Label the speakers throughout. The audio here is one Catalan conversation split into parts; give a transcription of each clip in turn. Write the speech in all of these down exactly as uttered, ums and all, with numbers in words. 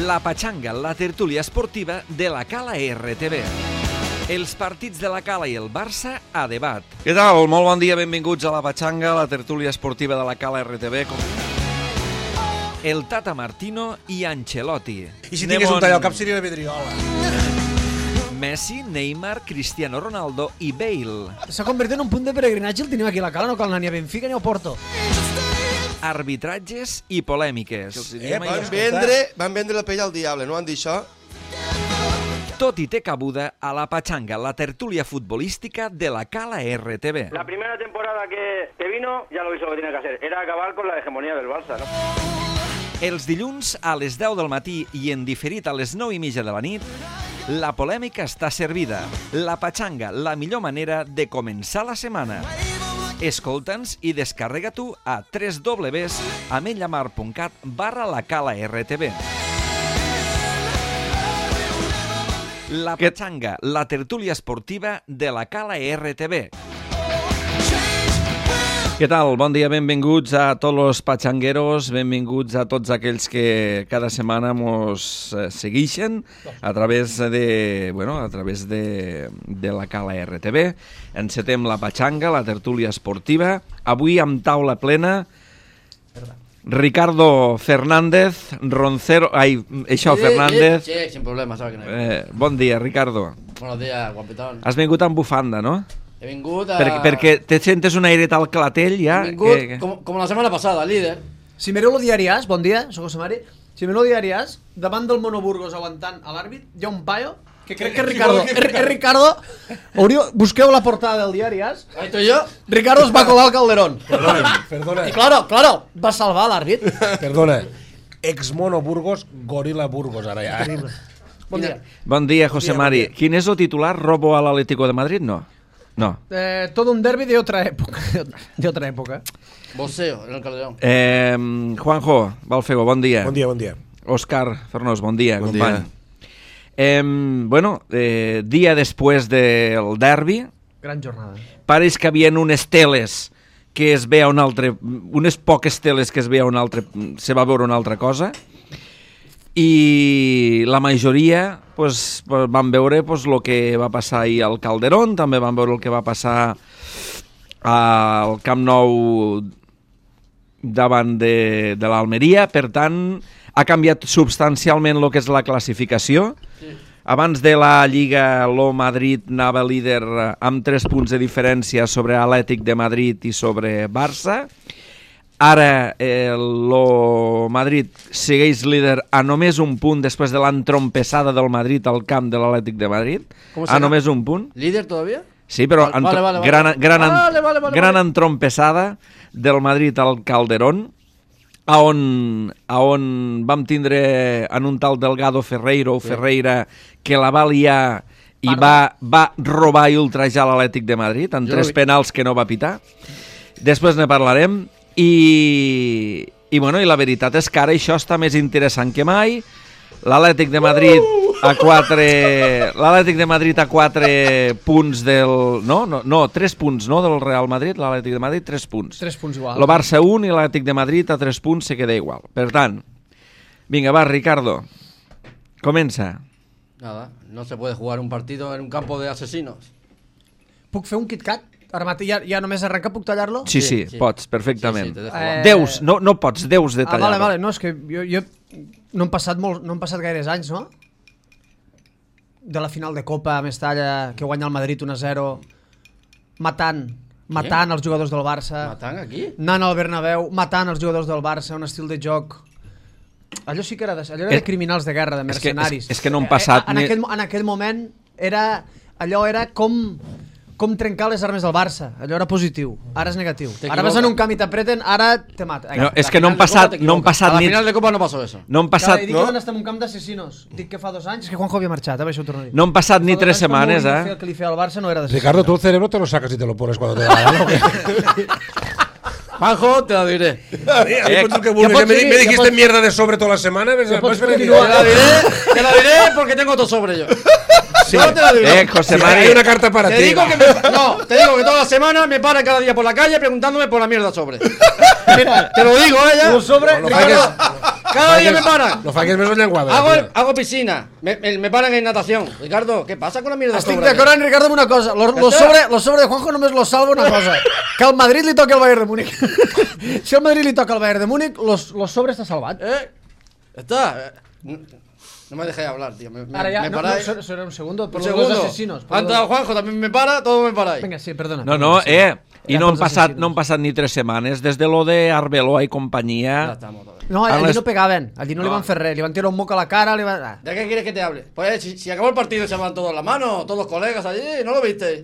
Speaker 1: La Patxanga, la tertúlia esportiva de la Cala R T V. Els partits de la Cala i el Barça a debat. Què tal? Molt bon dia, benvinguts a la Patxanga, la tertúlia esportiva de la Cala R T V. El Tata Martino i Ancelotti.
Speaker 2: I si tingués un tall al cap seria la vidriola.
Speaker 1: Messi, Neymar, Cristiano Ronaldo i Bale.
Speaker 3: S'ha convertit en un punt de peregrinatge el tenim aquí a la Cala, no cal anar ni a Benfica ni a Porto.
Speaker 1: Arbitratges i polèmiques.
Speaker 4: Eh, van, vendre, van vendre la pell al diable, no han dit això?
Speaker 1: Tot i té cabuda a la Patxanga, la tertúlia futbolística de la Cala R T V.
Speaker 5: La primera temporada que, que vino ya lo hizo lo que tenía que hacer, era acabar con la hegemonía del Barça, ¿no?
Speaker 1: Els dilluns a les deu del matí i en diferit a les nou i mitja de la nit, la polèmica està servida. La Patxanga, la millor manera de començar la setmana. Escolta'ns i descarrega tu a w w w punt ametlllamar punt cat barra la Cala R T V. La Patxanga, la tertúlia esportiva de la Cala R T V. Què tal? Bon dia, benvinguts a tots los patxangueros, benvinguts a tots aquells que cada setmana mos segueixen a través de, bueno, a través de, de la Cala R T V. Encetem la Patxanga, la tertúlia esportiva. Avui amb taula plena, Ricardo Fernández, Roncero... Ai, això, Fernández.
Speaker 6: Sí, sin problema, sabe que no hay.
Speaker 1: Eh, bon dia, Ricardo.
Speaker 6: Buenos días, guapetón.
Speaker 1: Has vingut amb bufanda, no?
Speaker 6: He vingut a...
Speaker 1: Per, perquè te sentes un airet al clatell ja?
Speaker 6: He vingut
Speaker 1: que...
Speaker 6: com, com la setmana passada, líder.
Speaker 3: Si mireu el diari As, bon dia, soc José Mari. Si mireu el diari As, davant del Monoburgos aguantant a l'àrbit, hi ha un paio que crec que és Ricardo. És Ricardo. Hauríeu, busqueu la portada del diari As.
Speaker 6: Ahí estoy yo.
Speaker 3: Ricardo es va colar al Calderón.
Speaker 2: Perdona, perdona.
Speaker 3: I claro, claro, va salvar l'àrbit.
Speaker 2: Perdona. Ex-Mono Burgos, Gorila Burgos, ara ja.
Speaker 3: Bon dia.
Speaker 1: Bon dia, José
Speaker 2: Bon dia,
Speaker 1: Mari.
Speaker 2: bon dia.
Speaker 1: Quin és el titular? ¿Robo al Atlético de Madrid? No. No.
Speaker 3: Eh, todo un derbi de otra época. De otra época.
Speaker 6: Boxeo en el Calderón.
Speaker 1: Eh, Juanjo Balfego, bon dia.
Speaker 2: Bon dia, bon dia.
Speaker 1: Òscar Fernós, bon dia,
Speaker 4: Bon
Speaker 1: company.
Speaker 4: dia.
Speaker 1: Eh, bueno, eh, dia després del derbi,
Speaker 3: Gran jornada.
Speaker 1: pareix que havien unes teles que es veia un altre, unes poques teles que es veia un altre, se va veure una altra cosa, i la majoria pues, van veure pues, el que va passar ahir al Calderón, també van veure el que va passar al Camp Nou davant de, de l'Almeria. Per tant, ha canviat substancialment el que és la classificació.
Speaker 6: Sí.
Speaker 1: Abans de la Lliga, el Madrid anava líder amb tres punts de diferència sobre Atlètic de Madrid i sobre Barça. Ara eh, el Madrid segueix líder a només un punt després de l'entrompessada del Madrid al camp de l'Atlètic de Madrid.
Speaker 6: ¿Cómo
Speaker 1: A
Speaker 6: será?
Speaker 1: només un punt.
Speaker 6: ¿Líder todavía?
Speaker 1: Sí, però
Speaker 6: Vale, vale, vale,
Speaker 1: gran,
Speaker 6: vale.
Speaker 1: gran,
Speaker 6: Vale, vale, vale,
Speaker 1: gran
Speaker 6: vale.
Speaker 1: entrompessada del Madrid al Calderón, a on, a on vam tindre en un tal Delgado Ferreiro o
Speaker 6: Sí.
Speaker 1: Ferreira que la va liar i va, va robar i ultrajar l'Atlètic de Madrid en
Speaker 6: Jo
Speaker 1: tres
Speaker 6: no vi-
Speaker 1: penals que no va pitar. Després ne parlarem. I, i, bueno, i la veritat és que ara això està més interessant que mai. L'Atlètic de Madrid a quatre l'Atlètic de Madrid a quatre punts del... No, no, no, tres punts, no, del Real Madrid, l'Atlètic de Madrid, tres punts.
Speaker 3: Tres punts igual.
Speaker 1: El Barça un i l'Atlètic de Madrid a tres punts se queda igual. Per tant, vinga, va, Ricardo, comença.
Speaker 6: Nada, no se puede jugar un partido en un campo de asesinos.
Speaker 3: Puc fer un KitKat? Ara mateix ja, ja només arrenca, puc tallar-lo?
Speaker 1: Sí, sí,
Speaker 6: Sí, sí.
Speaker 1: pots, perfectament.
Speaker 6: Sí, sí, te dejo.
Speaker 3: Eh,
Speaker 1: Deus, no, no pots, deus de
Speaker 3: Ah,
Speaker 1: tallar.
Speaker 3: vale, vale, no, és que jo, jo no han passat molt, no han passat gaires anys, no? De la final de Copa a Mestalla, que guanya el Madrid un a zero, matant, matant els jugadors del Barça,
Speaker 6: ¿Matan aquí?
Speaker 3: anant al Bernabéu, matant els jugadors del Barça, un estil de joc... Allò sí que era de, allò era de
Speaker 1: És-
Speaker 3: criminals de guerra, de
Speaker 1: és que-
Speaker 3: mercenaris.
Speaker 1: és- és que no han passat
Speaker 3: Eh, en,
Speaker 1: ni-
Speaker 3: aquell, en aquell moment era, allò era com... com trencar les armes del Barça. Allò era positiu. Ara és negatiu. Ara vas en un camp i t'apreten, ara te mata.
Speaker 1: No, és
Speaker 6: La
Speaker 1: que no han
Speaker 6: final de Copa
Speaker 1: passat,
Speaker 6: te
Speaker 1: no han
Speaker 6: equivocas.
Speaker 1: passat
Speaker 6: A la
Speaker 1: ni...
Speaker 6: final de Copa no pasó eso.
Speaker 1: No han
Speaker 3: Passat,
Speaker 1: passat,
Speaker 3: dic
Speaker 1: no?
Speaker 3: que van estar en un camp d'assassinos. Dic que fa dos anys, és que Juanjo havia marxat, eh? Això ho torno a dir.
Speaker 1: No han passat ni
Speaker 3: Fa dos
Speaker 1: tres
Speaker 3: anys, quan
Speaker 1: setmanes,
Speaker 3: Mourinho feia
Speaker 1: eh?
Speaker 3: El que li feia al Barça no era d'assassinos.
Speaker 2: Ricardo, tú el cerebro te lo sacas y te lo pones cuando te da la gana, ¿o qué?
Speaker 6: Juanjo, te lo diré.
Speaker 2: Eh,
Speaker 3: ja
Speaker 2: que
Speaker 3: pots
Speaker 2: me, me
Speaker 3: seguir, ja
Speaker 2: dijiste
Speaker 3: pots-
Speaker 2: mierda de sobre toda la semana. ¿ves?
Speaker 3: Ja pots
Speaker 2: Vas a venir-
Speaker 3: continuar.
Speaker 6: Te la diré, te la diré porque tengo otro sobre yo.
Speaker 2: Sí.
Speaker 6: No te la diré.
Speaker 1: Eh, José
Speaker 2: Sí,
Speaker 1: Mari,
Speaker 2: hay una carta para
Speaker 6: Te
Speaker 2: ti.
Speaker 6: digo que me, no, te digo que toda la semana me paran cada día por la calle preguntándome por la mierda sobre.
Speaker 3: Mira,
Speaker 6: Te lo digo, ella.
Speaker 3: un sobre...
Speaker 2: No
Speaker 3: Ricardo,
Speaker 2: falles.
Speaker 6: Cada día me paran.
Speaker 2: No falles més el llenguado.
Speaker 6: Hago, hago piscina, me, me, me paran en natación. Ricardo, ¿qué pasa con la mierda?
Speaker 3: Estic d'acord amb Ricardo amb una cosa. Lo, lo, sobre, lo sobre de Juanjo només lo salva una cosa. Que al Madrid li toca el Bayern de Múnich. Si al Madrid li toca el Bayern de Múnich, los, los sobre està salvat.
Speaker 6: ¿Eh? Está. No, no me dejéis hablar, tío. Me, me,
Speaker 3: Ara ja,
Speaker 6: me
Speaker 3: no,
Speaker 6: paráis.
Speaker 3: no, será un segundo. Por
Speaker 6: Un
Speaker 3: los
Speaker 6: segundo.
Speaker 3: dos asesinos. por
Speaker 6: Ha
Speaker 3: los
Speaker 6: entrado
Speaker 3: dos-
Speaker 6: Juanjo, también me para, todo me paráis.
Speaker 3: Vinga, sí, perdona.
Speaker 1: No, no,
Speaker 3: Sí.
Speaker 1: eh, i
Speaker 3: Era
Speaker 1: no han,
Speaker 3: pels
Speaker 1: passat,
Speaker 3: assassinos.
Speaker 1: no han passat ni tres setmanes des de lo de Arbeloa i
Speaker 6: Ya
Speaker 1: companyia.
Speaker 6: estamos todos.
Speaker 3: No, allí
Speaker 1: Ara les-
Speaker 3: no pegaven. Allí no, li
Speaker 6: No.
Speaker 3: van fer res. Li van tirar un moc a la cara, li van... Ah.
Speaker 6: ¿De qué quieres que te hable? Pues si, si acabó el partido y se van todos las manos, todos los colegas allí, ¿no lo viste?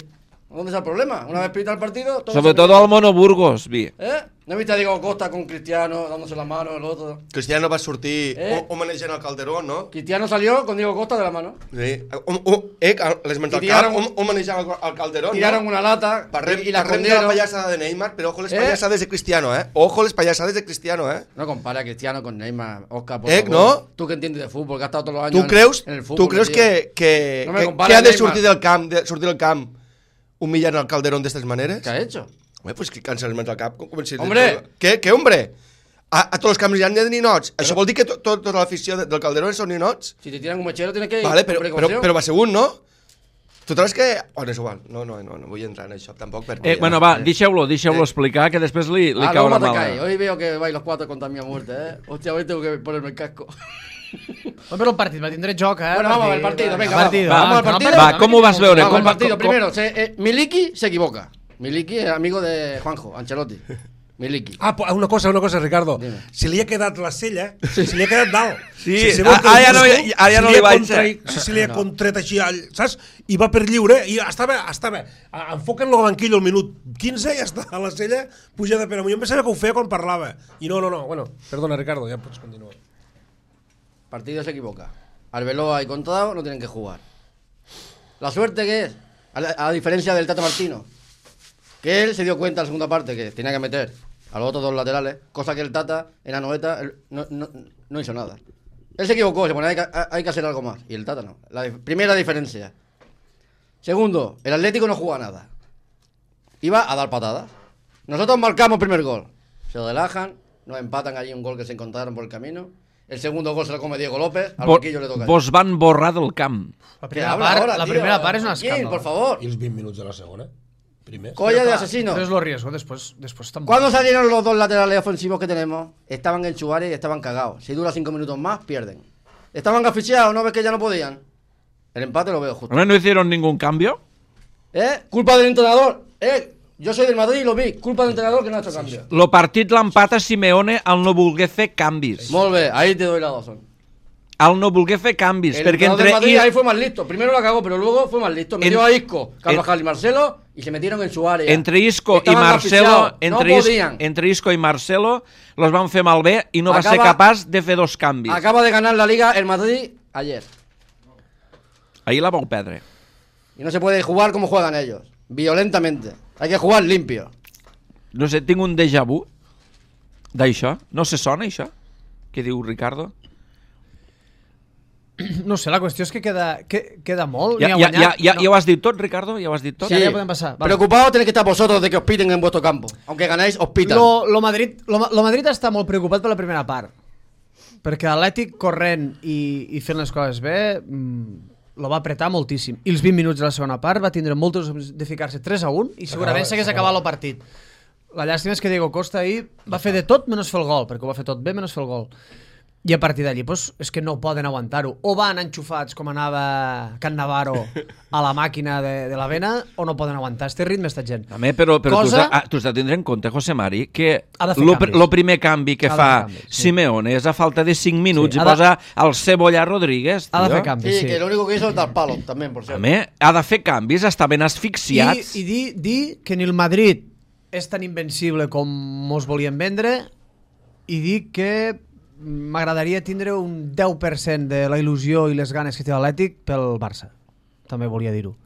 Speaker 6: ¿Dónde está el problema? Una vez pita el partido, todos
Speaker 1: Sobre
Speaker 6: se-
Speaker 1: todo al Mono Burgos, vi.
Speaker 6: ¿Eh? ¿No viste a Diego Costa con Cristiano dándose la mano, el otro?
Speaker 4: Cristiano va sortir
Speaker 6: Eh?
Speaker 4: homenatjant al Calderón, no?
Speaker 6: Cristiano salió con Diego Costa de la mano.
Speaker 4: Sí. Um, um, eh, l'esmentat al
Speaker 6: I
Speaker 4: cap,
Speaker 6: tiraron-
Speaker 4: hom- homenatjant al, al Calderón,
Speaker 6: Tiraron
Speaker 4: no?
Speaker 6: una lata
Speaker 4: Parlem,
Speaker 6: y, y la
Speaker 4: parlem de la
Speaker 6: escondieron.
Speaker 4: payasada de Neymar, pero ojo les
Speaker 6: Eh?
Speaker 4: payasades de Cristiano, eh? Ojo les payasades de Cristiano, eh?
Speaker 6: No compara a Cristiano con Neymar, Oscar, por
Speaker 4: Eh,
Speaker 6: favor.
Speaker 4: no?
Speaker 6: Tú que entiendes de fútbol, que has estado todos los años
Speaker 4: Tu creus,
Speaker 6: en, en el fútbol.
Speaker 4: tu creus
Speaker 6: tío.
Speaker 4: que, que,
Speaker 6: No me
Speaker 4: que,
Speaker 6: compares,
Speaker 4: que ha de
Speaker 6: Neymar.
Speaker 4: sortir del camp, de sortir del camp humillant al Calderón d'estes maneres?
Speaker 6: ¿Qué ha hecho?
Speaker 4: Home, pues que cansa el al cap. Com, com si
Speaker 6: Hombre!
Speaker 4: Què, què, hombre? A, a tots els camps hi ha ninots. Això vol dir que to, to, tota l'afició de- del Calderón són ninots?
Speaker 6: Si te tiran un mechero tienes que ir.
Speaker 4: Vale, però,
Speaker 6: con
Speaker 4: però,
Speaker 6: precaución.
Speaker 4: però va ser un, no? Total és que... Bueno, és igual. No, no, no, no vull entrar en això tampoc perquè...
Speaker 1: Eh, bueno, va, deixeu-lo, deixeu-lo explicar, que després li, li
Speaker 6: Ah,
Speaker 1: caurà
Speaker 6: luego te
Speaker 1: mal.
Speaker 6: caes. Hoy veo que vais los cuatro contra mi muerte, ¿eh? Hostia, hoy tengo que ponerme el casco.
Speaker 3: Oh, però el partit va tindre joc, eh?
Speaker 6: Bueno, vamos al partido, venga,
Speaker 3: partido,
Speaker 1: va.
Speaker 6: vamos al
Speaker 3: que no
Speaker 6: partido.
Speaker 3: perdem,
Speaker 1: Va, com ho vas
Speaker 3: no
Speaker 1: veure?
Speaker 3: perdem.
Speaker 6: Vamos al
Speaker 1: com-
Speaker 6: partido.
Speaker 1: com-
Speaker 6: Primero, se, eh, Miliki se equivoca. Miliki es amigo de Juanjo, Ancelotti. Miliki.
Speaker 2: Ah, po- una cosa, una cosa, Ricardo.
Speaker 6: Dime.
Speaker 2: Si li ha quedat la cella, si li ha quedat dalt.
Speaker 1: Sí,
Speaker 2: si, si
Speaker 1: ah,
Speaker 2: veu que el
Speaker 1: ara ja no-
Speaker 2: busco,
Speaker 1: ara ja
Speaker 2: si
Speaker 1: no
Speaker 2: li
Speaker 1: li
Speaker 2: ha
Speaker 1: vaig
Speaker 2: contrai- Si, si li ha contret així, all, saps? I va per lliure, i estava, estava enfoquen-lo al banquillo al minut quinze i ja està a la sella pujada per amunt. Jo em pensava que ho feia quan parlava. I no, no, no. Bueno, perdona, Ricardo, ja pots continuar.
Speaker 6: Partido se equivoca. Arbeloa y Contrado no tienen que jugar. La suerte que es, a, la- a diferencia del Tata Martino, que él se dio cuenta en la segunda parte que tenía que meter a los otros dos laterales, cosa que el Tata en la noeta él no, no, no hizo nada. Él se equivocó, se pone, hay que, hay que hacer algo más, y el Tata no. La dif- primera diferencia. Segundo, el Atlético no juega nada. Iba a dar patadas. Nosotros marcamos el primer gol. Se relajan, nos empatan allí un gol que se encontraron por el camino. El segundo gol se lo come Diego López, al
Speaker 1: Vo-
Speaker 6: banquillo le toca.
Speaker 1: Vos van borrar del camp.
Speaker 3: La
Speaker 6: ¿Qué
Speaker 3: primera
Speaker 6: habla
Speaker 3: part,
Speaker 6: ahora,
Speaker 3: la
Speaker 6: tío?
Speaker 3: primera part és un
Speaker 6: ¿Quién,
Speaker 3: escàndol.
Speaker 6: por favor?
Speaker 2: I els vint minuts de la segona? Primer.
Speaker 6: Colla de asesino.
Speaker 3: Però és lo riesgo, després, després tampoc.
Speaker 6: ¿Cuándo salieron los dos laterales ofensivos que tenemos? Estaban en Chuare y estaban cagados. Si dura cinco minutos más, pierden. Estaban asfixiados, ¿no ves que ya no podían? El empate lo veo justo.
Speaker 1: ¿No, no hicieron ningún cambio?
Speaker 6: ¿Eh? Culpa del entrenador. ¿Eh? Yo soy del Madrid y lo vi. Culpa del entrenador que no ha hecho cambio.
Speaker 1: Lo partit l'empata Simeone al no voler fer canvis.
Speaker 6: Molt bé, ahí te doy la razón.
Speaker 1: Al no voler fer canvis.
Speaker 6: El
Speaker 1: perquè
Speaker 6: entrenador
Speaker 1: entre...
Speaker 6: del Madrid
Speaker 1: i-
Speaker 6: ahí fue más listo. Primero la cagó, pero luego fue más listo. Metió
Speaker 1: En-
Speaker 6: a Isco, Carvajal y Marcelo y se metieron en su área.
Speaker 1: Entre Isco i
Speaker 6: Estaban
Speaker 1: Marcelo,
Speaker 6: asfixiados,
Speaker 1: entre,
Speaker 6: no
Speaker 1: Is-
Speaker 6: podían.
Speaker 1: entre Isco i Marcelo los van fer malbé i no va ser
Speaker 6: Acaba-
Speaker 1: capaç de fer dos canvis.
Speaker 6: Acaba de ganar la Liga el Madrid ayer.
Speaker 1: Ahir la vau perdre.
Speaker 6: Y no se puede jugar como juegan ellos. Violentamente. Hay que jugar limpio.
Speaker 1: No sé, tinc un déjà vu d'això. No se sona, això? Què diu Ricardo?
Speaker 3: No sé, la qüestió és que queda, que, queda molt.
Speaker 1: Ja,
Speaker 3: ni ha
Speaker 1: ja, ja,
Speaker 3: guanyat.
Speaker 1: ja,
Speaker 3: No.
Speaker 1: ja ho has dit tot, Ricardo? Ja ho has dit tot?
Speaker 3: Sí, ya podem passar. Vale.
Speaker 6: Preocupados tenéis que estar vosotros de que os piten en vuestro campo. Aunque ganáis, os pitan.
Speaker 3: Lo, lo, Madrid, lo, lo Madrid està molt preocupat per la primera part. Perquè l'Atlètic corrent i, i fent les coses bé mmm, lo va apretar moltíssim. I els vint minuts de la segona part va tindre moltes opcions de ficar-se tres a un i segurament s'hagués acabat el partit. La llàstima és que Diego Costa ahir va fer de tot menys fer el gol, perquè ho va fer tot bé menys fer el gol. I a partir d'allí pues, és que no poden aguantar-ho. O van enxufats com anava Can Navarro a la màquina de, de la vena, o no poden aguantar este ritme esta gent.
Speaker 1: També, però, però
Speaker 3: Cosa-
Speaker 1: tu, has de, ah, tu has de tindre en compte, José Mari, que
Speaker 3: Ha de fer
Speaker 1: lo,
Speaker 3: canvis.
Speaker 1: lo primer canvi que
Speaker 3: Ha de
Speaker 1: fa
Speaker 3: fer canvis, sí.
Speaker 1: Simeone és a falta de cinc minuts
Speaker 3: Sí,
Speaker 1: i
Speaker 3: ha de-
Speaker 1: posa el Cebolla Rodríguez,
Speaker 3: Ha de
Speaker 1: tio.
Speaker 3: fer canvis,
Speaker 6: Sí,
Speaker 3: sí.
Speaker 6: que lo único que hizo es dar palos también, por cierto.
Speaker 1: També ha de fer canvis, estaven
Speaker 3: I,
Speaker 1: asfixiats.
Speaker 3: i dir, dir que ni el Madrid és tan invencible com mos volien vendre i dir que m'agradaria tindre un deu per cent de la il·lusió i les ganes que té l'Atlètic pel Barça. També volia dir-ho.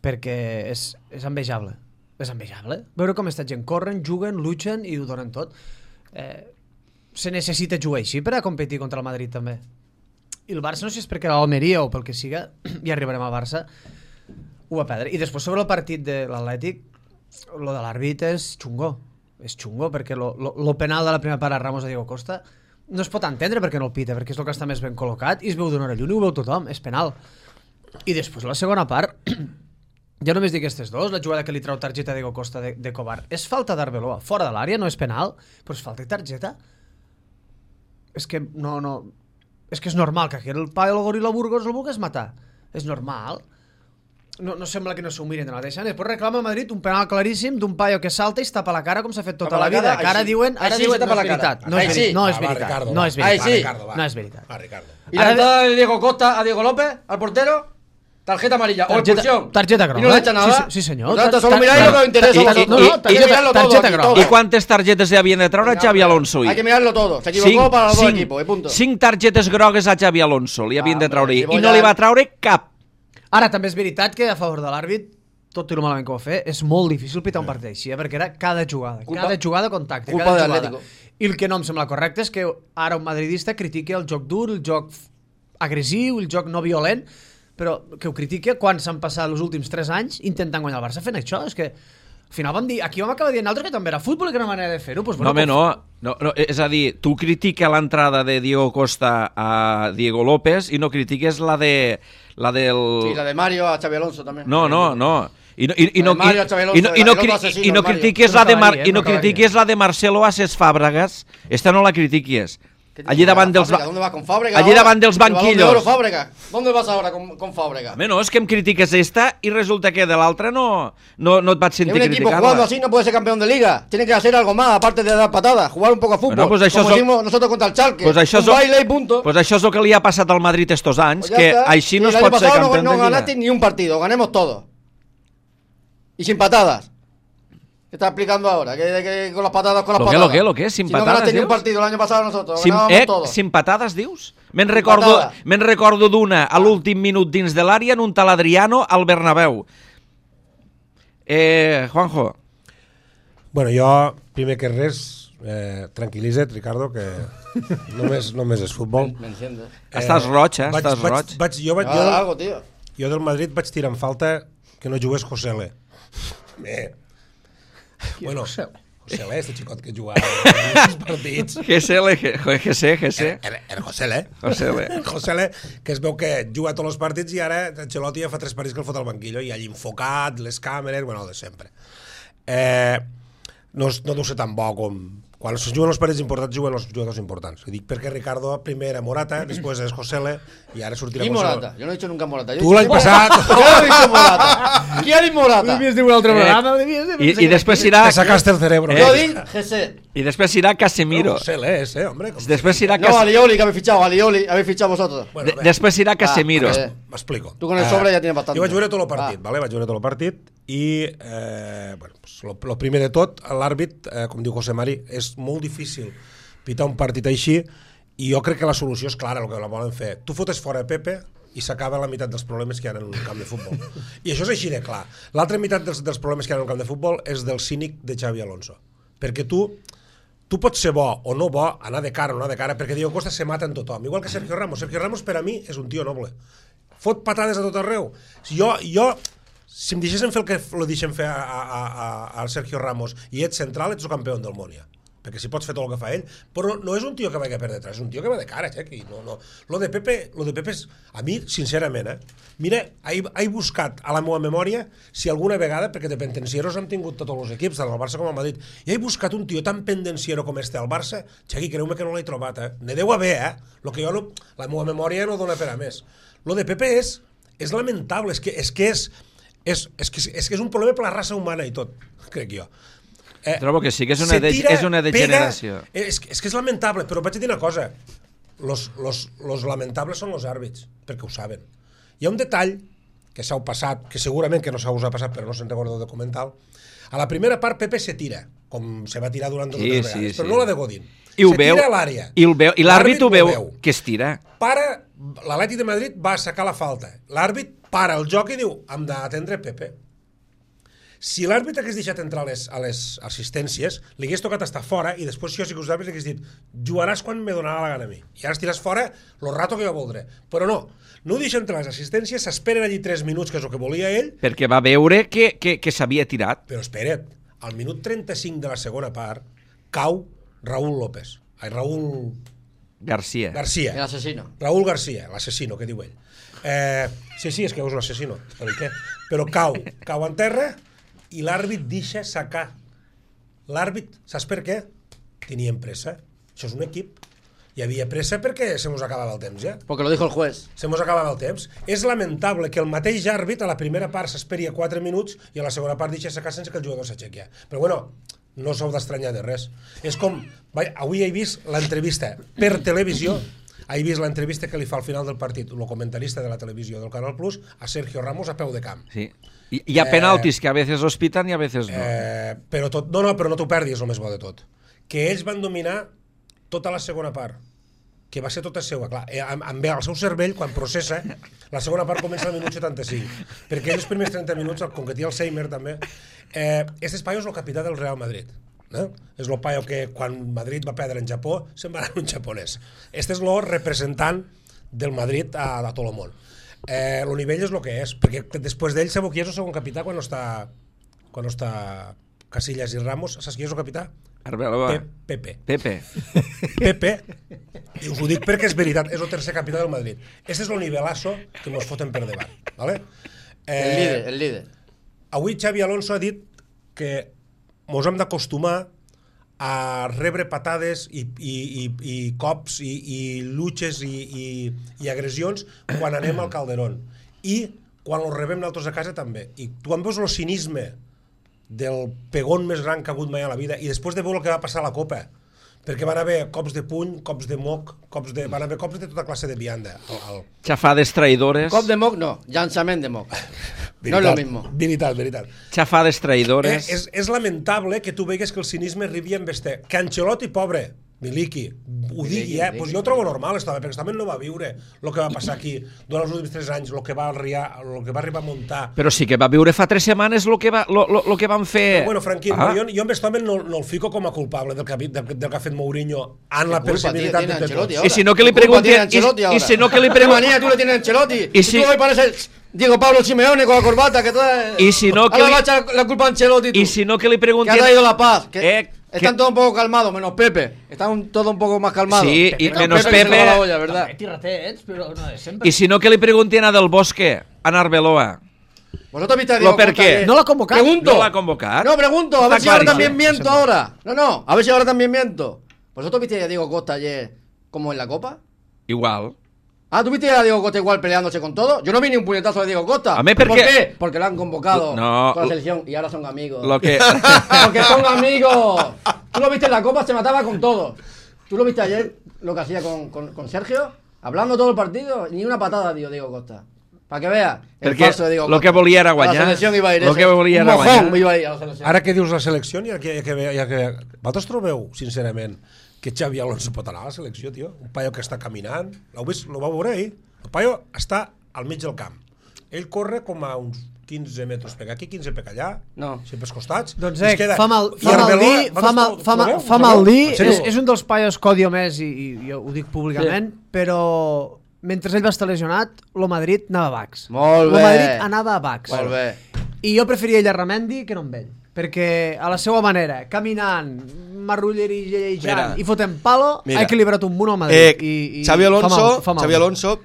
Speaker 3: Perquè és, és envejable. És envejable. Veure com aquesta gent corren, juguen, luchen i ho donen tot. Eh, se necessita jugar així per a competir contra el Madrid també. I el Barça, no sé si és perquè l'Almeria o pel que siga, ja arribarem al Barça, ho va perdre. I després sobre el partit de l'Atlètic, lo de l'àrbit és xungo. És xungo, perquè lo, lo, lo penal de la primera part a Ramos de Diego Costa no es pot entendre perquè no el pita, perquè és el que està més ben col·locat i es veu d'una hora lluny, ho veu tothom, és penal. I després la segona part, ja només dic aquestes dos, la jugada que li trau targeta a Diego Costa de, de Cobar, és falta d'Arbeloa, fora de l'àrea, no és penal, però és falta i targeta. És que no, no... És que és normal que aquí el paio del Gorila Burgos el vulgués matar. És normal. No, no sembla que no s'ho miren de la mateixa. Després reclama a Madrid un penal claríssim d'un paio que salta i es tapa la cara com s'ha fet tota la vida. Que ara diuen, ara diuen no és veritat. No és veritat. No és veritat. No és veritat. No és veritat.
Speaker 2: Va, Ricardo.
Speaker 6: Y la entrada de Diego Costa a Diego López, al portero, tarjeta amarilla o expulsión.
Speaker 3: Tarjeta groga.
Speaker 6: Y no le echa nada.
Speaker 3: Sí, senyor.
Speaker 6: Solo miráis lo que os interesa a vosotros.
Speaker 3: No, no, tarjeta groga.
Speaker 1: I quantes targetes li havien de treure a Xavi Alonso?
Speaker 6: Hay que mirarlo todo. Se equivocó para los dos equipos, y punto.
Speaker 1: Cinc targetes grogues a Xavi Alonso li havien de treure i no li va treure cap.
Speaker 3: Ara, també és veritat que a favor de l'àrbit, tot i el malament que ho va fer, és molt difícil pitar un partit així, eh? Perquè era cada jugada, culpa, cada jugada contacte,
Speaker 6: culpa
Speaker 3: cada
Speaker 6: de
Speaker 3: jugada.
Speaker 6: Atlético.
Speaker 3: I el que no em sembla correcte és que ara un madridista critique el joc dur, el joc agressiu, el joc no violent, però que ho critique quan s'han passat els últims tres anys intentant guanyar el Barça fent això. És que al final vam dir, aquí vam acabar dient altres que també era futbol i que era una manera de fer-ho. Pues, bueno,
Speaker 1: no, home, no, no, no. És a dir, tu critica l'entrada de Diego Costa a Diego López i no critiques la de... La del...
Speaker 6: Sí, la de Mario a Xavi Alonso també.
Speaker 1: No, no, no. I no, i, i no, i, i no, i no, i no critiques la de Mar, i no critiques la de Marcelo a ses Fàbregas. Esta no la critiques. Allí davant dels
Speaker 6: ¿Dónde vas con Fábregas?
Speaker 1: Allí davant dels banquillos.
Speaker 6: ¿Dónde vas ahora con, con Fábregas?
Speaker 1: Home, no, és que em critiques esta i resulta que de l'altra no, no, no et vaig sentir criticar-la.
Speaker 6: Un equipo jugando así no puede ser campeón de liga. Tiene que hacer algo más, aparte de dar patadas, jugar un poco a fútbol.
Speaker 1: Bueno, pues això
Speaker 6: como
Speaker 1: so...
Speaker 6: hicimos nosotros contra el Schalke.
Speaker 1: Pues això
Speaker 6: un baile y punto.
Speaker 1: Pues això és el que li ha passat al Madrid estos anys,
Speaker 6: pues
Speaker 1: que
Speaker 6: está.
Speaker 1: així no es pot ser
Speaker 6: no,
Speaker 1: campió
Speaker 6: no
Speaker 1: de liga.
Speaker 6: ganaste ni un partido, ganemos todos. Y sin patadas. ¿Qué está explicando ahora? Que, que con las patadas, con las
Speaker 1: lo
Speaker 6: patadas.
Speaker 1: Que, lo que, lo que, sin
Speaker 6: si
Speaker 1: patadas,
Speaker 6: no ganaste
Speaker 1: dius?
Speaker 6: ni un partido el año pasado nosotros,
Speaker 1: Sin,
Speaker 6: ganábamos
Speaker 1: eh,
Speaker 6: todos.
Speaker 1: Sin patades, dius? Me'n recordo, me recordo d'una a l'últim minut dins de l'àrea en un tal Adriano al Bernabéu. Eh, Juanjo.
Speaker 2: Bueno, jo, primer que res, eh, tranquil·litza't, Ricardo, que només, només és futbol.
Speaker 6: M'enciende.
Speaker 1: Eh, estàs roig, eh?
Speaker 2: Vaig,
Speaker 1: Estàs
Speaker 2: vaig,
Speaker 1: roig.
Speaker 2: Vaig, jo, vaig,
Speaker 6: Ah,
Speaker 2: jo,
Speaker 6: algo, tío.
Speaker 2: jo del Madrid vaig tirar en falta que no jugués Josele. Eh. Bueno, Josele, este xicot que jugava en partits.
Speaker 1: G C L, G C, G C.
Speaker 2: Era, era Josele.
Speaker 1: Josele.
Speaker 2: Josele, que es veu que juga tots els partits i ara Ancelotti ja fa tres partits que el fot al banquillo i allà enfocat, les càmeres, bueno, de sempre. Eh, no, no deu ser tan bo com... Quan es juguen els partits importants, juguen els jugadors importants. Ho dic perquè Ricardo primer era Morata, després és Josele i ara sortirà...
Speaker 6: ¿Y Morata? Yo no he dicho nunca Morata. Yo
Speaker 2: Tu l'any passat...
Speaker 6: ¿Qué ha dicho Morata? ¿Quién ha dicho Morata?
Speaker 3: Devies dir un altre programa.
Speaker 1: I, i després serà...
Speaker 2: Te sacaste el cerebro.
Speaker 6: Yo digo G C.
Speaker 1: I després serà Casemiro.
Speaker 2: Josele, ese, hombre. Com...
Speaker 1: Després serà
Speaker 6: No,
Speaker 1: Casemiro.
Speaker 6: Alioli, que habéis fichado. Alioli, habéis fichado vosotros.
Speaker 2: Bueno,
Speaker 1: De, després serà Casemiro.
Speaker 6: Ah,
Speaker 2: M'explico.
Speaker 6: Tu con el sobre ja tienes bastante.
Speaker 2: Jo vaig veure tot el partit,
Speaker 6: Ah.
Speaker 2: vale? vaig veure tot el partit i, eh, bueno, pues, lo, lo primer de tot, l'àrbit, eh, com diu José Mari, és molt difícil pitar un partit així i jo crec que la solució és clara, el que la volen fer. Tu fotes fora Pepe i s'acaba la meitat dels problemes que hi ha en un camp de futbol. I això és així de clar. L'altra meitat dels, dels problemes que hi ha en un camp de futbol és del cínic de Xavi Alonso. Perquè tu tu pots ser bo o no bo, anar de cara o no anar de cara, perquè Diego Costa se mata en tothom. Igual que Sergio Ramos. Sergio Ramos per a mi és un tio noble. Fot patades a tot arreu. Si jo, jo si em deixessin fer el que lo deixen fer a, a, a, a Sergio Ramos i ets central, ets el campió del món ja. Perquè si pots fer tot el que fa ell, però no és un tio que vagi per detrás, és un tio que va de cara, Xequi. No, no. Lo de Pepe, lo de Pepe és, a mi, sincerament, eh? Mira, he, he buscat a la meva memòria si alguna vegada, perquè de pendencieros hem tingut tots els equips, tant al Barça com al Madrid, i he buscat un tio tan pendenciero com este al Barça, Xequi, creu-me que no l'he trobat, eh? Ne deu haver, eh? Lo que jo no, la meva memòria no dona per a més. Lo de Pepe és, és lamentable, és que és, que és, és, és, que és, és, que és un problema per la raça humana i tot, crec jo. Eh,
Speaker 1: Trobo que sí, que és una, de,
Speaker 2: tira,
Speaker 1: és una degeneració.
Speaker 2: Pega, és, és que és lamentable, però vaig dir una cosa. Los, los, los lamentables són els àrbits, perquè ho saben. Hi ha un detall que s'ha passat, que segurament que no s'ha usat passat, però no se'n recorda el documental. A la primera part Pepe se tira, com se va tirar durant totes
Speaker 1: Sí,
Speaker 2: les
Speaker 1: sí,
Speaker 2: vegades,
Speaker 1: sí.
Speaker 2: però no la de Godín.
Speaker 1: I ho
Speaker 2: se
Speaker 1: veu,
Speaker 2: tira a l'àrea.
Speaker 1: i, el veu, i l'àrbit ho veu, que es tira.
Speaker 2: Para, l'Atlètic de Madrid va sacar la falta. L'àrbit para el joc i diu, hem d'atendre Pepe. Si l'àrbit hagués deixat entrar a les, a les assistències, li hagués tocat estar fora i després si jo sigui els àrbits li hagués dit jugaràs quan me donarà la gana a mi. I ara estiràs fora lo rato que jo voldré. Però no, no ho deixa entrar a les assistències, s'esperen allí tres minuts, que és el que volia ell.
Speaker 1: Perquè va veure que, que, que s'havia tirat.
Speaker 2: Però espera't, al minut trenta-cinc de la segona part cau Raúl López. Ai, Raúl...
Speaker 1: García.
Speaker 2: García.
Speaker 6: El asesino.
Speaker 2: Raúl García, l'assassino, que diu ell. Eh, sí, sí, és que és un assassino. Però, què? Però cau, cau en terra i l'àrbit deixa sacar. L'àrbit, saps per què? Tenien pressa. Això és un equip. Hi havia pressa perquè se mos acabava el temps, ja.
Speaker 6: Porque lo dijo el juez.
Speaker 2: Se mos acabava el temps. És lamentable que el mateix àrbit a la primera part s'esperi a quatre minuts i a la segona part deixa sacar sense que el jugador s'aixequi. Però bueno, no s'heu d'estranyar de res. És com... Vai, avui he vist l'entrevista per televisió, he vist l'entrevista que li fa al final del partit el comentarista de la televisió del Canal Plus a Sergio Ramos a peu de camp.
Speaker 1: Sí. Hi, hi ha penaltis que a veces los pitan i a veces no.
Speaker 2: Eh, però tot, no, no, però no t'ho perdis, el més bo de tot. Que ells van dominar tota la segona part, que va ser tota seva, clar, eh, amb, amb el seu cervell, quan processa, la segona part comença al minut setanta-cinc, perquè ells els primers trenta minuts, com que té Alzheimer també, eh, este paio és el capità del Real Madrid, no? És el paio que quan Madrid va perdre en Japó, se'n va anar un japonès. Este és el representant del Madrid a, a tot el món. Eh, el nivell és el que és, perquè després d'ell sabeu qui és el segon capità quan no està, quan no està Casillas i Ramos, saps qui és el capità?
Speaker 1: Arbeloa.
Speaker 2: Pepe.
Speaker 1: Pepe.
Speaker 2: Pepe, i us ho dic perquè és veritat, és el tercer capità del Madrid. Este és el nivelazo que mos foten per davant. ¿Vale? Eh,
Speaker 6: El líder, el líder.
Speaker 2: Avui Xavi Alonso ha dit que mos hem d'acostumar a rebre patades i, i, i, i cops i, i luches i, i, i agressions quan anem al Calderón. I quan els rebem nosaltres a casa també. I tu em veus el cinisme del pegón més gran que ha hagut mai a la vida i després de veure el que va passar a la Copa, perquè van haver cops de puny, cops de moc, cops de... van haver cops de tota classe de vianda. El, el...
Speaker 1: Chafades traïdores.
Speaker 6: Cop de moc, no. Llançament de moc. No es lo mismo.
Speaker 2: Veritat, veritat.
Speaker 1: Chafades traïdores.
Speaker 2: Eh, és, és lamentable que tu vegues que el cinisme arribi amb este. Que Ancelotti, pobre, Miliki, ho digui, eh? Pues jo ho trobo normal, estava, perquè també no va viure el que va passar aquí durant els últims tres anys, el que va arribar, el que va arribar a muntar.
Speaker 1: Però sí que va viure fa tres setmanes el que, va, lo, lo, lo que van fer...
Speaker 2: Però, bueno, Franquín,
Speaker 1: ah.
Speaker 2: jo, jo amb aquest home no, no el fico com a culpable del que, del, del que ha fet Mourinho en la personalitat de tots.
Speaker 1: I si no que li pregunten... I si no que li pregunten...
Speaker 6: manía tú le tienes a Ancelotti.
Speaker 1: Y si...
Speaker 6: tú hoy pareces Diego Pablo Simeone con la corbata que trae...
Speaker 1: Y si no que
Speaker 6: ahora
Speaker 1: li...
Speaker 6: va a echar la culpa a Ancelotti tú.
Speaker 1: Y si no que li pregunten...
Speaker 6: Que ha traído la paz. Que...
Speaker 1: Eh,
Speaker 6: Están
Speaker 1: que...
Speaker 6: todos un poco calmados, menos Pepe. Están todos un poco más calmados.
Speaker 1: Sí, y
Speaker 6: menos
Speaker 1: menos
Speaker 6: Pepe. que se
Speaker 1: Pepe.
Speaker 6: le va la olla, ¿verdad?
Speaker 3: També tirratets, però no de sempre.
Speaker 1: I si no que li pregunten a Del Bosque, a Narbeloa.
Speaker 6: ¿Vosotros viste a
Speaker 1: ¿Lo
Speaker 6: Diego
Speaker 1: per
Speaker 6: Costa
Speaker 1: qué?
Speaker 6: ayer?
Speaker 3: No l'ha convocat.
Speaker 6: Pregunto.
Speaker 1: No l'ha convocat.
Speaker 6: No, pregunto. A ver
Speaker 1: Está
Speaker 6: si ahora
Speaker 1: clarísimo.
Speaker 6: también miento ahora. No, no. A ver si ahora también miento. ¿Vosotros viste a Diego Costa ayer como en la Copa?
Speaker 1: Igual.
Speaker 6: Ah, ¿tú viste a Diego Costa igual peleándose con todo? Yo no vi ni un puñetazo de Diego Costa.
Speaker 1: A mí,
Speaker 6: ¿Por
Speaker 1: porque-
Speaker 6: qué? Porque lo han convocado
Speaker 1: No.
Speaker 6: con la selección y ahora son amigos.
Speaker 1: Lo que...
Speaker 6: Porque son amigos. Tú lo viste en la Copa, se mataba con todos. ¿Tú lo viste ayer lo que hacía con, con, con Sergio? Hablando todo el partido, ni una patada dio Diego Costa. Para que vea el
Speaker 1: Perquè
Speaker 6: falso de Diego
Speaker 1: lo
Speaker 6: Costa.
Speaker 1: que volia era
Speaker 6: A
Speaker 1: guanyar.
Speaker 6: la selección iba a ir
Speaker 1: Lo
Speaker 6: ese.
Speaker 1: que volia
Speaker 6: Un
Speaker 1: era
Speaker 6: mojón
Speaker 1: guanyar.
Speaker 6: iba a ir a la selección.
Speaker 2: Ara que dius la selecció, ja que, ja que, ja que... Vosaltres trobeu, sincerament, que Xavi Alonso pot anar a la selecció, tio? Un paio que està caminant, l'heu vist, lo va veure ahir? El paio està al mig del camp. Ell corre com a uns quinze metres per aquí, quinze per allà,
Speaker 6: No.
Speaker 2: sempre als costats.
Speaker 3: Doncs
Speaker 2: i es
Speaker 3: eh,
Speaker 2: queda-
Speaker 3: fa mal,
Speaker 2: i
Speaker 3: fa mal
Speaker 2: Arbeloa,
Speaker 3: dir,
Speaker 2: vosaltres
Speaker 3: fa mal,
Speaker 2: ho
Speaker 3: fa, mal,
Speaker 2: trobeu?
Speaker 3: fa
Speaker 2: Ho
Speaker 3: mal
Speaker 2: trobeu?
Speaker 3: dir,
Speaker 2: En sèrio?
Speaker 3: és, és un dels paios que odio més i, i jo ho dic públicament, sí. Però mentre ell va estar lesionat, lo Madrid anava a Bax.
Speaker 6: Molt
Speaker 3: Lo
Speaker 6: bé.
Speaker 3: Madrid anava a Bax.
Speaker 6: Molt bé.
Speaker 3: I jo preferia ell a Ramendi que no amb ell. Perquè a la seva manera, caminant, marrullerejant
Speaker 4: Mira.
Speaker 3: i fotent palo,
Speaker 4: Mira.
Speaker 3: ha equilibrat un munt al
Speaker 4: Eh,
Speaker 3: Madrid. I, i
Speaker 4: Xavi Alonso,
Speaker 3: fa mal, fa mal.
Speaker 4: Xavi Alonso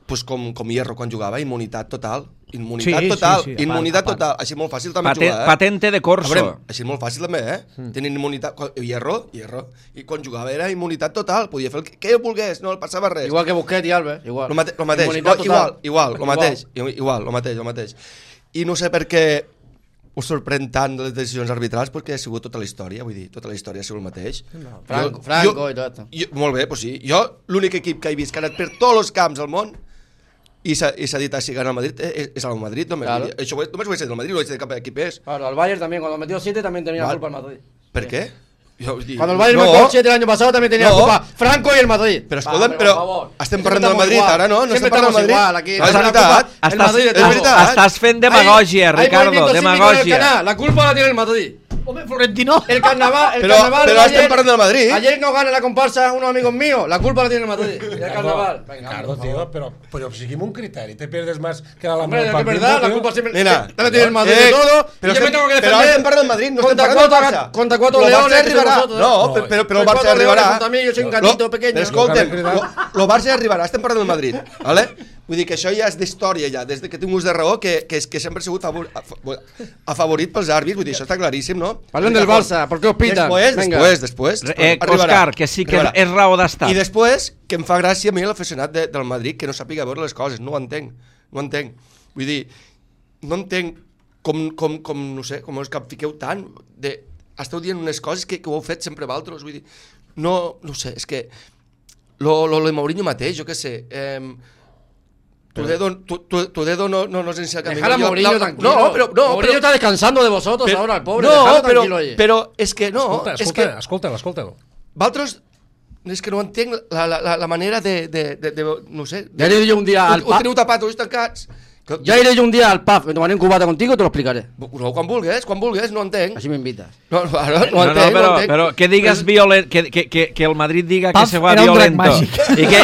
Speaker 4: pues com, com Hierro quan jugava, immunitat total. Immunitat
Speaker 3: Sí,
Speaker 4: total,
Speaker 3: sí, sí, a
Speaker 4: immunitat
Speaker 3: part, a part.
Speaker 4: total. Així molt fàcil també
Speaker 1: Paten,
Speaker 4: jugar, eh?
Speaker 1: patente de
Speaker 4: A
Speaker 1: corso.
Speaker 4: veure, així molt fàcil també, eh? Mm. Tenen immunitat... quan- Hierro, Hierro. I quan jugava era immunitat total. Podia fer el que, que ell volgués, no el passava res.
Speaker 6: Igual que Busquets y Alves, igual.
Speaker 4: Lo, mate, lo mateix,
Speaker 6: Inmunitat
Speaker 4: igual,
Speaker 6: total.
Speaker 4: igual, igual, lo
Speaker 6: Igual.
Speaker 4: mateix, igual, lo mateix, lo mateix. I no sé per què us sorprèn tant les decisions arbitrals, perquè ha sigut tota la història, vull dir, tota la història ha sigut el mateix.
Speaker 6: Franco,
Speaker 4: Jo-
Speaker 6: Franco
Speaker 4: jo-
Speaker 6: y todo esto.
Speaker 4: Jo, molt bé, pues sí. Jo, l'únic equip que he vist que ha anat per tots els camps del món i s'ha i s'ha dit a si gana el Madrid, eh, és el Madrid, només.
Speaker 6: Claro.
Speaker 4: Això ho he- només ho he dit del Madrid, no ho he dit de cap equip és.
Speaker 6: Claro, al Bayern también, cuando metió siete también tenía
Speaker 4: Vale.
Speaker 6: culpa el Madrid.
Speaker 4: Per què? Jo, vull dir,
Speaker 6: Cuando el Bayern
Speaker 4: no,
Speaker 6: metió siete el año pasado también tenía
Speaker 4: No.
Speaker 6: culpa Franco y el Madrid.
Speaker 4: Però
Speaker 6: Va,
Speaker 4: escolta'm,
Speaker 6: hombre,
Speaker 4: però
Speaker 6: por favor.
Speaker 4: estem
Speaker 6: Siempre
Speaker 4: parlant del
Speaker 6: estamos
Speaker 4: Madrid
Speaker 6: igual.
Speaker 4: ara, no? No
Speaker 6: Siempre
Speaker 4: estem parlant del
Speaker 6: estamos
Speaker 4: Madrid.
Speaker 6: igual aquí.
Speaker 4: No, és
Speaker 6: La
Speaker 4: veritat.
Speaker 6: culpa- el
Speaker 1: Estàs,
Speaker 6: Madrid de
Speaker 4: és
Speaker 6: todo.
Speaker 4: veritat.
Speaker 1: estàs fent
Speaker 6: Hay-
Speaker 1: demagogia,
Speaker 6: hay
Speaker 1: Ricardo,
Speaker 6: movimiento cívico en el
Speaker 1: demagogia.
Speaker 6: canal, la culpa la tiene el Madrid.
Speaker 3: Hombre, Florentino.
Speaker 6: El carnaval, el
Speaker 4: Pero,
Speaker 6: carnaval
Speaker 4: pero
Speaker 6: de
Speaker 4: estem parlant del Madrid.
Speaker 6: Ayer no gana la comparsa unos amigos míos. La culpa la tiene el Madrid. Y el carnaval. Venga,
Speaker 2: Ricardo,
Speaker 6: por favor.
Speaker 2: tío, pero, pero seguimos un criterio. Te pierdes más que la
Speaker 6: Hombre, es que
Speaker 2: partido,
Speaker 6: es verdad, la
Speaker 2: tío.
Speaker 6: culpa siempre
Speaker 4: Mira,
Speaker 6: la tiene el Madrid
Speaker 4: eh,
Speaker 6: de todo.
Speaker 4: pero
Speaker 6: y yo me
Speaker 4: estem-
Speaker 6: tengo que
Speaker 4: pero
Speaker 6: defender.
Speaker 4: ara estem parlant del Madrid, no estem
Speaker 6: contra
Speaker 4: parlant del
Speaker 6: cuatro,
Speaker 4: Barça.
Speaker 6: contra cuatro
Speaker 4: Lo
Speaker 6: leones
Speaker 4: Barça
Speaker 6: que sois
Speaker 4: arribarà.
Speaker 6: vosotros,
Speaker 4: No,
Speaker 6: eh?
Speaker 4: però, però, però el
Speaker 6: Contra
Speaker 4: Barça
Speaker 6: cuatro leones
Speaker 4: arribarà.
Speaker 6: contra mí, yo soy un
Speaker 4: Lo-
Speaker 6: gatito pequeño.
Speaker 4: Però escolta'm, lo, lo Barça arribarà, estem parlant del Madrid, vale? Vull dir que això ja és d'història, ja, des de que tinc ús de raó, que, que, que sempre ha sigut favor, afavorit pels àrbits, vull dir, això està claríssim, no?
Speaker 6: Parlem del Barça, ¿por qué os pitan?
Speaker 4: Després,
Speaker 6: Venga.
Speaker 4: després, després.
Speaker 1: Eh,
Speaker 4: arribarà.
Speaker 1: Òscar, que sí que
Speaker 4: Arribarà.
Speaker 1: és raó d'estat.
Speaker 4: I després, que em fa gràcia a mi l'aficionat de, del Madrid que no sàpiga veure les coses, no ho entenc, no ho entenc. Vull dir, no entenc com, com, com no sé, com us capfiqueu tant, de, esteu dient unes coses que, que ho heu fet sempre vosaltres, vull dir, no, no sé, és que lo, lo, lo de Mourinho mateix, jo què sé, eh, tu dedo, tu, tu, tu dedo no, no, no sé si el camino.
Speaker 6: Dejar a
Speaker 4: Jo-
Speaker 6: Mourinho
Speaker 4: la-
Speaker 6: tranquilo.
Speaker 4: No, però, no,
Speaker 6: Mourinho
Speaker 4: però,
Speaker 6: está descansando de vosotros
Speaker 4: però-
Speaker 6: ahora, el pobre.
Speaker 4: no,
Speaker 6: Dejadlo
Speaker 4: però,
Speaker 6: tranquilo allí.
Speaker 4: però és que no,
Speaker 2: Escolta,
Speaker 4: és
Speaker 2: escolta,
Speaker 4: que
Speaker 2: escolta'l, escolta'l.
Speaker 4: vosaltres és que no entenc la, la, la, la manera de, de, de, de, no sé...
Speaker 6: Ya iré yo un día al
Speaker 4: Ho, ho
Speaker 6: pub.
Speaker 4: teniu tapat, ulls tancats. Que,
Speaker 6: Ya iré yo un día al pub, me tomaré un cubata contigo y te lo explicaré.
Speaker 4: No, quan vulguis, quan vulguis, no entenc.
Speaker 6: Así me invitas.
Speaker 4: No, no, no, no,
Speaker 1: No, no,
Speaker 4: entenc,
Speaker 1: però,
Speaker 4: no entenc.
Speaker 1: però que digues violent, que, que, que, que el Madrid diga que
Speaker 3: Paf,
Speaker 1: se va
Speaker 3: era un drac
Speaker 1: violento.
Speaker 3: màgic.
Speaker 1: I que,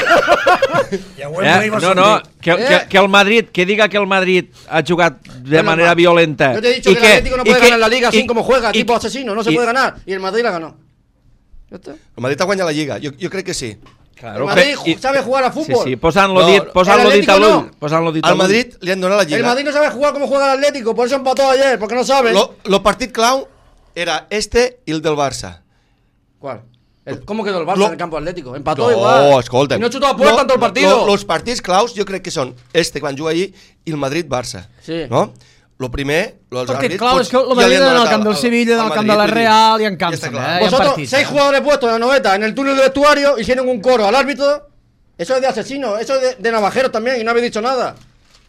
Speaker 2: Ja ho hem
Speaker 1: eh,
Speaker 2: dit, va
Speaker 1: no, no,
Speaker 2: sortir.
Speaker 1: que,
Speaker 6: Eh.
Speaker 1: que, que el Madrid, que diga que el Madrid ha jugat de
Speaker 6: Bueno,
Speaker 1: manera
Speaker 6: va.
Speaker 1: violenta.
Speaker 6: Yo te he dicho
Speaker 1: y
Speaker 6: que el Atlético no
Speaker 1: y
Speaker 6: puede
Speaker 1: que-
Speaker 6: ganar la Liga así
Speaker 1: y-
Speaker 6: como juega,
Speaker 1: y-
Speaker 6: tipo asesino, no se
Speaker 1: y-
Speaker 6: puede ganar. Y el Madrid la ganó. ¿Ya está?
Speaker 4: El Madrid ha guanyat la Lliga, jo, jo crec que sí.
Speaker 1: Claro,
Speaker 6: El Madrid
Speaker 1: pe- i-
Speaker 6: sabe jugar a
Speaker 1: Sí,
Speaker 6: fútbol.
Speaker 1: sí, posant-lo
Speaker 4: No,
Speaker 1: dit, posant-lo
Speaker 6: el
Speaker 1: dit a
Speaker 6: Atlético
Speaker 1: l'ull.
Speaker 6: no.
Speaker 1: Posant-lo dit a
Speaker 4: Al
Speaker 1: l'ull.
Speaker 4: Madrid li han donat la
Speaker 6: El
Speaker 4: Lliga.
Speaker 6: Madrid no sabe jugar como juega el Atlético, por eso empató ayer, porque no sabe.
Speaker 4: Lo, lo partit clau era este i el del Barça.
Speaker 6: ¿Cuál? El- ¿Cómo quedó el Barça
Speaker 4: Lo-
Speaker 6: en el campo Atlético? Empató
Speaker 4: No,
Speaker 6: igual.
Speaker 4: escolta.
Speaker 6: Y no chutó a puerta en todo el partido.
Speaker 4: Los partits claus jo crec que són este, quan juga allí, i el Madrid-Barça.
Speaker 6: Sí.
Speaker 4: No? Lo primer, los
Speaker 3: Partit
Speaker 4: àrbits...
Speaker 3: clau,
Speaker 4: pues,
Speaker 3: és que el
Speaker 4: ja li
Speaker 3: Madrid
Speaker 4: han
Speaker 3: en el
Speaker 4: donat
Speaker 3: camp
Speaker 4: al-
Speaker 3: del
Speaker 4: al-
Speaker 3: Sevilla, en
Speaker 4: al
Speaker 3: el camp
Speaker 4: Madrid,
Speaker 3: de la
Speaker 4: vull dir,
Speaker 3: Real i en
Speaker 4: ja
Speaker 3: cansen,
Speaker 4: està clar.
Speaker 3: eh? Hi ha
Speaker 6: Vosotros,
Speaker 3: partits,
Speaker 6: seis
Speaker 3: eh?
Speaker 6: jugadores puestos en la noveta en el túnel del vestuario, hicieron un coro al árbitro. Eso es de asesino, eso es de, de navajeros también, y no habéis dicho nada.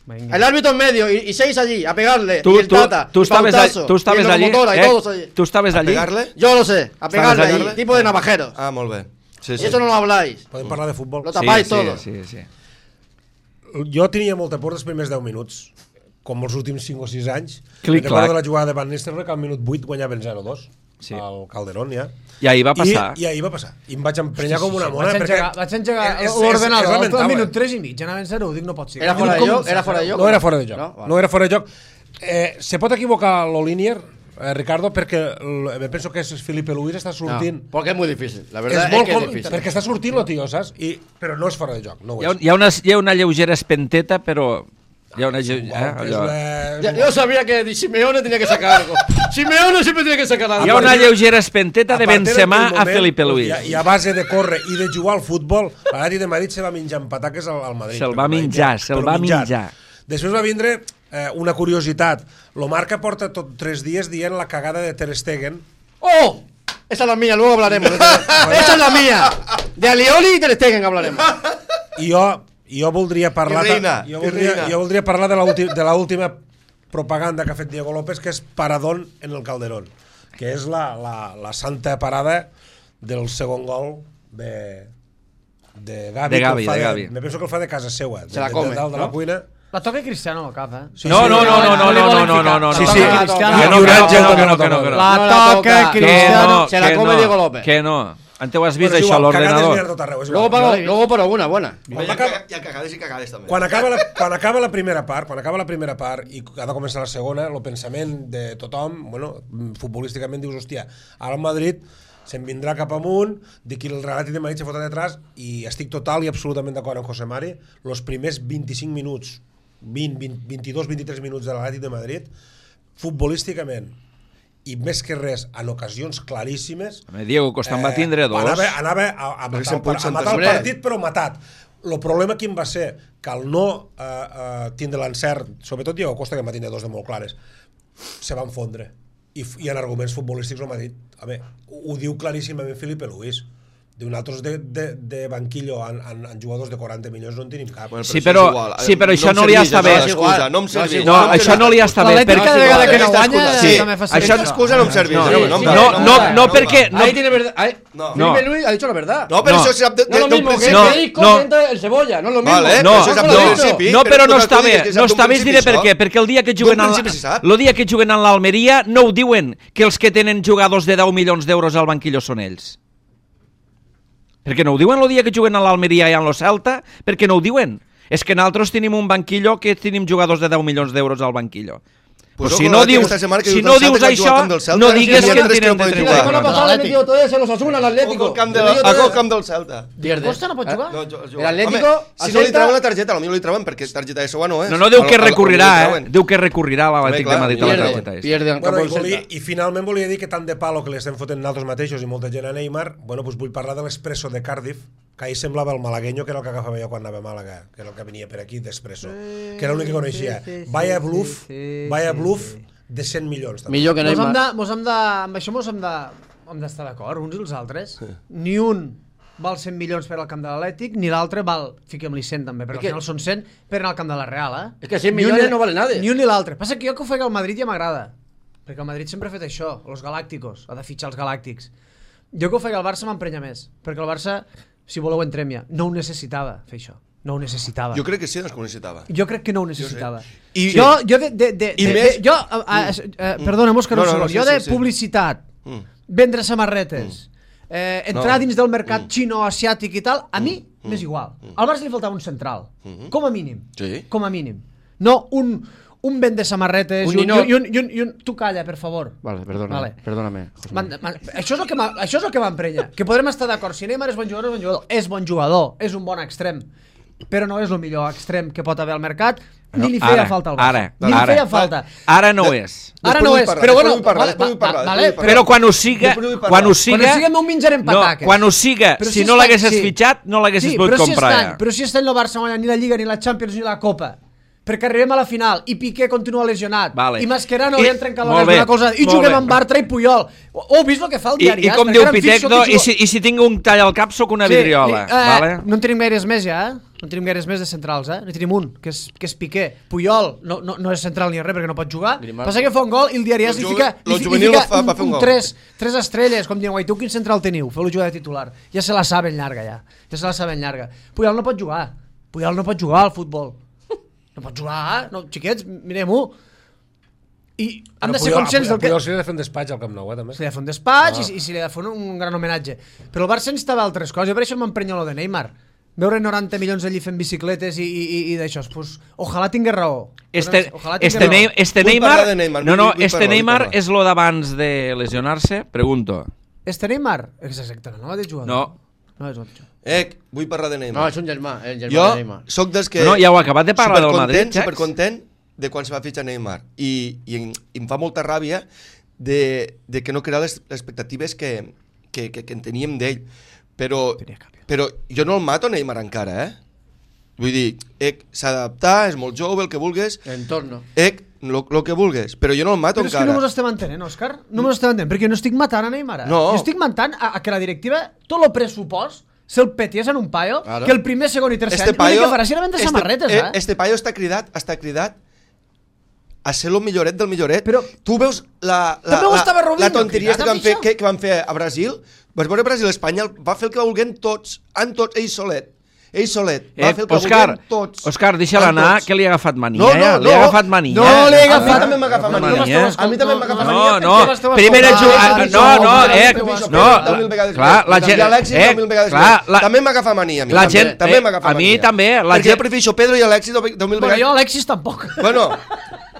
Speaker 3: Venga.
Speaker 6: El árbitro en medio y, y seis allí, a pegarle.
Speaker 1: Tu,
Speaker 6: y el
Speaker 1: tu,
Speaker 6: Tata,
Speaker 1: tu
Speaker 6: y
Speaker 1: estaves,
Speaker 6: Pautazo,
Speaker 1: allí, tu estaves
Speaker 6: y el
Speaker 1: allí,
Speaker 6: locomotora, y
Speaker 1: eh?
Speaker 6: todos allí.
Speaker 1: Tu estaves
Speaker 4: A
Speaker 1: allí.
Speaker 4: pegar-le?
Speaker 6: Yo lo sé, a pegarle
Speaker 1: allí?
Speaker 6: allí, tipo de navajeros.
Speaker 4: Ah, molt bé. Sí,
Speaker 6: Y
Speaker 4: sí.
Speaker 6: eso no lo habláis.
Speaker 2: Podem parlar de futbol?
Speaker 6: Lo tapáis
Speaker 1: sí,
Speaker 6: todo.
Speaker 1: Sí, sí, sí.
Speaker 2: Jo tenia molta por dels primers deu minuts, com els últims cinc o sis anys.
Speaker 1: Clic,
Speaker 2: Me'n recordo
Speaker 1: clac.
Speaker 2: de la jugada de Van Nistelrooy, que al minut vuit guanyaven zero dos
Speaker 1: Sí.
Speaker 2: al Calderón, ja.
Speaker 1: I ahir va passar.
Speaker 2: I, I ahir va passar. I em vaig emprenyar com una mona.
Speaker 3: Vaig
Speaker 2: perquè
Speaker 3: engegar, vaig engegar
Speaker 2: és- és-
Speaker 3: l'ordenador
Speaker 2: és
Speaker 3: al
Speaker 2: lamentable.
Speaker 3: minut tres i mig, anaven zero, dic no pot ser.
Speaker 6: Era
Speaker 3: Dic,
Speaker 6: fora de
Speaker 3: com-
Speaker 6: joc, era fora de joc.
Speaker 2: No era fora de joc.
Speaker 6: No?
Speaker 2: No,
Speaker 6: Vale.
Speaker 2: no era fora de joc. Eh, se pot equivocar l'Olinier, eh, Ricardo, perquè l- me penso que és Felipe Luis està
Speaker 6: No,
Speaker 2: sortint.
Speaker 6: porque es muy difícil. La
Speaker 2: És
Speaker 6: verdad es,
Speaker 2: molt
Speaker 6: que es
Speaker 2: com-
Speaker 6: difícil.
Speaker 2: perquè està sortint el tio, saps? I, però no és fora de joc, no ho
Speaker 1: Hi ha,
Speaker 2: és.
Speaker 1: hi, ha una, hi ha una lleugera espenteta, però... Hi ha una... lle-
Speaker 2: Igual,
Speaker 1: Eh,
Speaker 2: que és
Speaker 1: allò.
Speaker 2: una-
Speaker 6: Ya- Yo sabía que Simeone tenía que sacar algo. Simeone siempre tiene que sacar algo.
Speaker 1: Hi ha una lleugera espenteta de
Speaker 2: A partir
Speaker 1: Benzema
Speaker 2: d'aquell
Speaker 1: a
Speaker 2: moment,
Speaker 1: Felipe Luis.
Speaker 2: I a, I a base de córrer i de jugar al futbol, l'Atlètic de Madrid se va menjar en pataques al, al Madrid.
Speaker 1: Se'l va
Speaker 2: Però
Speaker 1: menjar, se'l
Speaker 2: però
Speaker 1: va
Speaker 2: menjat.
Speaker 1: menjar.
Speaker 2: Després va vindre eh, una curiositat. Lo Marca porta tot tres dies dient la cagada de Ter Stegen.
Speaker 6: ¡Oh! Esa es la mía, luego hablaremos. de Ter- Esa es la mía. De Alioli y Ter Stegen hablaremos.
Speaker 2: I jo, jo voldria parlar...
Speaker 4: I reina,
Speaker 2: jo,
Speaker 4: i
Speaker 2: voldria,
Speaker 4: reina.
Speaker 2: jo voldria parlar de l'última de l'última propaganda que ha fet Diego López, que és Paradón en el Calderón, que és la, la, la santa parada del segon gol de, de Gavi.
Speaker 1: De
Speaker 2: que el
Speaker 1: Gavi,
Speaker 2: fa
Speaker 1: de Gavi.
Speaker 2: Me penso que el fa de casa seva.
Speaker 6: Se la
Speaker 2: de,
Speaker 6: come,
Speaker 2: de, dalt de
Speaker 6: no?
Speaker 2: la cuina.
Speaker 3: La toca Cristiano al cap, eh?
Speaker 2: Sí,
Speaker 1: No,
Speaker 2: sí,
Speaker 1: no, no, no, no, no,
Speaker 3: no li
Speaker 1: no,
Speaker 3: volen
Speaker 1: no,
Speaker 3: ficar.
Speaker 1: no, no,
Speaker 2: Sí,
Speaker 1: no,
Speaker 2: sí.
Speaker 1: no,
Speaker 6: La
Speaker 3: Cristiano.
Speaker 6: toca.
Speaker 1: que no,
Speaker 2: Hi haurà
Speaker 1: que
Speaker 2: gent
Speaker 1: no,
Speaker 2: que
Speaker 1: que
Speaker 2: no
Speaker 1: no, que no, que no.
Speaker 3: La
Speaker 6: No la
Speaker 3: toca
Speaker 6: toca.
Speaker 1: Que
Speaker 3: Cristiano.
Speaker 1: no,
Speaker 6: Se la
Speaker 1: que
Speaker 6: come
Speaker 1: no,
Speaker 6: Diego López.
Speaker 1: Que no. Antes ho has vist,
Speaker 2: Bueno, és
Speaker 1: això, a
Speaker 2: igual, cagades n'hi ha
Speaker 1: l'ordenador.
Speaker 2: tot arreu, és
Speaker 6: Luego,
Speaker 2: igual.
Speaker 6: pago, luego por alguna buena.
Speaker 2: Quan
Speaker 4: Hi ha,
Speaker 2: acaba-
Speaker 4: hi ha cagades i cagades, també.
Speaker 2: Quan acaba, la, quan acaba la primera part, quan acaba la primera part i ha de començar la segona, el pensament de tothom, bueno, futbolísticament dius, hòstia, ara el Madrid se'n vindrà cap amunt, dic que el Atlètic de Madrid se fotrà detrás, i estic total i absolutament d'acord amb José Mari, els primers vint-i-cinc minuts, vint, vint, vint-i-dos vint-i-tres minuts de l'Atlètic de Madrid, futbolísticament, i més que res, en ocasions claríssimes,
Speaker 1: Home, Diego, costant va tindre dos.
Speaker 2: Anava, anava a, a
Speaker 4: Perquè
Speaker 2: matar,
Speaker 4: se'n
Speaker 2: el, par-
Speaker 4: pot
Speaker 2: a matar el
Speaker 6: sentar.
Speaker 2: partit, però matat. El problema quin va ser? Que al no eh, eh, tindre l'encert, sobretot Diego Costa, que en va tindre dos de molt clares, se van fondre. I, f- i en arguments futbolístics el Madrid, a veure, ho, ho diu claríssimament Felipe Luis. Nosaltres de, de, de banquillo en, en, en jugadors de quaranta milions no en tenim cap.
Speaker 4: Bueno,
Speaker 1: Sí, però, sí, però això no li està bé.
Speaker 4: No em serveix.
Speaker 1: No, això no li està bé.
Speaker 3: L'Atlètic cada vegada que no guanya
Speaker 4: Sí,
Speaker 3: també fa
Speaker 4: això excusa no em serveix.
Speaker 1: No,
Speaker 4: No,
Speaker 1: no, no, no, no, perquè... No,
Speaker 6: Ahí tiene verdad. Ahí,
Speaker 4: No.
Speaker 6: Felipe Luis ha dicho la verdad.
Speaker 4: no, però
Speaker 1: No.
Speaker 4: això sap de,
Speaker 6: No es lo
Speaker 4: de,
Speaker 6: mismo que
Speaker 4: principi.
Speaker 1: No,
Speaker 6: Federico
Speaker 1: no.
Speaker 6: entra el Cebolla, no es lo mismo.
Speaker 4: Vale,
Speaker 1: no,
Speaker 4: això sap
Speaker 1: no,
Speaker 4: del principi.
Speaker 1: no, però no
Speaker 4: tu
Speaker 1: està
Speaker 4: digues
Speaker 1: bé,
Speaker 4: que
Speaker 1: no
Speaker 4: sap
Speaker 1: està
Speaker 4: d'un
Speaker 1: bé
Speaker 4: principi
Speaker 1: diré per
Speaker 4: això.
Speaker 1: què, perquè el dia que juguen
Speaker 4: D'un
Speaker 1: al,
Speaker 4: principi se sap.
Speaker 1: el dia que juguen a l'Almeria no ho diuen que els que tenen jugadors de deu milions d'euros al banquillo són ells. Perquè no ho diuen el dia que juguen a l'Almeria i a lo Celta, perquè no ho diuen. És que nosaltres tenim un banquillo que tenim jugadors de deu milions d'euros al banquillo.
Speaker 4: Pues
Speaker 1: Pues si
Speaker 4: ojo,
Speaker 1: no
Speaker 4: que
Speaker 1: dius,
Speaker 4: esta setmana que
Speaker 1: si
Speaker 4: dius
Speaker 1: no
Speaker 4: del Celta
Speaker 1: dius
Speaker 4: que ha
Speaker 1: això,
Speaker 4: jugat amb el Celta,
Speaker 1: no
Speaker 4: sí,
Speaker 1: digues
Speaker 4: sí,
Speaker 1: que
Speaker 4: sí,
Speaker 1: en
Speaker 4: sí,
Speaker 1: tenen
Speaker 4: sí,
Speaker 1: de
Speaker 4: sí,
Speaker 6: La
Speaker 1: jugar.
Speaker 6: semana pasada le metió todo eso en los Osasuna al
Speaker 4: Ojo
Speaker 6: Atlético.
Speaker 4: al camp, de,
Speaker 6: Le metió todo
Speaker 4: ojo al
Speaker 6: eso.
Speaker 4: camp del Celta.
Speaker 6: Pierde.
Speaker 3: Costa no pot jugar?
Speaker 4: No, jo, jo,
Speaker 6: El Atlético,
Speaker 4: home, si
Speaker 6: al
Speaker 4: no li
Speaker 6: Celta-
Speaker 4: treuen la targeta, potser li treuen perquè targeta de segona no és.
Speaker 1: No, no, diu
Speaker 4: Al-
Speaker 1: que
Speaker 4: al- al-
Speaker 1: recurrirà,
Speaker 4: li
Speaker 1: eh?
Speaker 4: treuen.
Speaker 1: Diu que recurrirà l'Atlètic de
Speaker 4: Home,
Speaker 1: Madrid a la
Speaker 6: Pierde,
Speaker 1: targeta. és.
Speaker 6: pierde en el
Speaker 2: Bueno,
Speaker 6: campo
Speaker 2: i,
Speaker 6: del
Speaker 2: volia,
Speaker 6: Celta.
Speaker 2: I finalment volia dir que tant de palo que li estem fotent nosaltres mateixos i molta gent a Neymar, bueno, doncs vull parlar de l'Expresso de Cardiff, que ahir semblava el malagueño, que era el que agafava jo quan anava a Màlaga, que era el que venia per aquí d'Expresso, que era l'únic que coneixia. Vaya bluff, vaya bluff de cent milions. També.
Speaker 6: Millor que
Speaker 3: Mos hem
Speaker 6: Neymar.
Speaker 3: de, mos hem de, amb això mos hem de, hem d'estar d'acord, uns i els altres. Ni un val cent milions per al camp de l'Atlètic, ni l'altre val, fiquem-li cent també, perquè
Speaker 6: És que-
Speaker 3: al final són cent per anar al camp de la Real, eh?
Speaker 6: És que cent
Speaker 3: Ni un
Speaker 6: milions
Speaker 3: ni-
Speaker 6: no vale nada.
Speaker 3: Ni un ni l'altre. Passa que jo que ho faig al Madrid ja m'agrada, perquè el Madrid sempre ha fet això, els galàcticos, ha de fitxar els galàctics. Jo que ho faig al Barça m'emprenya més, perquè el Barça, si voleu entrem ja, no ho necessitava fer això, no ho necessitava.
Speaker 4: Jo crec que sí, doncs que ho necessitava.
Speaker 3: Jo crec que no ho necessitava.
Speaker 4: I-
Speaker 3: jo, jo de, de, de,
Speaker 4: I
Speaker 3: de,
Speaker 4: més-
Speaker 3: de, jo, a, a, a, perdona, Òscar,
Speaker 4: No,
Speaker 3: un
Speaker 4: no, no,
Speaker 3: segon.
Speaker 4: sí,
Speaker 3: jo de
Speaker 4: sí, sí.
Speaker 3: publicitat,
Speaker 4: Mm.
Speaker 3: vendre samarretes, eh, entrar
Speaker 4: No.
Speaker 3: dins del mercat xino, asiàtic i tal, a mi m'és igual. Al Barça li faltava un central, com a mínim.
Speaker 4: Sí.
Speaker 3: Com a mínim. No un, un vende samarretes
Speaker 6: Un
Speaker 3: i un,
Speaker 6: ninot.
Speaker 3: i, un, i, un, i un... Tu calla, per favor.
Speaker 6: Vale, perdona,
Speaker 3: Vale.
Speaker 6: perdóname. José
Speaker 3: Man,
Speaker 6: Manuel.
Speaker 3: man, això és el que m'ha- això és el que m'emprenya. Que podrem estar d'acord. Si Neymar és bon jugador, és bon jugador. És bon jugador, és un bon extrem. Però no és el millor extrem que pot haver al mercat, ni li feia
Speaker 1: Ara,
Speaker 3: falta al Barça.
Speaker 1: ara,
Speaker 3: ni li
Speaker 1: ara.
Speaker 3: feia falta.
Speaker 1: Ara no és.
Speaker 3: Ara
Speaker 4: Després
Speaker 3: no
Speaker 4: vull
Speaker 3: és,
Speaker 4: parlar,
Speaker 3: però
Speaker 4: després
Speaker 3: bueno,
Speaker 4: vull parlar,
Speaker 3: vale,
Speaker 4: després vull
Speaker 3: va-
Speaker 4: parlar,
Speaker 3: vale,
Speaker 4: després vull
Speaker 3: però,
Speaker 1: Però quan ho siga,
Speaker 4: Després vull parlar.
Speaker 1: quan ho
Speaker 3: quan
Speaker 1: siga...
Speaker 3: ho siga no ho menjarem
Speaker 1: No,
Speaker 3: pataques.
Speaker 1: quan ho siga,
Speaker 3: Però
Speaker 1: si
Speaker 3: si
Speaker 1: no
Speaker 3: està-
Speaker 1: l'haguessis
Speaker 3: sí.
Speaker 1: fitxat, no l'haguessis
Speaker 3: sí,
Speaker 1: pogut
Speaker 3: però si
Speaker 1: comprar
Speaker 3: està,
Speaker 1: ja.
Speaker 3: Però si està el Barça guanyant ni la Lliga, ni la Champions, ni la Copa, perquè arribem a la final i Piqué continua lesionat,
Speaker 1: Vale.
Speaker 3: i Mascherano
Speaker 1: I-
Speaker 3: li han trencat
Speaker 1: molt
Speaker 3: l'orella
Speaker 1: bé,
Speaker 3: una cosa, i
Speaker 1: molt
Speaker 3: juguem
Speaker 1: bé.
Speaker 3: amb Bartra i Puyol. Ho heu vist el que fa el
Speaker 1: I,
Speaker 3: diari?
Speaker 1: I com
Speaker 3: Perquè
Speaker 1: diu
Speaker 3: ara em fixo
Speaker 1: Pitecdo,
Speaker 3: que
Speaker 1: i
Speaker 3: jugo-
Speaker 1: si, i si tinc un tall al cap, sóc una
Speaker 3: Sí,
Speaker 1: vidriola.
Speaker 3: i, eh,
Speaker 1: vale?
Speaker 3: No en tenim gaires més ja, eh? No en tenim gaires més de centrals, eh? No tenim un, que és, que és Piqué. Puyol no, no, no és central ni res perquè no pot jugar.
Speaker 6: Grimaldo.
Speaker 3: Passa que fa un gol i el diari li
Speaker 4: Lo
Speaker 3: fica,
Speaker 4: juve- lo
Speaker 3: li, fi- li
Speaker 4: juvenil
Speaker 3: fica
Speaker 4: va fa-
Speaker 3: un,
Speaker 4: va fer un
Speaker 3: un
Speaker 4: gol.
Speaker 3: tres, tres estrelles, com diuen, guai, tu quin central teniu? Feu-lo jugar de titular. Ja se la saben llarga, ja. Ja se la saben llarga. Puyol no pot jugar. Puyol no pot jugar al futbol. No pot jugar, no, xiquets, mirem-ho. I han de ser conscients del que...
Speaker 2: Puyol se li ha de fer un despatx al Camp Nou, eh, també.
Speaker 3: Se li ha de fer un despatx ah. i, i se li ha de fer un, un gran homenatge. Però el Barça necessitava altres coses, jo per això m'emprenya lo de Neymar. Veure noranta milions allí fent bicicletes i, i, i, i d'això, pues, ojalà tingués raó.
Speaker 1: Este,
Speaker 3: Ojalà tingués
Speaker 1: este,
Speaker 3: raó.
Speaker 1: Ney- este
Speaker 4: Vull
Speaker 1: Neymar,
Speaker 4: parlar de Neymar,
Speaker 1: no,
Speaker 4: vull-
Speaker 1: no,
Speaker 4: vull
Speaker 1: este
Speaker 4: parlar, vull
Speaker 1: Neymar
Speaker 4: parlar.
Speaker 1: és lo d'abans de lesionar-se? Pregunto.
Speaker 3: Este Neymar? És exacte, no mateix jugador.
Speaker 1: No.
Speaker 3: No és mateix.
Speaker 4: Eh, vull parlar de
Speaker 6: No,
Speaker 4: Neymar.
Speaker 6: és un germà, el germà
Speaker 4: Jo
Speaker 6: de Neymar.
Speaker 4: sóc dels que...
Speaker 1: No, ja ho he acabat de parlar del Madrid,
Speaker 4: supercontent,
Speaker 1: Jax.
Speaker 4: supercontent de quan se va fitxar Neymar. I, i, em, i em fa molta ràbia de, de que no crear les expectatives que, que, que, que en teníem d'ell. Però, però jo no el mato Neymar encara, eh? Vull dir, eh, s'ha d'adaptar, és molt jove, el que vulguis,
Speaker 6: Entorno.
Speaker 4: eh, lo, lo que vulguis, però jo no el mato
Speaker 3: Però és que
Speaker 4: encara.
Speaker 3: no mos estem entenent, Òscar. No mos estem entenent, perquè no estic matant a Neymar. eh?
Speaker 4: No.
Speaker 3: Jo estic matant a, a que la directiva, tot el pressupost, se'l peties en un paio,
Speaker 6: Claro.
Speaker 3: que el primer, segon i tercer
Speaker 4: Este
Speaker 3: any, l'únic
Speaker 4: paio,
Speaker 3: que farà serà vendre
Speaker 4: este,
Speaker 3: samarretes,
Speaker 4: eh,
Speaker 3: eh?
Speaker 4: este paio està cridat, està cridat a ser el milloret del milloret.
Speaker 3: Però-
Speaker 4: tu veus la, la,
Speaker 3: També ho
Speaker 4: la,
Speaker 3: estava Robinho
Speaker 4: la tonteria
Speaker 3: cridat,
Speaker 4: que van,
Speaker 3: amb
Speaker 4: fer,
Speaker 3: això?
Speaker 4: que, que van fer a Brasil. Vas veure Brasil-Espanya, va fer el que volguem tots, en tots, ell solet. Ell solet, va
Speaker 1: Eh,
Speaker 4: fer el que
Speaker 1: Òscar,
Speaker 4: volguem tots.
Speaker 1: Òscar, deixa-la
Speaker 4: en
Speaker 1: anar,
Speaker 4: tots.
Speaker 1: que li ha agafat mania,
Speaker 4: No, no,
Speaker 1: ja. Li
Speaker 4: no.
Speaker 1: ha agafat mania.
Speaker 3: No li he
Speaker 4: A mi
Speaker 3: agafat.
Speaker 4: també m'agafa
Speaker 1: No,
Speaker 4: mania.
Speaker 1: mania.
Speaker 4: A mi també m'agafa
Speaker 1: No,
Speaker 4: mania.
Speaker 1: no,
Speaker 3: perquè m'esteu
Speaker 1: primer
Speaker 3: escoltant.
Speaker 1: juga...
Speaker 3: Ah,
Speaker 1: No, no,
Speaker 3: això,
Speaker 1: eh,
Speaker 3: això,
Speaker 1: no,
Speaker 3: això,
Speaker 4: deu mil vegades
Speaker 1: clar,
Speaker 4: més.
Speaker 1: la
Speaker 4: I
Speaker 1: gent...
Speaker 4: Alexis,
Speaker 1: eh,
Speaker 4: deu mil vegades
Speaker 1: clar,
Speaker 4: més.
Speaker 1: la-
Speaker 4: També m'agafa mania a mi.
Speaker 1: La
Speaker 4: també,
Speaker 1: gent...
Speaker 4: també
Speaker 1: eh,
Speaker 4: m'agafa
Speaker 1: a mi
Speaker 4: mania.
Speaker 1: també, la
Speaker 4: Perquè jo
Speaker 1: gent...
Speaker 4: prefereixo Pedro i Alexis deu mil
Speaker 3: Però
Speaker 4: vegades.
Speaker 3: jo, Alexis, tampoc.
Speaker 4: Bueno,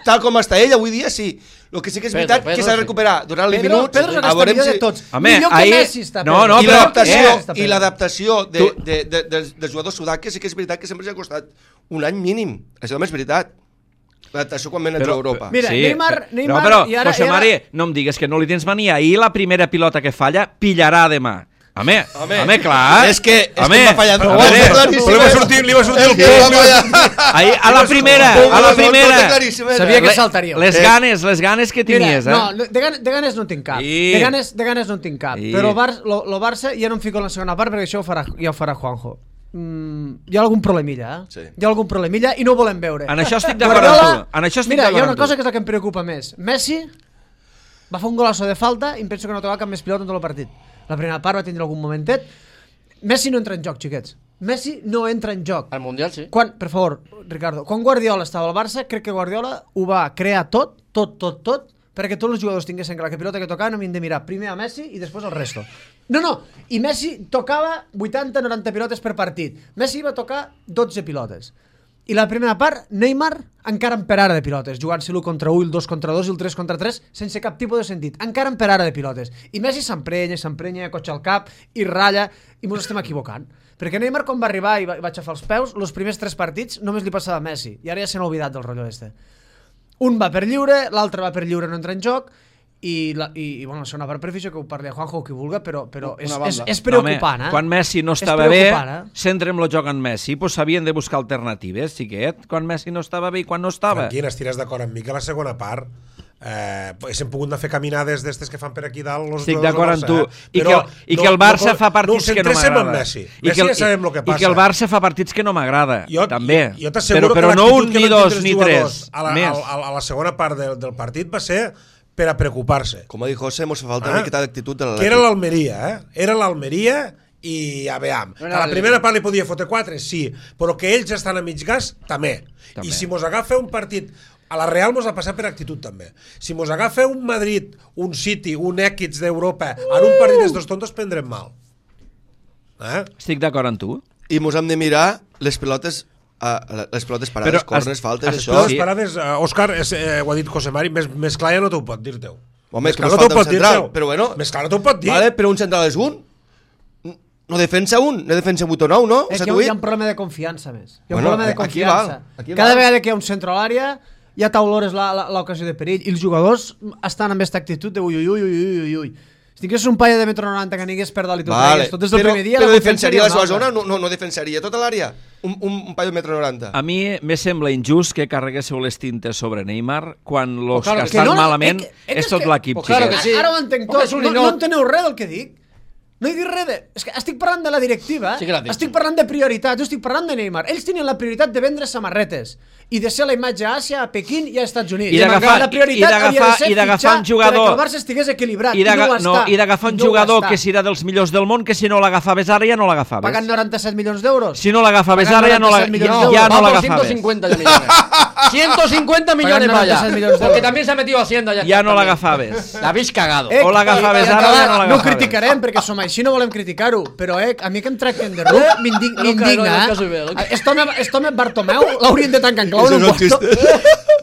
Speaker 4: tal com està ell avui dia, sí. El que sí que és
Speaker 6: Pedro,
Speaker 4: veritat
Speaker 6: Pedro,
Speaker 4: que s'ha de
Speaker 6: sí.
Speaker 4: recuperar durant els
Speaker 3: Pedro,
Speaker 4: minuts.
Speaker 3: Pedro és
Speaker 4: a
Speaker 3: aquesta
Speaker 4: veurem
Speaker 3: millor
Speaker 4: si...
Speaker 3: de tots.
Speaker 1: Home,
Speaker 3: Millor que
Speaker 1: ahir-
Speaker 3: Messi està
Speaker 1: No,
Speaker 3: Pedro.
Speaker 1: no,
Speaker 4: I
Speaker 1: però-
Speaker 4: l'adaptació
Speaker 3: Eh, està
Speaker 4: i
Speaker 3: Pedro.
Speaker 4: l'adaptació de,
Speaker 1: Tu-
Speaker 4: de, de, dels, dels jugadors sudàquics sí que és veritat que sempre s'ha costat un any mínim. Això també és veritat. L'adaptació quan venen a
Speaker 1: Però-
Speaker 4: Europa.
Speaker 3: Mira, Neymar-
Speaker 1: però-
Speaker 3: Neymar-
Speaker 1: no, però,
Speaker 3: i ara-
Speaker 1: José
Speaker 3: i ara-
Speaker 1: Mari, no em digues que no li tens mania. Ahir la primera pilota que falla, pillarà demà. Home,
Speaker 4: Home,
Speaker 1: home, clar.
Speaker 4: és que- és que
Speaker 1: home,
Speaker 4: m'ha fallat.
Speaker 1: a
Speaker 4: Ho
Speaker 1: veure,
Speaker 4: has claríssim.
Speaker 2: Però li va sortir, li va sortir
Speaker 4: És
Speaker 2: el
Speaker 4: que
Speaker 2: punt.
Speaker 4: m'ha fallat.
Speaker 1: ahí, a la primera, a la primera.
Speaker 3: Sabia que
Speaker 1: Le-
Speaker 3: saltaríeu.
Speaker 1: Les
Speaker 4: Eh.
Speaker 1: ganes, les ganes que tenies,
Speaker 3: Mira,
Speaker 1: eh?
Speaker 3: no, de, gan de ganes no en tinc cap.
Speaker 1: I-
Speaker 3: De, ganes, de ganes no en tinc cap.
Speaker 1: I-
Speaker 3: Però el, Bar lo, lo Barça ja no em fico en la segona part perquè això ho farà, ja ho farà Juanjo. Mm, hi ha algun problemilla, eh?
Speaker 4: Sí.
Speaker 3: Hi ha algun problemilla i no ho volem veure.
Speaker 1: En això estic d'acord amb tu. En això estic
Speaker 3: Mira, hi ha
Speaker 1: d'acord
Speaker 3: una
Speaker 1: amb tu.
Speaker 3: cosa que és la que em preocupa més. Messi va fer un golazo de falta i em penso que no ha tocat cap més pilota en tot el partit. La primera part va tindre algun momentet. Messi no entra en joc, xiquets. Messi no entra en joc.
Speaker 6: Al Mundial, sí.
Speaker 3: Quan, per favor, Ricardo, quan Guardiola estava al Barça, crec que Guardiola ho va crear tot, tot, tot, tot, perquè tots els jugadors tinguessin clar que pilota que tocaven havien de mirar primer a Messi i després al resto. No, no, i Messi tocava vuitanta noranta pilotes per partit. Messi va tocar dotze pilotes. I la primera part, Neymar encara en per ara de pilotes, jugant-se l'u contra u, el dos contra dos i el tres contra tres, sense cap tipus de sentit. Encara en per ara de pilotes. I Messi s'emprenya, s'emprenya, cotxa al cap, i ratlla, i mos estem equivocant. Perquè Neymar, quan va arribar i va, i va aixafar els peus, els primers tres partits només li passava a Messi. I ara ja se n'ha oblidat del rotllo este. Un va per lliure, l'altre va per lliure, no entra en joc, i, la, i, i bueno, la segona part per afició que ho parli a Juanjo o qui vulga, però, però és,
Speaker 6: Una
Speaker 3: és,
Speaker 6: banda.
Speaker 3: és preocupant,
Speaker 1: Home,
Speaker 3: eh?
Speaker 1: quan Messi no
Speaker 3: És
Speaker 1: estava bé,
Speaker 3: preocupant, eh?
Speaker 1: centrem el joc en Messi, doncs s'havien de buscar alternatives, xiquet, quan Messi no estava bé i quan no estava.
Speaker 2: Tranquil, estiràs d'acord amb mi que la segona part eh, hem pogut anar a fer caminades d'estes que fan per aquí dalt los
Speaker 1: Estic
Speaker 2: jugadors
Speaker 1: d'acord
Speaker 2: del
Speaker 1: amb tu.
Speaker 2: Barça, eh?
Speaker 1: I,
Speaker 2: Però
Speaker 1: que, I que el Barça
Speaker 2: no,
Speaker 1: fa partits
Speaker 2: no
Speaker 1: que no
Speaker 2: centréssim en
Speaker 1: m'agrada.
Speaker 2: Messi.
Speaker 1: I
Speaker 2: Messi
Speaker 1: que, el-
Speaker 2: ja sabem el que
Speaker 1: I que
Speaker 2: passa.
Speaker 1: el Barça fa partits que no m'agrada,
Speaker 2: Jo,
Speaker 1: també.
Speaker 2: jo, jo t'asseguro
Speaker 1: però, però
Speaker 2: que
Speaker 1: no
Speaker 2: l'actitud
Speaker 1: un,
Speaker 2: que
Speaker 1: ni
Speaker 2: van
Speaker 1: dos,
Speaker 2: tindre els
Speaker 1: ni
Speaker 2: jugadors
Speaker 1: tres.
Speaker 2: a la,
Speaker 1: més.
Speaker 2: a, a la segona part del, del partit va ser per a preocupar-se.
Speaker 4: Com ha dit José, mos fa falta
Speaker 2: Ah,
Speaker 4: una miqueta d'actitud de
Speaker 2: que era
Speaker 4: l'Atlètic.
Speaker 2: l'Almeria, eh? Era l'Almeria i a veure,
Speaker 6: No
Speaker 2: a
Speaker 6: era
Speaker 2: la
Speaker 6: el-
Speaker 2: primera part li podia fotre quatre, sí, però que ells estan a mig gas, també.
Speaker 1: També.
Speaker 2: I si mos agafa un partit, a la Real mos ha passat per actitud també. Si mos agafa un Madrid, un City, un Èquids d'Europa, en un partit d'estos tontos prendrem mal. Eh?
Speaker 1: Estic d'acord amb tu.
Speaker 4: I mos hem de mirar les pilotes, uh, les pilotes parades,
Speaker 1: Però
Speaker 4: corners,
Speaker 1: es-
Speaker 4: faltes,
Speaker 1: es-
Speaker 4: això.
Speaker 2: Però les
Speaker 1: Sí.
Speaker 2: parades, eh, Òscar, és, eh, ho ha dit José Mari, més, més clar ja no t'ho pot dir teu.
Speaker 4: Home, és
Speaker 2: Més
Speaker 4: que
Speaker 2: clar
Speaker 4: mos
Speaker 2: no t'ho
Speaker 4: falta un
Speaker 2: pot dir
Speaker 4: central,
Speaker 2: teu.
Speaker 4: però bueno.
Speaker 2: Més clar no t'ho pot dir.
Speaker 4: Vale, però un central és un. No defensa un, no defensa vuit o nou, no?
Speaker 3: És
Speaker 4: S'ha
Speaker 3: que hi ha, hi ha
Speaker 4: tuit?
Speaker 3: un problema de confiança més. Hi ha
Speaker 4: Bueno,
Speaker 3: un problema de
Speaker 4: aquí
Speaker 3: confiança.
Speaker 4: val, aquí
Speaker 3: Cada
Speaker 4: val.
Speaker 3: vegada que hi ha un centre a l'àrea ja t'olores l'ocasió de perill i els jugadors estan amb aquesta actitud de ui, ui, ui, ui, ui, ui. Si tingués un paio de metro noranta que anigués per dalt i tot
Speaker 4: Vale.
Speaker 3: tragués tot des del
Speaker 4: però,
Speaker 3: primer dia...
Speaker 4: però
Speaker 3: la confiança
Speaker 4: defensaria la
Speaker 3: seria
Speaker 4: seva
Speaker 3: una
Speaker 4: zona?
Speaker 3: altra.
Speaker 4: No, no, no defensaria tota l'àrea? Un, un, un paio de metro noranta.
Speaker 1: A mi me sembla injust que carreguéssiu les tintes sobre Neymar quan los
Speaker 6: Pues claro
Speaker 1: que
Speaker 6: que
Speaker 1: estan
Speaker 3: no, no,
Speaker 1: malament
Speaker 3: és que- és
Speaker 1: és tot
Speaker 3: que-
Speaker 1: l'equip,
Speaker 6: pues claro
Speaker 1: xiquets.
Speaker 6: que sí.
Speaker 3: Ara ho entenc
Speaker 6: Porque
Speaker 3: tot.
Speaker 6: és un
Speaker 3: No, no
Speaker 6: ninot.
Speaker 3: enteneu res del que dic. No he dit res de... És que estic parlant de la directiva.
Speaker 6: Sí que l'ha dit.
Speaker 3: Estic parlant de prioritats. Jo estic parlant de Neymar. Ells tenien la prioritat de vendre samarretes i de ser la imatge a Àsia, a Pequín i a Estats Units.
Speaker 1: I d'agafar-
Speaker 3: la prioritat
Speaker 1: i d'agafar-
Speaker 3: havia de ser
Speaker 1: i d'agafar
Speaker 3: fitxar
Speaker 1: un jugador-
Speaker 3: perquè el Barça estigués equilibrat.
Speaker 1: I
Speaker 3: I, no ho
Speaker 1: d'aga-
Speaker 3: està.
Speaker 1: no, i d'agafar un
Speaker 3: No ho
Speaker 1: jugador
Speaker 3: està.
Speaker 1: que serà dels millors del món, que si no l'agafaves ara ja no l'agafaves.
Speaker 3: Pagant noranta-set milions d'euros.
Speaker 1: Si no l'agafaves
Speaker 3: Pagant
Speaker 1: ara ja no la-
Speaker 3: noranta-set milions
Speaker 1: ja,
Speaker 3: d'euros.
Speaker 1: ja no
Speaker 6: Va por
Speaker 1: l'agafaves.
Speaker 6: ciento cincuenta ya millones. ciento cincuenta millones
Speaker 3: Pagan
Speaker 6: vaya.
Speaker 3: noventa y seis millones de
Speaker 6: Porque
Speaker 3: euros.
Speaker 6: también se ha metido Hacienda ya.
Speaker 1: Ja
Speaker 6: está
Speaker 1: no
Speaker 6: también.
Speaker 1: l'agafaves.
Speaker 6: La habéis cagado.
Speaker 3: Eh,
Speaker 1: O l'agafaves
Speaker 3: i- i
Speaker 1: ara o ja no
Speaker 3: No ho
Speaker 1: l'agafaves.
Speaker 3: criticarem perquè som així, no volem criticar-ho, però eh, a mi que em tracten de ruc m'indig-
Speaker 6: No, no, no,
Speaker 3: m'indigna.
Speaker 6: no, no, no, no.
Speaker 3: Eh? Este home, este home Bartomeu l'haurien de tancar en clau en un
Speaker 4: Eso no
Speaker 3: quarto.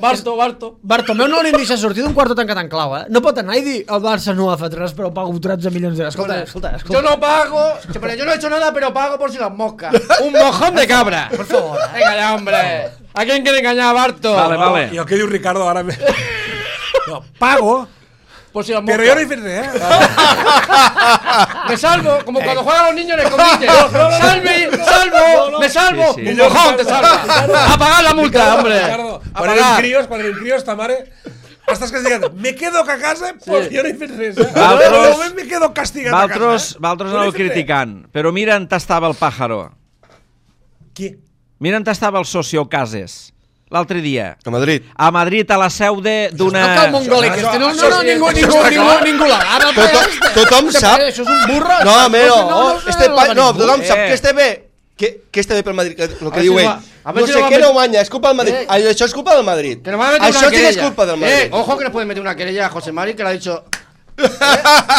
Speaker 6: Barto, Barto.
Speaker 3: Bartomeu no l'haurien de deixar sortir d'un quarto tancat en clau, eh? No pot anar i dir el Barça no ha fet res però pago tretze milions d'euros. Escolta,
Speaker 6: Hombre,
Speaker 3: escolta, escolta.
Speaker 6: Yo no pago. Pero yo no he hecho nada, pero pago por si las moscas. Un mojón de cabra.
Speaker 3: Por favor. eh?
Speaker 6: Venga ya, hombre. ¿A quién quiere engañar a Barto?
Speaker 1: Vale, vale.
Speaker 2: I el que diu Ricardo ara... Me... No, pago,
Speaker 6: Por si las moscas.
Speaker 2: però jo no he fet res, eh?
Speaker 6: Me salvo, como cuando juegan los niños en el escondite. ¡Salve! ¡Salvo! ¡Me salvo!
Speaker 1: Sí, sí.
Speaker 6: ¡Un mojón te salva! ¡A pagar la multa, hombre!
Speaker 2: Ricardo,
Speaker 6: ¡A
Speaker 2: quan eren
Speaker 6: pagar!
Speaker 2: crios, quan eren crios, ta mare... Estàs castigat. Me quedo a casa perquè jo no he fet res, eh?
Speaker 1: Valtros-
Speaker 2: De moment me quedo castigat a
Speaker 1: Valtros,
Speaker 2: casa. eh?
Speaker 1: Valtros
Speaker 2: No
Speaker 1: aneu
Speaker 2: he fet res.
Speaker 1: criticant, però mira on estava el pàjaro.
Speaker 2: Qui?
Speaker 1: Mira on estava el socio Cases l'altre dia.
Speaker 4: A Madrid.
Speaker 1: A Madrid, a la seu de- d'una...
Speaker 3: No cal mongòlic,
Speaker 2: Això-
Speaker 3: este. No,
Speaker 2: això
Speaker 3: no, no,
Speaker 2: sí,
Speaker 3: ningú,
Speaker 2: això
Speaker 3: ningú,
Speaker 2: està
Speaker 3: ningú,
Speaker 2: clar.
Speaker 3: ningú l'agafa. el
Speaker 4: Tothom,
Speaker 3: paio este.
Speaker 4: tothom
Speaker 3: Este
Speaker 4: sap...
Speaker 3: paio, Això és un burro.
Speaker 4: No, home, no.
Speaker 3: no, no,
Speaker 4: este
Speaker 3: no,
Speaker 4: pa...
Speaker 3: no,
Speaker 4: no,
Speaker 3: ningú.
Speaker 4: tothom sap
Speaker 1: Eh.
Speaker 4: que este bé... Que, que este bé pel Madrid, que, el
Speaker 6: A
Speaker 4: que
Speaker 6: ver
Speaker 4: diu
Speaker 6: si
Speaker 4: ell.
Speaker 6: va- a ver
Speaker 4: No
Speaker 6: si
Speaker 4: sé
Speaker 6: lo va
Speaker 4: què
Speaker 6: a met-
Speaker 4: no guanya, és culpa del Madrid.
Speaker 6: Eh.
Speaker 4: Ai, Això és culpa del Madrid.
Speaker 6: Que nos van a meter
Speaker 4: Això
Speaker 6: una
Speaker 4: sí que
Speaker 6: querella.
Speaker 4: és culpa del Madrid.
Speaker 6: Eh, ojo que nos pueden meter una querella a José Mari que le ha dicho. Eh,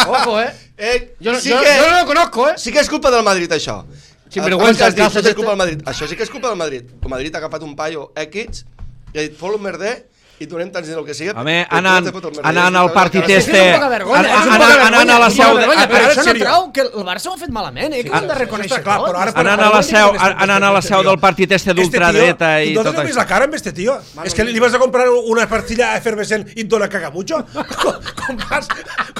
Speaker 6: ojo, eh.
Speaker 4: Eh,
Speaker 6: Yo, no-
Speaker 4: sí,
Speaker 6: yo-
Speaker 4: que,
Speaker 6: yo no lo conozco, eh.
Speaker 4: sí que és culpa del Madrid, això.
Speaker 6: Sinvergüenza,
Speaker 4: Abans has dit,
Speaker 6: el cas
Speaker 4: tot és
Speaker 6: este.
Speaker 4: culpa del Madrid. Això sí que és culpa del Madrid. El Madrid ha agafat un paio X i ha dit, fot-lo merder i donem tants diners el que sigui.
Speaker 1: Home, anant, anant al partit este...
Speaker 3: És poca vergonya, és un poca
Speaker 1: Anant
Speaker 3: vergonya.
Speaker 1: a la seu...
Speaker 3: Vergonya,
Speaker 2: a
Speaker 3: però
Speaker 2: veure,
Speaker 3: això no
Speaker 2: seriós.
Speaker 3: trau que el Barça ho ha fet malament, eh? Que ho hem de reconèixer
Speaker 2: Està clar,
Speaker 3: tot.
Speaker 2: però ara...
Speaker 1: Anant a la seu, anant a la seu del partit este d'ultradreta i
Speaker 2: tot
Speaker 1: tot
Speaker 2: això. ¿No
Speaker 1: això.
Speaker 2: la cara amb este tío? És que li vas a comprar una pastilla efervescent i et dona cagamucho? Com, com, vas,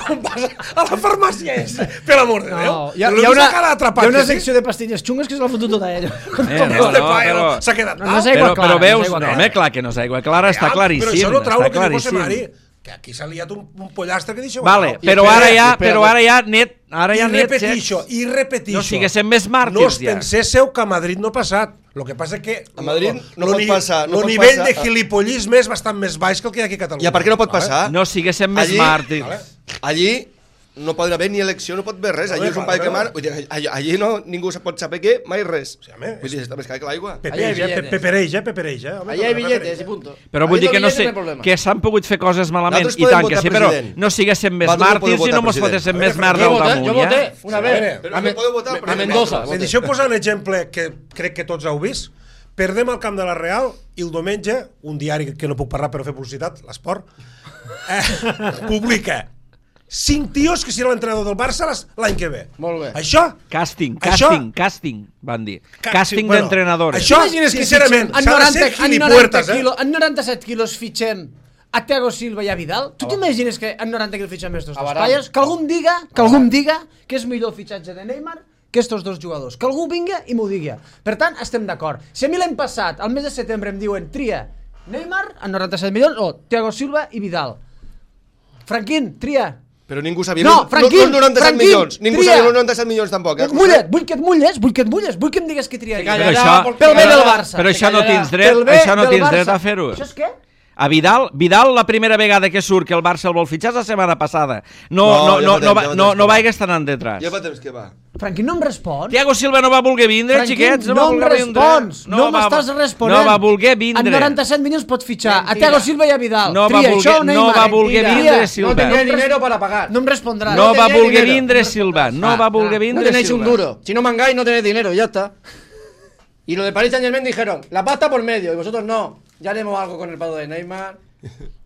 Speaker 2: com vas a la farmàcia esa? Per l'amor de Déu.
Speaker 3: No, hi ha,
Speaker 2: Lo
Speaker 3: hi ha
Speaker 2: ves
Speaker 3: una,
Speaker 2: a cara atrapat,
Speaker 3: hi ha una
Speaker 2: que sí?
Speaker 3: secció de pastilles xungues que se l'ha fotut tota ella.
Speaker 1: Eh, no,
Speaker 2: Este
Speaker 1: no,
Speaker 2: paio
Speaker 1: però...
Speaker 2: s'ha quedat...
Speaker 3: No, no és aigua
Speaker 1: Però,
Speaker 3: clara,
Speaker 1: però
Speaker 3: no és
Speaker 1: veus...
Speaker 3: aigua
Speaker 1: No,
Speaker 3: clara.
Speaker 1: home, clar que no és aigua clara, està
Speaker 2: Però
Speaker 1: claríssim.
Speaker 2: això no trau
Speaker 1: Està
Speaker 2: el que diu José Mari.
Speaker 1: claríssim.
Speaker 2: Que aquí s'ha liat un, un pollastre que deixeu...
Speaker 1: Vale,
Speaker 6: I
Speaker 1: però
Speaker 6: espera,
Speaker 1: ara ja,
Speaker 6: espera,
Speaker 1: però ara ja net, ara ja
Speaker 2: I
Speaker 1: net,
Speaker 2: repetixo,
Speaker 1: Xecs.
Speaker 2: i repetixo.
Speaker 1: No siguéssim més
Speaker 2: No
Speaker 1: màrtirs,
Speaker 2: us
Speaker 1: ja.
Speaker 2: penséssiu que a Madrid no ha passat. Lo que passa que...
Speaker 4: A Madrid no
Speaker 2: lo
Speaker 4: pot
Speaker 2: ni-
Speaker 4: passar, no
Speaker 2: lo
Speaker 4: pot
Speaker 2: nivell
Speaker 4: passar.
Speaker 2: de gilipollisme és bastant més baix que el que hi ha aquí a Catalunya.
Speaker 4: Ja, per què no pot passar?
Speaker 1: No siguéssim més
Speaker 4: Allí-
Speaker 1: màrtirs.
Speaker 2: Vale.
Speaker 4: Allí no pot haver ni elecció, no pot haver res. Allí
Speaker 2: Vale,
Speaker 4: és un
Speaker 2: vale,
Speaker 4: país que
Speaker 2: vale.
Speaker 4: mar... Vull dir, allí, allí no, ningú se pot saber què, mai res.
Speaker 2: Sí, home,
Speaker 4: Vull dir, està més car que l'aigua.
Speaker 2: Pepereix,
Speaker 6: Allà hi ha
Speaker 2: eh? Pe-
Speaker 6: billetes.
Speaker 2: Pepereix, eh? Pepereix, eh? Home,
Speaker 6: Allà hi ha
Speaker 2: pepereix,
Speaker 6: billetes
Speaker 2: eh?
Speaker 6: i punto.
Speaker 1: Però vull
Speaker 6: Ahí
Speaker 1: dir
Speaker 6: los
Speaker 1: que no
Speaker 6: billetes
Speaker 1: sé,
Speaker 6: hay problema.
Speaker 1: que s'han pogut fer coses malament,
Speaker 4: Nosaltres
Speaker 1: i
Speaker 4: podem
Speaker 1: tant que
Speaker 4: votar
Speaker 1: sí, però
Speaker 4: president.
Speaker 1: no siguéssim més
Speaker 4: Vosaltres no
Speaker 1: màrtirs
Speaker 4: podeu
Speaker 1: i no
Speaker 4: votar
Speaker 1: mos
Speaker 4: president.
Speaker 1: fotéssim
Speaker 2: A
Speaker 1: més
Speaker 2: veure,
Speaker 1: merda
Speaker 6: Jo
Speaker 1: al
Speaker 6: voté,
Speaker 1: damunt,
Speaker 6: jo
Speaker 1: ja?
Speaker 6: voté, una
Speaker 2: A
Speaker 6: vez.
Speaker 2: veure,
Speaker 4: Però
Speaker 6: A,
Speaker 4: no podeu votar,
Speaker 6: a
Speaker 4: president.
Speaker 6: Mendoza.
Speaker 2: Me deixeu posar un exemple que crec que tots heu vist. Perdem al camp de la Real i el diumenge, un diari que no puc parlar per fer publicitat, l'Esport, eh, publica cinc tios que seran l'entrenador del Barça les- l'any que ve.
Speaker 6: Molt bé.
Speaker 2: Això...
Speaker 1: Casting,
Speaker 2: Això-
Speaker 1: casting, casting, van dir.
Speaker 2: Ca-
Speaker 1: Casting
Speaker 2: sí, bueno,
Speaker 1: d'entrenadors.
Speaker 2: això-
Speaker 3: T'imagines que
Speaker 2: sincerament,
Speaker 3: fitxem en
Speaker 2: s'ha de
Speaker 3: noranta,
Speaker 2: ser
Speaker 3: en noranta,
Speaker 2: gilipuertes, eh?
Speaker 3: quilos, en noranta-set quilos fitxem a Thiago Silva i a Vidal? Tu t'imagines que en noranta quilos fitxem estos dos
Speaker 6: Abarat.
Speaker 3: paios? Que algú em diga, que algú em diga que és millor el fitxatge de Neymar que estos dos jugadors. Que algú vinga i m'ho digui. Per tant, estem d'acord. Si a mi l'any passat, al mes de setembre, em diuen tria Neymar en noranta-set milions o Thiago Silva i Vidal. Franquín, tria.
Speaker 4: Però ningú sabia...
Speaker 3: No, Franquín,
Speaker 4: no, no, noranta-set
Speaker 3: Franquín,
Speaker 4: milions. Ningú
Speaker 3: tria.
Speaker 4: sabia els noranta-set milions tampoc. Eh?
Speaker 3: Mulla't, vull que et mulles, vull que et mulles, vull que em digues qui triaria.
Speaker 1: Però això-
Speaker 3: Pel bé del Barça.
Speaker 1: Però això no
Speaker 6: callarà.
Speaker 1: tens dret,
Speaker 3: Pel bé
Speaker 1: això no
Speaker 3: del
Speaker 1: tens dret
Speaker 3: Barça.
Speaker 1: a fer-ho.
Speaker 3: Això és què?
Speaker 1: A Vidal, Vidal la primera vegada que surt que el Barça el vol fitxar és la setmana passada. No,
Speaker 4: No,
Speaker 1: no,
Speaker 4: ja
Speaker 1: no,
Speaker 4: fa temps,
Speaker 1: no, va-
Speaker 4: ja fa
Speaker 1: no,
Speaker 4: temps
Speaker 1: no
Speaker 4: que va.
Speaker 1: vaigues tan endetrás.
Speaker 4: Ja fa temps que va.
Speaker 3: Franquín, no em respon.
Speaker 1: Thiago Silva no va voler vindre,
Speaker 3: Franquín,
Speaker 1: xiquets, no,
Speaker 3: no
Speaker 1: va
Speaker 3: em
Speaker 1: voler vindre.
Speaker 3: respons, no,
Speaker 1: va-
Speaker 3: m'estàs responent.
Speaker 1: No va voler vindre.
Speaker 3: En noranta-set milions pots fitxar a
Speaker 6: Mentira.
Speaker 3: Thiago Silva i a Vidal.
Speaker 1: No va
Speaker 3: Tria,
Speaker 1: voler-
Speaker 3: això o
Speaker 1: no
Speaker 3: Neymar?
Speaker 1: va voler
Speaker 3: Tria.
Speaker 1: vindre,
Speaker 6: No
Speaker 1: Silva.
Speaker 6: tenía dinero para pagar.
Speaker 3: No em respondràs.
Speaker 1: No va
Speaker 6: tenía
Speaker 1: voler
Speaker 6: dinero.
Speaker 1: vindre Silva, no
Speaker 3: Ah,
Speaker 1: va voler
Speaker 3: ah.
Speaker 1: vindre
Speaker 6: No tenéis un
Speaker 1: Silva.
Speaker 6: duro. Si no mangáis, no tenéis dinero, ya está. Y los de Paris Saint Germain dijeron, la pasta por medio, y vosotros no. Ya haremos algo con el pago de Neymar.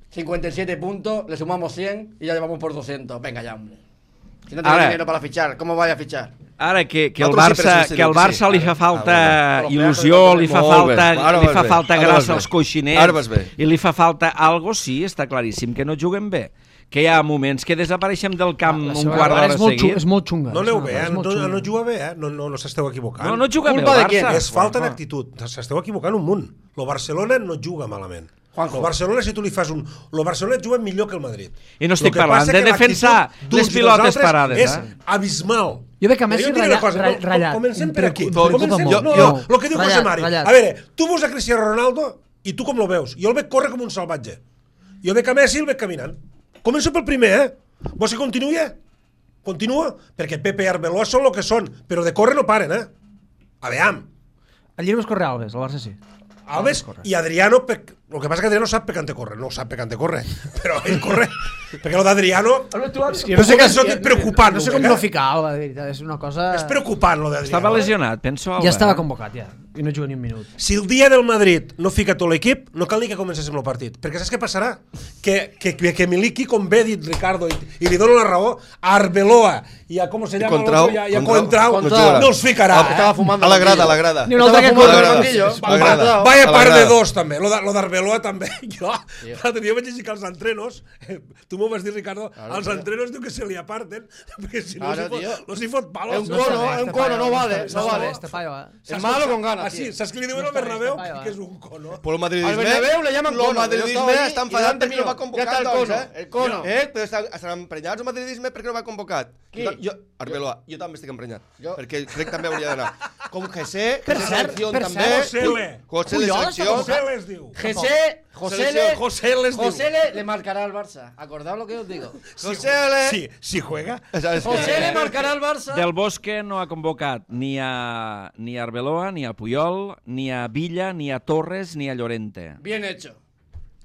Speaker 6: cincuenta y siete puntos, le sumamos cien y ya llevamos por doscientos. Venga ya, hombre. Si no tenéis
Speaker 1: Ara-
Speaker 6: dinero para fichar, ¿cómo vais a fichar?
Speaker 1: Ara que, que el
Speaker 4: Nosaltres sí,
Speaker 1: Barça,
Speaker 4: però
Speaker 1: que el
Speaker 4: sí,
Speaker 1: Barça
Speaker 4: sí.
Speaker 1: li fa
Speaker 4: Ara-
Speaker 1: falta
Speaker 6: ara-
Speaker 1: il·lusió, li fa
Speaker 4: Molt bé.
Speaker 1: falta,
Speaker 4: Ara
Speaker 1: li
Speaker 4: vas
Speaker 1: fa
Speaker 4: bé.
Speaker 1: falta
Speaker 4: Ara
Speaker 1: gràcia
Speaker 4: vas bé.
Speaker 1: als coixinets
Speaker 4: Ara vas bé.
Speaker 1: i li fa falta algo, sí, està claríssim que no juguen bé. Que hi ha moments que desapareixem del camp
Speaker 3: La
Speaker 1: un
Speaker 3: seva
Speaker 1: quart
Speaker 3: cara
Speaker 1: d'hora
Speaker 3: és molt xunga,
Speaker 1: seguit.
Speaker 3: és molt xunga.
Speaker 2: No aneu
Speaker 3: És
Speaker 2: bé,
Speaker 3: una-
Speaker 2: eh?
Speaker 3: és
Speaker 2: No,
Speaker 3: molt
Speaker 2: no,
Speaker 3: xunga.
Speaker 2: no juga bé, eh? No, no, no s'esteu equivocant.
Speaker 1: No, no juga bé el
Speaker 6: Culpa de quién?
Speaker 1: Barça.
Speaker 2: És falta d'actitud. S'esteu equivocant un munt. Lo Barcelona no juga malament.
Speaker 6: Juanjo.
Speaker 2: Lo Barcelona, si tu li fas un... Lo Barcelona juga millor que el Madrid.
Speaker 1: I no estic
Speaker 2: Lo que
Speaker 1: parlant
Speaker 2: passa
Speaker 1: de
Speaker 2: que
Speaker 1: defensar
Speaker 2: l'actitud d'uns
Speaker 1: les
Speaker 2: i dels
Speaker 1: pilotes
Speaker 2: altres
Speaker 1: parades,
Speaker 2: És
Speaker 1: eh?
Speaker 2: abismal.
Speaker 3: Jo veig que Messi
Speaker 2: Però jo et diré
Speaker 3: ratlla-
Speaker 2: una cosa,
Speaker 3: ra-
Speaker 2: no,
Speaker 3: ratllat.
Speaker 2: Comencem
Speaker 3: Em
Speaker 2: per aquí.
Speaker 3: preocupa
Speaker 2: Comencem,
Speaker 3: molt.
Speaker 2: no,
Speaker 3: Jo-
Speaker 2: no, el que diu
Speaker 3: ratllat,
Speaker 2: José Mari.
Speaker 3: ratllat.
Speaker 2: A veure, tu veus a Cristiano Ronaldo i tu com lo veus? Jo el veig córrer com un salvatge. Jo veig a Messi i el veig caminant. Començo pel primer, eh? Vols que continuï? Continua? Perquè Pepe i Arbeloa són el que són, però de córrer no paren, eh? Aveam.
Speaker 3: Allí només corre Alves, al Barça sí.
Speaker 2: Alves i Adriano, per... el que passa que Adriano sap per cante corre, no sap per cante corre, però ell corre, perquè lo d'Adriano
Speaker 3: Jo
Speaker 2: no sé què és preocupant.
Speaker 3: No sé com no ficar Alba, de veritat, és una cosa...
Speaker 2: És preocupant lo d'Adriano.
Speaker 1: Estava lesionat, penso. Alba,
Speaker 3: Ja estava
Speaker 1: eh?
Speaker 3: convocat, ja, i no juga ni un minut.
Speaker 2: Si el dia del Madrid no fica tot l'equip, no cal ni que comencéssim el partit, perquè saps què passarà? Que, que, que Miliki, com bé ha dit Ricardo, i, i li dono la raó, a Arbeloa i a, com se llama,
Speaker 4: Contrao,
Speaker 2: l'altre, i a
Speaker 4: Contrao,
Speaker 2: Coentrao,
Speaker 6: Contrao.
Speaker 2: no els ficarà.
Speaker 6: Ah, estaba fumando
Speaker 4: A la
Speaker 6: en el
Speaker 4: grada, a la
Speaker 6: banquillo.
Speaker 4: grada.
Speaker 3: Ni un altre que
Speaker 6: Estaba fumando
Speaker 3: corre.
Speaker 6: en el banquillo.
Speaker 4: A la grada.
Speaker 2: Vaya
Speaker 4: A la
Speaker 2: part de
Speaker 4: grada.
Speaker 2: dos, també. Lo de- lo d'Arbeloa, també. Jo, l'altre dia vaig llegir que els entrenos, eh, tu m'ho vas dir, Ricardo,
Speaker 6: Claro,
Speaker 2: els
Speaker 6: tío.
Speaker 2: entrenos diu que se li aparten, perquè si no,
Speaker 6: Claro,
Speaker 2: si
Speaker 6: tío.
Speaker 2: fot, no s'hi fot palos.
Speaker 6: Es un cono, es un cono, no vale, no vale.
Speaker 3: Este paio, eh?
Speaker 6: Es malo con ganas,
Speaker 2: Ah, sí,
Speaker 6: tío.
Speaker 2: saps què li diuen al
Speaker 3: No està bé,
Speaker 2: Bernabéu?
Speaker 3: este paio,
Speaker 2: Que
Speaker 3: eh.
Speaker 2: és un cono.
Speaker 4: Por el madridisme,
Speaker 6: Al Bernabéu le llaman
Speaker 4: el
Speaker 6: cono.
Speaker 4: madridisme
Speaker 6: Yo estaba ahí
Speaker 4: està
Speaker 6: y
Speaker 4: enfadat
Speaker 6: delante
Speaker 4: perquè no
Speaker 6: mío.
Speaker 4: va convocat,
Speaker 6: Ya está el
Speaker 4: doncs,
Speaker 6: cono,
Speaker 4: eh?
Speaker 6: el cono.
Speaker 4: Eh, però estan, estan emprenyats el madridisme perquè no va convocat.
Speaker 6: Qui?
Speaker 4: Jo, jo, Arbeloa, jo també estic emprenyat,
Speaker 6: Jo-
Speaker 4: perquè crec que també hauria d'anar. Com José,
Speaker 3: Per
Speaker 4: José
Speaker 3: cert,
Speaker 4: selecció
Speaker 3: per
Speaker 4: també.
Speaker 3: cert,
Speaker 2: Josele.
Speaker 4: José de
Speaker 3: Puyol està
Speaker 4: selecció.
Speaker 3: convocat.
Speaker 2: José les diu.
Speaker 6: José, José le,
Speaker 2: José les diu.
Speaker 6: José le, le marcará al Barça. Acordaos lo que os digo.
Speaker 4: José le...
Speaker 2: Sí, si juega.
Speaker 4: ¿Sabes qué?
Speaker 6: José le marcará al Barça.
Speaker 1: Del Bosque no ha convocat ni a, ni a Arbeloa, ni a Puyol, ni a Villa, ni a Torres, ni a Llorente.
Speaker 6: Bien hecho.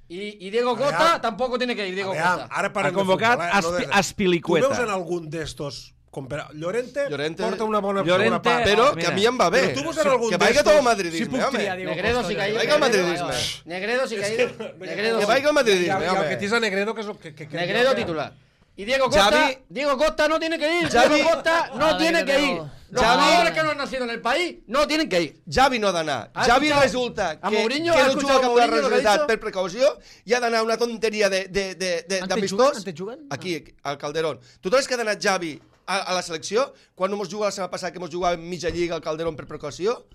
Speaker 6: Y, y Diego
Speaker 2: Aveam.
Speaker 6: Costa tampoco tiene que ir, Diego
Speaker 2: Aveam,
Speaker 6: Costa.
Speaker 2: ara parlem
Speaker 1: Ha convocat
Speaker 2: de futbol, eh?
Speaker 1: Aspi-
Speaker 2: Lo de-
Speaker 1: Aspilicueta.
Speaker 2: Tu veus en algun d'estos Com per... Llorente,
Speaker 4: Llorente-
Speaker 2: porta una bona
Speaker 1: Llorente-
Speaker 2: segona part.
Speaker 4: Però
Speaker 1: mira.
Speaker 4: que a mi em va bé.
Speaker 2: Però tu vols anar a algun
Speaker 4: Que vaiga
Speaker 2: d'estos?
Speaker 4: tot el madridisme,
Speaker 3: Si puc
Speaker 4: home.
Speaker 3: triar, Diego
Speaker 6: Negredo
Speaker 3: Costa,
Speaker 6: sí que ha ido.
Speaker 4: Vaya el
Speaker 6: Negredo,
Speaker 4: madridisme.
Speaker 6: vaya. Negredo sí que ha ido. Negredo
Speaker 4: Que
Speaker 6: sí.
Speaker 4: vaiga el madridisme,
Speaker 2: I el
Speaker 4: home.
Speaker 2: que tisa Negredo, que és el que... que, que
Speaker 6: Negredo titular. Y Diego Costa,
Speaker 4: Xavi-
Speaker 6: Diego Costa no tiene que ir.
Speaker 4: Xavi-
Speaker 6: Diego Costa no
Speaker 3: Vale,
Speaker 6: tiene que
Speaker 3: Diego.
Speaker 6: ir. Los
Speaker 4: Xavi-
Speaker 6: jugadores que no han nacido en el país no tienen que ir.
Speaker 4: Javi no ha d'anar.
Speaker 6: ¿Has
Speaker 4: Javi
Speaker 6: escuchado
Speaker 4: resulta
Speaker 6: a
Speaker 4: que,
Speaker 6: Mourinho?
Speaker 4: que
Speaker 6: ¿Has
Speaker 4: no
Speaker 6: escuchado
Speaker 4: juga
Speaker 6: a
Speaker 4: amb la
Speaker 6: Mourinho lo que ha
Speaker 4: resultat
Speaker 6: dicho?
Speaker 4: per precaució i ha d'anar a una tonteria de, de, de, de,
Speaker 3: Ante
Speaker 4: d'amistós.
Speaker 3: juguen? Ante juguen?
Speaker 4: Aquí, al Calderón. Tu trobes que ha d'anar Javi a, a la selecció quan no mos juga la setmana passada que mos jugava mitja lliga al Calderón per precaució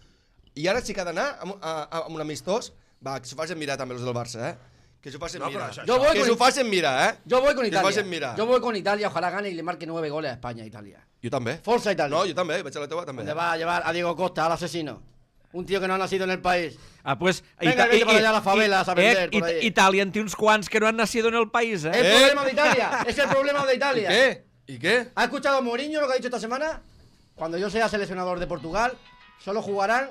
Speaker 4: i ara sí que ha d'anar amb, a, a, amb un amistós. Va, que s'ho facin mirar també els del Barça, eh? Que s'ho facin
Speaker 2: No, però
Speaker 4: mirar.
Speaker 2: això-
Speaker 6: Yo voy
Speaker 4: Que
Speaker 6: con-
Speaker 4: s'ho facin mirar, eh?
Speaker 6: Yo voy con
Speaker 4: Que s'ho facin
Speaker 6: Italia.
Speaker 4: mirar.
Speaker 6: Yo voy con Italia, ojalá gane y le marque nueve goles a España e Italia.
Speaker 4: Jo també.
Speaker 6: Forza Italia.
Speaker 4: No, jo també, vaig a la teva també.
Speaker 6: ¿Dónde va a llevar a Diego Costa, al asesino? Un tío que no ha nacido en el país.
Speaker 1: Ah, pues...
Speaker 6: Venga, vete para allá a las favelas a vender por ahí.
Speaker 1: Italia en té uns quants que no han nacido en el país,
Speaker 6: El
Speaker 1: eh?
Speaker 4: Eh.
Speaker 6: problema de Italia. Es el problema de Italia.
Speaker 4: ¿Qué? ¿Y qué?
Speaker 6: ¿Ha escuchado a Mourinho lo que ha dicho esta semana? Cuando yo sea seleccionador de Portugal, solo jugarán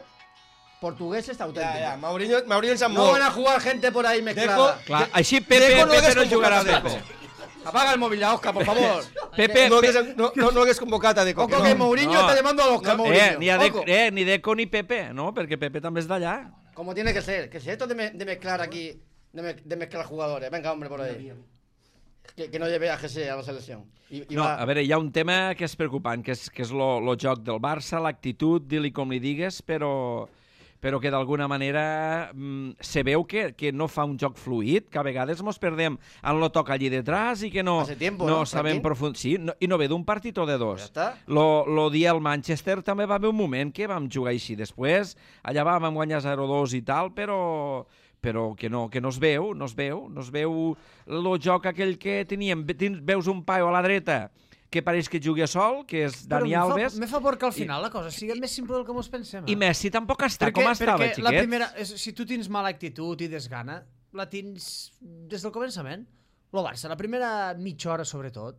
Speaker 6: portugueses auténticos.
Speaker 4: Ja, ja, Mourinho, Mourinho en sap
Speaker 6: No
Speaker 4: molt.
Speaker 6: van a jugar gente por ahí mezclada.
Speaker 4: Dejo-
Speaker 1: Clar, així Pepe,
Speaker 4: Deco no
Speaker 1: Pepe
Speaker 4: hagués
Speaker 1: no jugarà a
Speaker 4: convocat a
Speaker 1: Pepe.
Speaker 6: Apaga el móvil ya, Oscar, por favor.
Speaker 1: Pepe,
Speaker 4: No,
Speaker 1: Pe-
Speaker 4: hagués, no, no, no hagués convocat a Deco.
Speaker 6: Ojo
Speaker 4: que
Speaker 6: que
Speaker 4: no.
Speaker 6: Mourinho
Speaker 1: No.
Speaker 6: está llamando a Oscar Mourinho.
Speaker 1: Eh, ni, a de,
Speaker 6: Ojo.
Speaker 1: eh, ni Deco ni Pepe, no? Perquè Pepe també és d'allà.
Speaker 6: Como tiene que ser. Que si esto de, me- de mezclar aquí, de, me- de mezclar jugadores. Venga, hombre, por ahí. Que, que no lleve a G C a la selección. Y, y
Speaker 1: No,
Speaker 6: va-
Speaker 1: a veure, hi ha un tema que és preocupant, que és, que és lo, lo joc del Barça, l'actitud, di-li com li digues, però, però que d'alguna manera mm, se veu que, que no fa un joc fluid, que a vegades mos perdem en lo toca allí detrás i que no,
Speaker 6: Hace tiempo,
Speaker 1: no
Speaker 6: ¿no,
Speaker 1: sabem
Speaker 6: Franquín?
Speaker 1: profund... Sí, no, i no ve d'un partit o de dos.
Speaker 6: Ja està.
Speaker 1: Lo, lo dia al Manchester també va haver un moment que vam jugar així. Després, allà vam guanyar zero dos i tal, però però que no, que no es veu, no es veu, no es veu el joc aquell que teníem. Tens- Veus un paio a la dreta que pareix que jugui a sol, que és
Speaker 3: Però
Speaker 1: Dani
Speaker 3: me fa-
Speaker 1: Alves,
Speaker 3: Me fa por que al final la cosa sigui més simple del que mos pensem.
Speaker 1: i Messi tampoc està
Speaker 3: perquè,
Speaker 1: com estava,
Speaker 3: perquè
Speaker 1: xiquet.
Speaker 3: la primera, és, si tu tens mala actitud i desgana, la tens des del començament. El Barça, la primera mitja hora sobretot,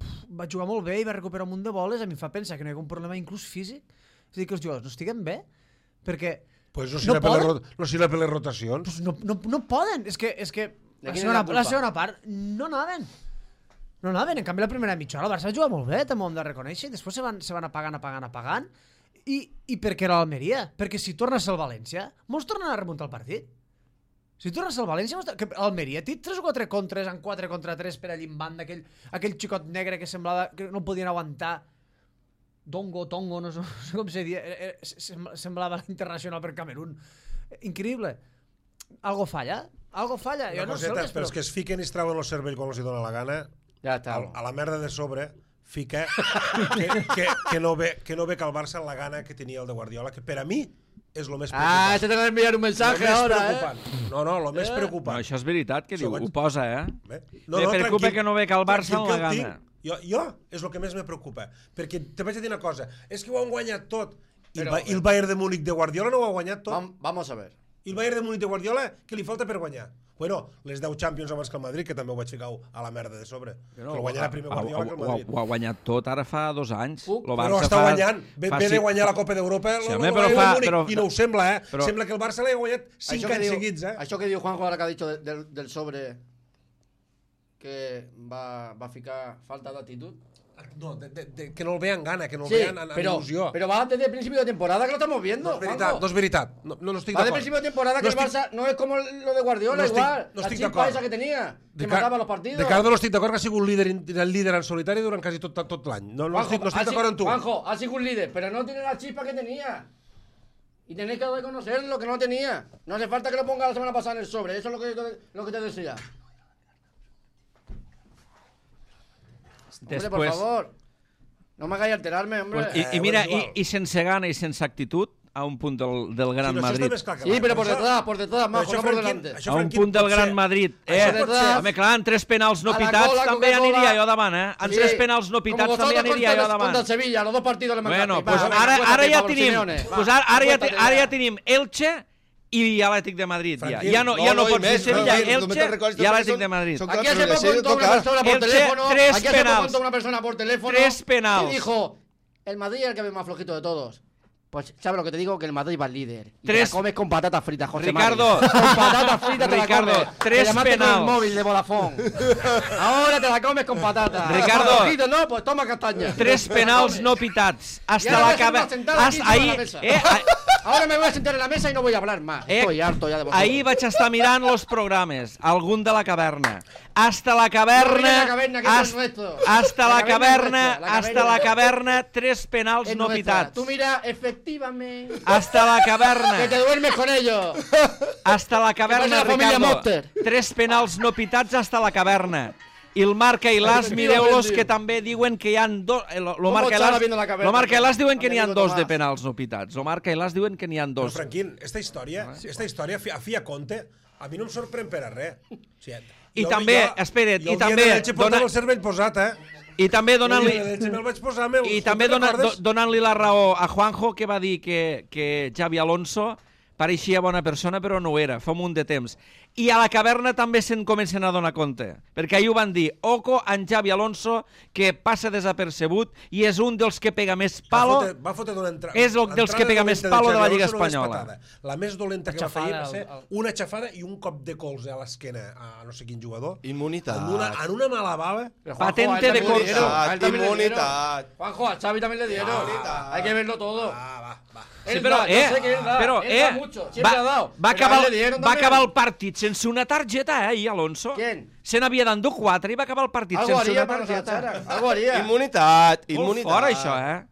Speaker 3: pf, va jugar molt bé i va recuperar un munt de boles, a mi em fa pensar que no hi ha un problema inclús físic. És a dir, que els jugadors no estiguen bé, perquè
Speaker 2: Pues no
Speaker 3: No
Speaker 2: serà per les,
Speaker 3: poden?
Speaker 2: ro- no serà per les rotacions.
Speaker 3: pues no, no, no poden. És que, és que
Speaker 6: De
Speaker 3: la,
Speaker 6: qui és
Speaker 3: segona,
Speaker 6: la culpa?
Speaker 3: la segona part no anaven. No anaven. En canvi, la primera mitja hora el Barça va jugar molt bé, també ho hem de reconèixer, i després se van, se van apagant, apagant, apagant. I, i per què era l'Almeria? Perquè si torna a ser el València, molts tornen a remuntar el partit. Si torna a ser el València, mos- que l'Almeria té tres o quatre contres en quatre contra tres per allà en banda, aquell, aquell xicot negre que semblava que no podien aguantar. Dongo, Tongo, no sé, no sé com se dia, era- era- sem- semblava internacional per Camerún. Increïble. Algo falla? Algo falla?
Speaker 2: Una
Speaker 3: Jo no sé,
Speaker 2: coseta,
Speaker 3: el que
Speaker 2: però és que es fiquen i es treuen el cervell quan els hi dona la gana.
Speaker 6: Ya está.
Speaker 2: A, a la merda de sobre fica que, que, que, no ve, que no ve que el Barça la gana que tenia el de Guardiola, que per a mi és el més preocupant.
Speaker 6: Ah, este te va a enviar un
Speaker 2: Lo
Speaker 6: mensaje
Speaker 2: més
Speaker 6: ahora,
Speaker 2: preocupant.
Speaker 6: eh.
Speaker 2: No, no, el més
Speaker 1: No,
Speaker 2: preocupant.
Speaker 1: això és veritat, que diu,
Speaker 2: Segons-
Speaker 1: ho posa, eh?
Speaker 2: Bé.
Speaker 1: Me preocupa que no ve que el Barça
Speaker 2: tranquil,
Speaker 1: en la
Speaker 2: que el
Speaker 1: gana.
Speaker 2: tinc. Jo, jo és el que més me preocupa, perquè te vaig a dir una cosa, és que ho han guanyat tot, i, el,
Speaker 6: Però-
Speaker 2: Ba- i el Bayern de Múnich de Guardiola no ho ha guanyat tot,
Speaker 6: Vam- Vamos a ver.
Speaker 2: i el Bayern de Múnich de Guardiola, què li falta per guanyar? Bueno, les deu Champions abans que el Madrid, que també ho vaig ficar a la merda de sobre, que el guanyarà primer Guardiola que el
Speaker 1: ho, ho,
Speaker 2: Madrid.
Speaker 1: ho ha guanyat tot ara fa dos anys.
Speaker 6: Puc?
Speaker 1: Lo
Speaker 2: Però
Speaker 1: Barça
Speaker 2: està
Speaker 1: fa-
Speaker 2: guanyant, ve,
Speaker 1: fa
Speaker 2: ve de
Speaker 1: cinc-
Speaker 2: guanyar la Copa d'Europa
Speaker 1: Sí,
Speaker 2: el,
Speaker 1: home,
Speaker 2: el
Speaker 1: però
Speaker 2: Bayern
Speaker 1: fa-
Speaker 2: de Múnich,
Speaker 1: però-
Speaker 2: i no ho sembla, eh?
Speaker 1: però-
Speaker 2: Sembla que el Barça l'ha guanyat cinc
Speaker 6: Això que
Speaker 2: anys
Speaker 6: diu-
Speaker 2: seguits, eh?
Speaker 6: Això que diu Juanjo ahora que ha dicho de- del, del sobre que va, va a ficar falta de actitud.
Speaker 2: No, de, de, de, que no el vean gana, que no el
Speaker 6: Sí,
Speaker 2: vean en, en
Speaker 6: pero,
Speaker 2: il·lusió.
Speaker 6: pero va desde el principio de temporada que lo estamos viendo.
Speaker 2: No és veritat,
Speaker 6: Juanjo.
Speaker 2: no és veritat. No, no, no estic
Speaker 6: Va desde el
Speaker 2: d'acord.
Speaker 6: principio de temporada que
Speaker 2: No
Speaker 6: el
Speaker 2: estic-
Speaker 6: Barça no es como lo de Guardiola,
Speaker 2: no estic-
Speaker 6: igual.
Speaker 2: no
Speaker 6: la
Speaker 2: estic
Speaker 6: chispa
Speaker 2: d'acord.
Speaker 6: esa que tenía, que
Speaker 2: De Car-
Speaker 6: mataba los partidos.
Speaker 2: De Cardo no estic d'acord que ha sigut líder, in- el líder en solitari durant quasi tot, tot, tot l'any. No, no
Speaker 6: Juanjo,
Speaker 2: estic, no estic
Speaker 6: ha si-
Speaker 2: d'acord amb tu.
Speaker 6: Juanjo, ha sido un líder, pero no tiene la chispa que tenía. Y tenéis que reconocer lo que no tenía. No hace falta que lo ponga la semana pasada en el sobre. Eso es lo que, lo que te decía. Hombre, por
Speaker 1: Després,
Speaker 6: favor. No me hagáis alterarme, hombre.
Speaker 1: pues, i,
Speaker 2: Eh,
Speaker 1: i mira,
Speaker 2: bueno, és
Speaker 1: i,
Speaker 2: igual.
Speaker 1: i sense gana i sense actitud, a un punt del, del Gran
Speaker 2: Sí, no, això
Speaker 1: Madrid.
Speaker 2: està més clar que
Speaker 6: Sí,
Speaker 2: mai.
Speaker 6: pero por
Speaker 2: Això-
Speaker 6: detrás, por detrás,
Speaker 2: però
Speaker 6: majo,
Speaker 2: això,
Speaker 6: no por
Speaker 2: Franquín,
Speaker 6: delante.
Speaker 2: això,
Speaker 1: A un
Speaker 2: Franquín,
Speaker 1: punt del
Speaker 2: pot
Speaker 1: Gran
Speaker 2: ser-
Speaker 1: Madrid. Eh,
Speaker 2: això pot ser-
Speaker 1: home, clar, en tres penals no
Speaker 6: A la
Speaker 1: pitats
Speaker 6: cola,
Speaker 1: també
Speaker 6: Coca-Cola.
Speaker 1: aniria jo davant, eh? En
Speaker 6: Sí,
Speaker 1: tres penals no
Speaker 6: como
Speaker 1: pitats
Speaker 6: vosotros
Speaker 1: també aniria
Speaker 6: contra
Speaker 1: jo
Speaker 6: el-
Speaker 1: davant.
Speaker 6: Contra el Sevilla, los dos partidos le mandaste.
Speaker 1: Bueno,
Speaker 6: Va,
Speaker 1: pues
Speaker 6: venga,
Speaker 1: ara, ara
Speaker 6: acuéstate,
Speaker 1: ja
Speaker 6: Pablo
Speaker 1: tenim,
Speaker 6: Simeone, va,
Speaker 1: pues ara, ara, ja,
Speaker 6: acuéstate
Speaker 1: ara
Speaker 6: ya.
Speaker 1: ja tenim Elche i Atlètic de Madrid. Ja,
Speaker 2: Franquín,
Speaker 1: ja no, ja
Speaker 4: no,
Speaker 1: no,
Speaker 4: no, i
Speaker 1: pot ser
Speaker 4: més,
Speaker 1: Sevilla,
Speaker 4: no, no, no me
Speaker 1: Elche
Speaker 4: te'n recordes,
Speaker 1: i Atlètic
Speaker 4: són-
Speaker 1: de Madrid.
Speaker 4: són-
Speaker 6: Aquí
Speaker 4: Claro,
Speaker 6: hace
Speaker 4: pero
Speaker 6: poco
Speaker 4: le
Speaker 6: entró una
Speaker 4: toca.
Speaker 6: persona por
Speaker 1: Elche,
Speaker 6: teléfono.
Speaker 1: tres
Speaker 6: Aquí hace poco
Speaker 1: penals.
Speaker 6: entró una persona por teléfono.
Speaker 1: Tres penals.
Speaker 6: Y dijo: el Madrid es el que ve más flojito de todos. Pues, ¿sabes lo que te digo? Que el Madrid va al líder. Y
Speaker 1: Tres-
Speaker 6: te la comes con patatas fritas, José
Speaker 1: Ricardo.
Speaker 6: Mari. Con patatas fritas te
Speaker 1: Ricardo,
Speaker 6: la comes.
Speaker 1: tres
Speaker 6: Te llamaste con
Speaker 1: penals.
Speaker 6: el móvil de Vodafone. Ahora te la comes con patatas.
Speaker 1: Ricardo.
Speaker 6: Ojito, no, pues toma castaña.
Speaker 1: Tres penals no pitats.
Speaker 6: Y
Speaker 1: Hasta
Speaker 6: ahora voy
Speaker 1: la
Speaker 6: a hacer una
Speaker 1: caverna.
Speaker 6: sentada aquí
Speaker 1: Ahí,
Speaker 6: sobre la mesa.
Speaker 1: eh, ah-
Speaker 6: Ahora me voy a sentar en la mesa y no voy a hablar más.
Speaker 1: Eh,
Speaker 6: Estoy harto ya de vosotros.
Speaker 1: ahir vaig estar mirant los programes, algun de la caverna. Hasta la
Speaker 6: No mires
Speaker 1: caverna,
Speaker 6: la caverna, que eso es
Speaker 1: hasta,
Speaker 6: nuestro.
Speaker 1: hasta
Speaker 6: La
Speaker 1: la
Speaker 6: caverna es
Speaker 1: caverna,
Speaker 6: nuestra, la
Speaker 1: hasta
Speaker 6: caverna.
Speaker 1: la caverna, tres penals
Speaker 6: Es
Speaker 1: no
Speaker 6: nuestra.
Speaker 1: pitats.
Speaker 6: Tú mira, efectivamente.
Speaker 1: Hasta la
Speaker 6: Que te
Speaker 1: caverna,
Speaker 6: duermes con ellos.
Speaker 1: hasta la
Speaker 6: pasa
Speaker 1: caverna,
Speaker 6: la familia
Speaker 1: Ricardo.
Speaker 6: Monster?
Speaker 1: Tres penals no pitats hasta la caverna. I el Marc Ailàs, mireu-los, que també diuen que hi ha dos... Lo, lo Marc
Speaker 6: estava
Speaker 1: Ailàs,
Speaker 6: viendo la caverna?
Speaker 1: lo Marc Ailàs diuen que
Speaker 6: Amb
Speaker 1: n'hi ha
Speaker 6: amigo
Speaker 1: dos de
Speaker 6: Tomàs.
Speaker 1: penals no pitats. Lo Marc Ailàs diuen que n'hi ha
Speaker 2: Però,
Speaker 1: dos.
Speaker 2: Franquín, esta història, esta història, a fi a compte, a mi no em sorprèn per a res. O sigui,
Speaker 1: I
Speaker 2: jo-
Speaker 1: també,
Speaker 2: jo-
Speaker 1: espera't,
Speaker 2: jo
Speaker 1: i
Speaker 2: el dia
Speaker 1: també
Speaker 2: de Elche portava
Speaker 1: dona-
Speaker 2: el cervell posat, eh?
Speaker 1: I també
Speaker 2: El dia
Speaker 1: donant-li...
Speaker 2: de Elche me'l vaig posar, meu.
Speaker 1: I
Speaker 2: Tu
Speaker 1: també
Speaker 2: te'n
Speaker 1: dona, do,
Speaker 2: recordes?
Speaker 1: donant-li la raó a Juanjo, que va dir que, que Xavi Alonso pareixia bona persona, però no ho era, fa un munt de temps. I a la caverna també se'n comencen a donar compte, perquè ahir ho van dir, oco en Xavi Alonso, que passa desapercebut i és un dels que pega més palo.
Speaker 2: Va fotre, va fotre d'una entra...
Speaker 1: És el dels que
Speaker 2: l'entrada
Speaker 1: pega més
Speaker 2: dolenta
Speaker 1: palo de la
Speaker 2: Xavi
Speaker 1: Lliga
Speaker 2: Alonso no és
Speaker 1: Espanyola.
Speaker 2: patada. La més dolenta que va fer
Speaker 3: Aixafada,
Speaker 2: va ser
Speaker 3: el- el-
Speaker 2: una aixafada i un cop de colze a l'esquena a no sé quin jugador.
Speaker 4: Immunitat.
Speaker 2: En una, en una mala bava.
Speaker 6: Pero,
Speaker 1: Patente
Speaker 6: a él
Speaker 1: de
Speaker 6: también le
Speaker 1: corsa.
Speaker 6: dieron, a él también le dieron.
Speaker 4: Inmunitat.
Speaker 6: Juanjo, a Xavi también le dieron.
Speaker 4: Inmunitat.
Speaker 6: Hay que verlo todo.
Speaker 2: Va, va, va.
Speaker 1: Sí,
Speaker 6: Él
Speaker 1: però,
Speaker 6: da, yo
Speaker 1: eh,
Speaker 6: sé que él da,
Speaker 1: però,
Speaker 6: él
Speaker 1: eh,
Speaker 6: da mucho, siempre
Speaker 1: va,
Speaker 6: ha dado.
Speaker 1: va,
Speaker 6: Pero a
Speaker 1: acabar,
Speaker 6: él le dieron
Speaker 1: va
Speaker 6: también.
Speaker 1: acabar el partit sense una targeta, eh, ahir, Alonso.
Speaker 6: ¿Quién?
Speaker 1: Se n'havia d'endur quatre i va acabar el partit
Speaker 6: Algo
Speaker 1: sense
Speaker 6: haría
Speaker 1: una
Speaker 6: para que se
Speaker 1: targeta.
Speaker 6: echaran. Algo haría.
Speaker 4: Immunitat,
Speaker 1: Molt
Speaker 4: immunitat.
Speaker 1: fort, això, eh?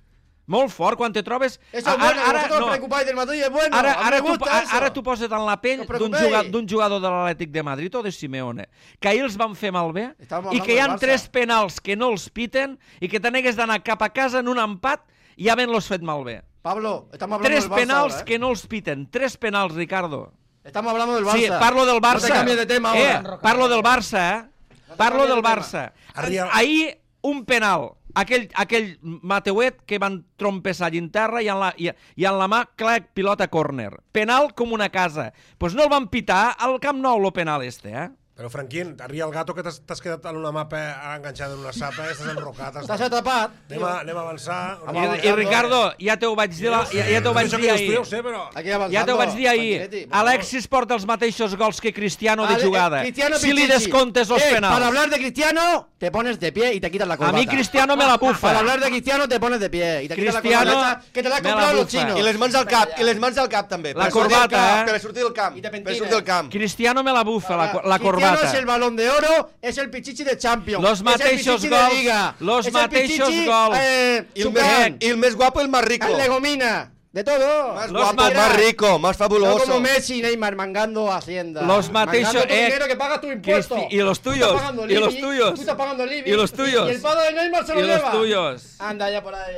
Speaker 1: Molt fort, quan te trobes...
Speaker 6: Eso es bueno, vosotros os preocupáis del Madrid, es bueno.
Speaker 1: Ara,
Speaker 6: A mí
Speaker 1: ara,
Speaker 6: me
Speaker 1: tu,
Speaker 6: gusta eso.
Speaker 1: ara tu poses en la pell
Speaker 6: No us
Speaker 1: d'un
Speaker 6: preocupeu.
Speaker 1: jugador, d'un jugador de l'Atlètic de Madrid o de Simeone, que ahir els van fer malbé
Speaker 6: Estàvem
Speaker 1: i
Speaker 6: hablando
Speaker 1: que hi ha
Speaker 6: del Barça.
Speaker 1: tres penals que no els piten i que te n'hagués d'anar cap a casa en un empat i havent-los fet malbé.
Speaker 6: Pablo, estamos hablando
Speaker 1: Tres
Speaker 6: del Barça
Speaker 1: penals
Speaker 6: ahora, ¿eh?
Speaker 1: que no els piten. Tres penals, Ricardo.
Speaker 6: Estamos hablando del Barça.
Speaker 1: Sí, parlo del Barça.
Speaker 6: No te cambies de tema
Speaker 1: eh,
Speaker 6: ahora.
Speaker 1: parlo del Barça, eh? Parlo
Speaker 6: canvies
Speaker 1: del
Speaker 6: de tema.
Speaker 1: Barça.
Speaker 2: Arriba.
Speaker 1: Ahir, un penal. Aquell, aquell Mateuet que van trompessar allà en terra i en la, i, i en la mà, clac, pilota córner. Penal com una casa. Doncs pues no el van pitar al Camp Nou, lo penal este, eh?
Speaker 2: Però, Franquín, arria el gato que t'has t'has quedat en una mapa enganxada en una sapa, estàs enrocat.
Speaker 6: Estás atrapado.
Speaker 2: Anem a, anem a avançar.
Speaker 1: I, I Ricardo, ja t'ho vaig dir, la, ja, ja t'ho vaig
Speaker 2: Això
Speaker 1: dir
Speaker 2: que dius tu, ja
Speaker 1: ahir.
Speaker 2: ho sé, però...
Speaker 6: Aquí avanzando.
Speaker 1: Ja t'ho vaig dir ahir.
Speaker 6: Tranquilete, por favor.
Speaker 1: Alexis porta els mateixos gols que Cristiano de
Speaker 6: Ale- eh,
Speaker 1: jugada.
Speaker 6: Cristiano
Speaker 1: Si li
Speaker 6: Pichichi.
Speaker 1: descomptes els
Speaker 6: Eh,
Speaker 1: penals.
Speaker 6: Para hablar de Cristiano, te pones de pie y te quitas la
Speaker 1: A
Speaker 6: corbata.
Speaker 1: mi Cristiano me la bufa.
Speaker 6: Para hablar de Cristiano, te pones de pie y te quitas
Speaker 1: Cristiano
Speaker 6: la corbata que te la han
Speaker 1: me la
Speaker 6: comprado los
Speaker 1: bufa.
Speaker 6: chinos.
Speaker 4: I les mans al cap, i les mans al cap també.
Speaker 1: La
Speaker 4: per sortir del
Speaker 1: corbata,
Speaker 4: camp,
Speaker 1: eh?
Speaker 4: Per sortir del camp,
Speaker 6: I te
Speaker 4: per
Speaker 6: pentines.
Speaker 4: sortir del camp.
Speaker 1: Cristiano me la bufa, la, la
Speaker 6: Cristiano
Speaker 1: corbata.
Speaker 6: es el balón de oro, es el pichichi de Champions.
Speaker 1: Los
Speaker 6: es el
Speaker 1: mateixos
Speaker 6: pichichi
Speaker 1: gols,
Speaker 6: de Liga.
Speaker 1: los
Speaker 6: es el
Speaker 1: mateixos
Speaker 6: pichichi,
Speaker 1: gols.
Speaker 6: Eh,
Speaker 4: I el,
Speaker 6: Zuccarán,
Speaker 4: més, I el més guapo, el más rico.
Speaker 6: el Legomina. De todo.
Speaker 4: Más
Speaker 1: Los
Speaker 4: guapo,
Speaker 1: ma-
Speaker 4: más rico, más
Speaker 6: No
Speaker 4: fabuloso.
Speaker 6: como Messi y Neymar mangando Hacienda.
Speaker 1: Los mateixos,
Speaker 6: Mangando tu
Speaker 1: eh,
Speaker 6: dinero que pagas tu impuesto.
Speaker 1: Cristi- y los
Speaker 6: Tú
Speaker 1: tuyos,
Speaker 6: estás pagando
Speaker 1: y los
Speaker 6: Libby,
Speaker 1: tuyos.
Speaker 6: Tú estás pagando Libby.
Speaker 1: Y los tuyos.
Speaker 6: Y el padre de Neymar se lo
Speaker 1: Y los
Speaker 6: lleva.
Speaker 1: tuyos.
Speaker 6: Anda ya por ahí.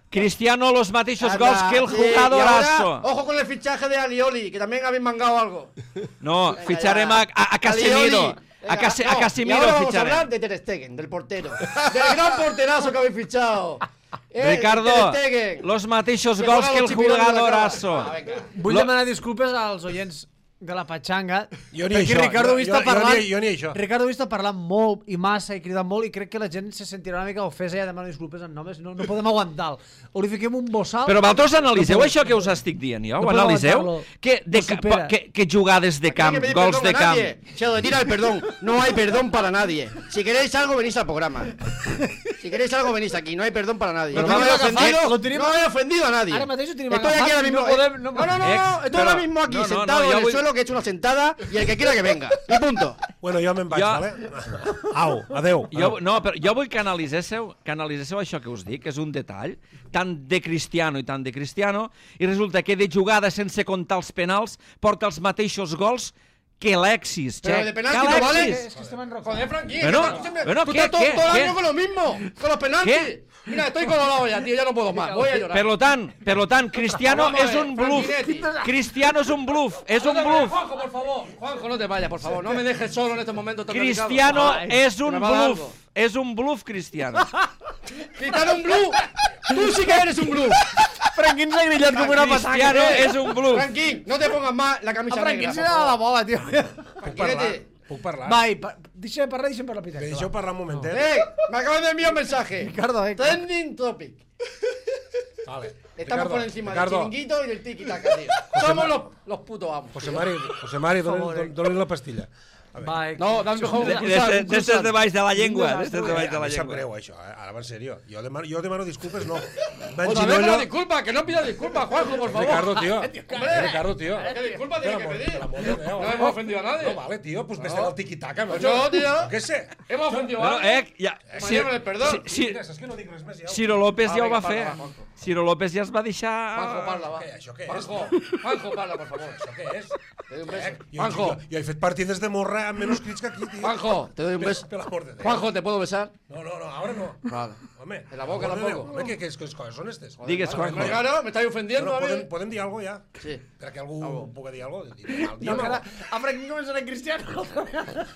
Speaker 1: Cristiano los mateixos
Speaker 6: Anda,
Speaker 1: gols que el
Speaker 6: sí,
Speaker 1: jugadorazo.
Speaker 6: y ahora, ojo con el fichaje de Alioli, que también habéis mangado algo.
Speaker 1: No,
Speaker 6: Venga,
Speaker 1: ficharem
Speaker 6: ya.
Speaker 1: a, a, a Casemiro.
Speaker 6: Alioli.
Speaker 1: A,
Speaker 6: Venga,
Speaker 1: Case,
Speaker 6: no,
Speaker 1: a
Speaker 6: y
Speaker 1: Casemiro
Speaker 6: ahora vamos a hablar
Speaker 1: ficharem.
Speaker 6: de Ter Stegen, del portero. Del gran porterazo que habéis fichado. Eh,
Speaker 1: Ricardo,
Speaker 6: Ter Stegen.
Speaker 1: los mateixos
Speaker 6: Que
Speaker 1: gols
Speaker 6: juega
Speaker 1: que el
Speaker 6: los chipirones de la
Speaker 1: jugadorazo.
Speaker 6: cama. Ah, venga.
Speaker 3: Vull
Speaker 1: Lo-
Speaker 3: demanar disculpes als oients de la Patxanga.
Speaker 2: Jo ni
Speaker 3: perquè
Speaker 2: això,
Speaker 3: Ricardo
Speaker 2: jo-
Speaker 3: ho està
Speaker 2: jo- jo
Speaker 3: parlant,
Speaker 2: ni- jo ni això.
Speaker 3: Ricardo ho està parlant molt i massa i cridant molt i crec que la gent se sentirà una mica ofesa i ha de demanar disculpes en nomes. No, no podem aguantar-lo. O li fiquem un bossal...
Speaker 1: Però vosaltres analiseu
Speaker 3: No
Speaker 1: això
Speaker 3: podem-
Speaker 1: que us estic dient jo?
Speaker 3: no
Speaker 1: Ho
Speaker 3: podem
Speaker 1: analiseu?
Speaker 3: aguantar-lo.
Speaker 1: Que, de,
Speaker 3: No supera.
Speaker 1: que, que jugades de
Speaker 6: Aquí no hay
Speaker 1: camp,
Speaker 6: que pedir
Speaker 1: gols
Speaker 6: perdón
Speaker 1: de
Speaker 6: a
Speaker 1: camp.
Speaker 6: nadie. Se retira el perdón. No hay perdón para nadie. Si queréis algo, venís al programa. Si queréis algo, venís aquí. No hay perdón para nadie.
Speaker 3: Lo
Speaker 6: No me
Speaker 3: tenim
Speaker 6: he
Speaker 3: agafat,
Speaker 6: ofendido,
Speaker 3: lo tenim-
Speaker 6: no he ofendido a nadie.
Speaker 3: Ara mateix ho tenim
Speaker 6: Estoy aquí
Speaker 3: agafat
Speaker 6: ahora
Speaker 3: i
Speaker 6: mismo.
Speaker 3: no podem- no
Speaker 6: No, no, no, no,
Speaker 1: Ex,
Speaker 6: estoy ahora
Speaker 1: però-
Speaker 6: mismo aquí,
Speaker 1: no, no, no,
Speaker 6: sentado
Speaker 1: ja
Speaker 6: en el
Speaker 1: vull-
Speaker 6: suelo, que he hecho una sentada y el que quiera que venga. Y punto.
Speaker 2: Bueno, jo me'n vaig,
Speaker 1: Jo-
Speaker 2: vale? Au, adeu.
Speaker 1: Jo, no, però jo vull que analiséssiu, que analiséssiu això que us dic, que és un detall, tant de Cristiano i tant de Cristiano, i resulta que de jugada sense comptar els penals porta els mateixos gols que Alexis.
Speaker 6: Pero
Speaker 1: Che,
Speaker 6: de
Speaker 1: que
Speaker 6: penalti no vale.
Speaker 1: Alexis.
Speaker 3: És que estem en roca.
Speaker 6: Joder, Frankie,
Speaker 1: Bueno,
Speaker 6: que tú siempre-
Speaker 1: bueno,
Speaker 6: tú
Speaker 1: ¿qué,
Speaker 6: estás todo,
Speaker 1: qué,
Speaker 6: todo el
Speaker 1: qué?
Speaker 6: año con lo mismo, con los penaltis.
Speaker 1: ¿Qué?
Speaker 6: Mira, estoy colorado ya, tío, ya no puedo más. Voy a llorar.
Speaker 1: Per lo tant, per lo tant, Cristiano
Speaker 6: Vamos a
Speaker 1: és
Speaker 6: ver,
Speaker 1: un bluff.
Speaker 6: Franchinetti.
Speaker 1: Cristiano és un bluff, és
Speaker 6: No
Speaker 1: un
Speaker 6: te vayas,
Speaker 1: bluff.
Speaker 6: Juanjo, por favor. Juanjo, no te vayas, por favor. No me dejes solo en este momento tan
Speaker 1: Cristiano
Speaker 6: delicado.
Speaker 1: és
Speaker 6: que
Speaker 1: un
Speaker 6: me va a dar
Speaker 1: bluff.
Speaker 6: algo.
Speaker 1: És un bluff, Cristiano.
Speaker 6: Cristiano un bluff. Tú sí que eres un bluff.
Speaker 3: Franquín s'ha grillat com una
Speaker 1: Cristiano
Speaker 3: patanga.
Speaker 1: és un bluff.
Speaker 6: Franquín, no te pongas más la camisa
Speaker 3: A Franquín
Speaker 6: negra.
Speaker 3: se
Speaker 6: por
Speaker 3: n'ha de la
Speaker 6: favor.
Speaker 3: bola, tio.
Speaker 2: Puc parlar?
Speaker 6: Tranquilete.
Speaker 2: Puc parlar?
Speaker 3: Va, i pa- deixa de parlar, deixa'm parlar, Peter.
Speaker 2: Me deixeu parlar un momentet?
Speaker 6: Eh, me acabas de enviar un mensaje.
Speaker 3: Ricardo, eh.
Speaker 6: Trending topic.
Speaker 2: Vale.
Speaker 6: Estamos por encima
Speaker 2: Ricardo,
Speaker 6: del chiringuito y del tiki-taka, tío. Somos los, los putos amos.
Speaker 2: José
Speaker 6: tío.
Speaker 2: Mari, José Mari,
Speaker 3: Por favor,
Speaker 2: dón'n dón'l la pastilla. A veure.
Speaker 3: Va,
Speaker 6: No, dame mejor un
Speaker 1: De-
Speaker 6: cruzat,
Speaker 1: de-
Speaker 6: un
Speaker 1: D'estes
Speaker 6: cruzat.
Speaker 1: de baix de la llengua, d'estes de
Speaker 2: Eh,
Speaker 1: baix de
Speaker 2: a
Speaker 1: la
Speaker 2: mi sap
Speaker 1: llengua.
Speaker 2: greu, això, eh? Ara va en sèrio. Jo demano, jo demano disculpes, no.
Speaker 6: Otra vez con
Speaker 2: M'enginollo...
Speaker 6: la disculpa, que no pidas disculpas, Juanjo, por favor.
Speaker 2: Ricardo, tío.
Speaker 6: Hombre.
Speaker 2: Ricardo, tío.
Speaker 6: ¿Qué disculpa tiene que
Speaker 2: Per
Speaker 6: pedir?
Speaker 2: l'amor de Déu.
Speaker 6: No hemos ofendido a nadie.
Speaker 2: No, vale, tío, pues ves el tiquitaca,
Speaker 6: Pues
Speaker 2: macho.
Speaker 6: no, tío.
Speaker 2: Jo què sé.
Speaker 6: Hemos ofendido a
Speaker 1: Bueno,
Speaker 6: alguien.
Speaker 1: eh, ja...
Speaker 6: Mañana el perdón.
Speaker 1: Si,
Speaker 2: Mira, saps que no dic res més, ja.
Speaker 1: Ciro López
Speaker 6: Ah,
Speaker 1: ja ho
Speaker 6: vinga,
Speaker 1: va fer.
Speaker 6: parla, va, Juanjo.
Speaker 1: Ciro López ja es va deixar...
Speaker 6: Juanjo, parla, va.
Speaker 2: Què, això què és?
Speaker 6: Juanjo, Juanjo, parla, por favor.
Speaker 2: Això què és?
Speaker 6: Te doy un beso.
Speaker 2: Eh, jo,
Speaker 6: Juanjo,
Speaker 2: jo, jo he fet partides de morra amb menys crits que aquí, tio.
Speaker 6: Juanjo, te doy un beso.
Speaker 2: Per l'amor de Déu.
Speaker 6: Juanjo, ¿te puedo besar?
Speaker 2: No, no, no, ara no.
Speaker 6: Vale.
Speaker 2: Home,
Speaker 6: En la boca
Speaker 2: per l'amor de
Speaker 6: tampoco.
Speaker 2: Déu. Home, què, què, què coses són estes?
Speaker 1: Digues,
Speaker 6: Hombre,
Speaker 1: Juanjo.
Speaker 6: claro, me estáis ofendiendo
Speaker 2: Bueno,
Speaker 6: a mí.
Speaker 2: podem, podem dir alguna cosa, ja?
Speaker 6: Sí.
Speaker 2: Perquè algú
Speaker 6: Algo.
Speaker 2: pugui dir alguna cosa. Diem,
Speaker 3: No,
Speaker 2: diem,
Speaker 3: que ara,
Speaker 2: algo.
Speaker 3: a Frank començarà en Cristiano.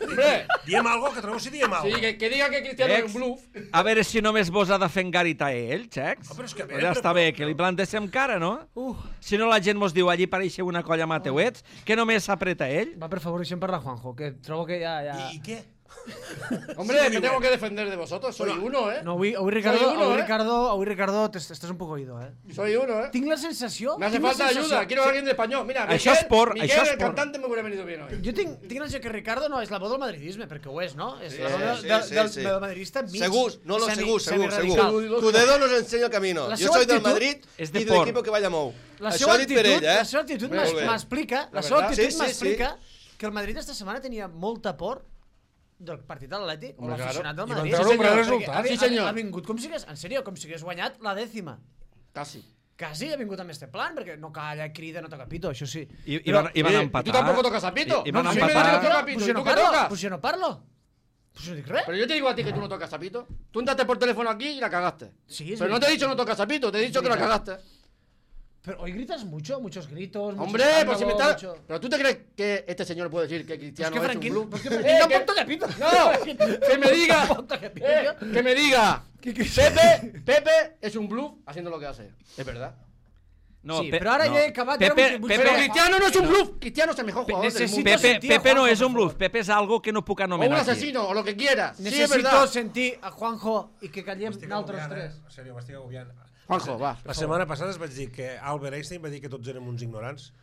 Speaker 6: Hombre,
Speaker 2: diem algo, que trobo si diem algo.
Speaker 6: sí, que, que diga que Cristiano es un bluff.
Speaker 1: A veure si només vos ha de fer engarit a ell, xecs.
Speaker 2: Ah, però és que a
Speaker 1: Però
Speaker 2: veure,
Speaker 1: ja
Speaker 2: però-
Speaker 1: està bé, que li plantéssim cara, no?
Speaker 3: Uh,
Speaker 1: Si no la gent mos diu allí pareixeu una colla mateuets, que només s'apreta ell.
Speaker 3: va, per favor, deixem parlar Juanjo, que trobo que ja... ja...
Speaker 2: I, I què?
Speaker 6: Hombre,
Speaker 2: Sí,
Speaker 6: me
Speaker 2: digo,
Speaker 6: tengo
Speaker 2: eh.
Speaker 6: que defender de vosotros. Soy uno, ¿eh?
Speaker 3: No, avui, avui Ricardo,
Speaker 6: Soy uno,
Speaker 3: avui,
Speaker 6: eh.
Speaker 3: Ricardo, avui Ricardo, t'es- estàs un poc oído, eh?
Speaker 6: Soy uno, ¿eh?
Speaker 3: Tinc la sensació...
Speaker 6: Me hace
Speaker 3: tinc la
Speaker 6: falta
Speaker 3: sensació-
Speaker 6: ayuda. Quiero a alguien de español. Mira,
Speaker 1: Això
Speaker 6: Miguel,
Speaker 1: és por,
Speaker 6: Miguel,
Speaker 1: això és
Speaker 6: el
Speaker 1: por.
Speaker 6: cantante, me hubiera venido bien hoy.
Speaker 3: Jo tinc, tinc la sensació que Ricardo no és la veu del madridisme, perquè ho és, no? És
Speaker 4: Sí,
Speaker 3: la veu del,
Speaker 4: sí,
Speaker 3: del,
Speaker 4: sí,
Speaker 3: del,
Speaker 4: sí.
Speaker 3: del madridista mig.
Speaker 4: Segur, no, no,
Speaker 3: semi-
Speaker 4: segur, segur,
Speaker 3: semiradical.
Speaker 4: segur. Tu dedo nos enseña el camino.
Speaker 3: La
Speaker 4: Yo
Speaker 3: seva
Speaker 4: soy del
Speaker 3: actitud
Speaker 4: Madrid
Speaker 1: és de
Speaker 4: y del
Speaker 1: por.
Speaker 4: equipo que vaya mou.
Speaker 3: La
Speaker 4: Això
Speaker 3: seva
Speaker 4: dit per
Speaker 3: actitud,
Speaker 4: ell, eh?
Speaker 3: la seva actitud
Speaker 6: Molt
Speaker 3: m'es-
Speaker 6: bé.
Speaker 3: m'explica, la
Speaker 6: La
Speaker 3: seva
Speaker 6: verdad.
Speaker 3: actitud
Speaker 4: Sí, sí,
Speaker 3: m'explica que el Madrid esta setmana tenia molta por del partit de l'Atlètic o
Speaker 6: Hombre,
Speaker 3: l'aficionat del
Speaker 2: I van
Speaker 3: Madrid.
Speaker 2: treure un gran
Speaker 3: Perquè
Speaker 2: resultat.
Speaker 3: ha-
Speaker 6: Sí,
Speaker 3: ha-
Speaker 6: senyor.
Speaker 3: Ha vingut com si hagués, en sèrio, com si hagués guanyat la dècima.
Speaker 6: Casi.
Speaker 3: Quasi ha vingut amb este plan, perquè no calla, crida, no toca pito, això sí.
Speaker 1: I, i,
Speaker 3: Però-
Speaker 1: van, i van
Speaker 6: Eh,
Speaker 1: empatar.
Speaker 6: ¿tú tampoco tocas a pito?
Speaker 1: I, i van
Speaker 6: No,
Speaker 3: si
Speaker 6: sí me
Speaker 3: me
Speaker 6: dices que
Speaker 1: empatar.
Speaker 6: toca
Speaker 3: parlo,
Speaker 6: pito,
Speaker 3: pues
Speaker 6: ¿y
Speaker 3: jo
Speaker 6: tú
Speaker 3: no
Speaker 6: qué
Speaker 3: parlo,
Speaker 6: tocas?
Speaker 3: pues jo no parlo. Pues no dic res.
Speaker 6: Pero yo te digo a ti que tú no tocas a pito. Tú entraste por teléfono aquí y la cagaste.
Speaker 3: Sí, es
Speaker 6: Pero no te he dicho no tocas a pito, te he dicho que la
Speaker 3: verdad.
Speaker 6: cagaste.
Speaker 3: Pero hoy gritas mucho, muchos gritos, mucho
Speaker 6: Hombre, pues si me
Speaker 3: escándalo,
Speaker 6: estás...
Speaker 3: mucho-
Speaker 6: Pero tú te crees que este señor puede decir que
Speaker 3: Pues
Speaker 6: Cristiano
Speaker 3: que
Speaker 6: es un
Speaker 3: Franquín,
Speaker 6: bluff.
Speaker 3: pues que
Speaker 6: Eh,
Speaker 3: Franquín
Speaker 6: que-
Speaker 3: tampoco toca pito.
Speaker 6: No, que me diga,
Speaker 3: Tampoco toca pito,
Speaker 6: eh,
Speaker 3: tío.
Speaker 6: que me diga,
Speaker 3: Que- que-
Speaker 6: Pepe, Pepe es un bluff haciendo lo que hace. Es verdad.
Speaker 1: No,
Speaker 3: Sí,
Speaker 1: Pe-
Speaker 3: però ara
Speaker 1: no.
Speaker 3: ja he acabat,
Speaker 1: Pepe,
Speaker 3: ara vull- vull
Speaker 1: Pepe,
Speaker 6: Pero Cristiano no es un bluff. Cristiano es el mejor jugador del
Speaker 3: necesito
Speaker 6: mundo.
Speaker 1: Pepe,
Speaker 3: sentir a
Speaker 1: Pepe no
Speaker 3: Juanjo,
Speaker 1: és un
Speaker 3: por
Speaker 1: bluff,
Speaker 3: favor.
Speaker 1: Pepe és algo que no puc
Speaker 6: O un
Speaker 1: anomenar aquí.
Speaker 6: asesino, o lo que quieras. Sí, es
Speaker 3: Necesito
Speaker 6: verdad.
Speaker 3: sentir a Juanjo i que callem
Speaker 2: M'estic
Speaker 3: nosaltres
Speaker 2: agobiant,
Speaker 3: tres.
Speaker 2: eh? En sèrio, m'estic agobiant.
Speaker 6: Juanjo, va.
Speaker 2: La setmana passada es vaig dir que Albert Einstein va dir que tots érem uns ignorants,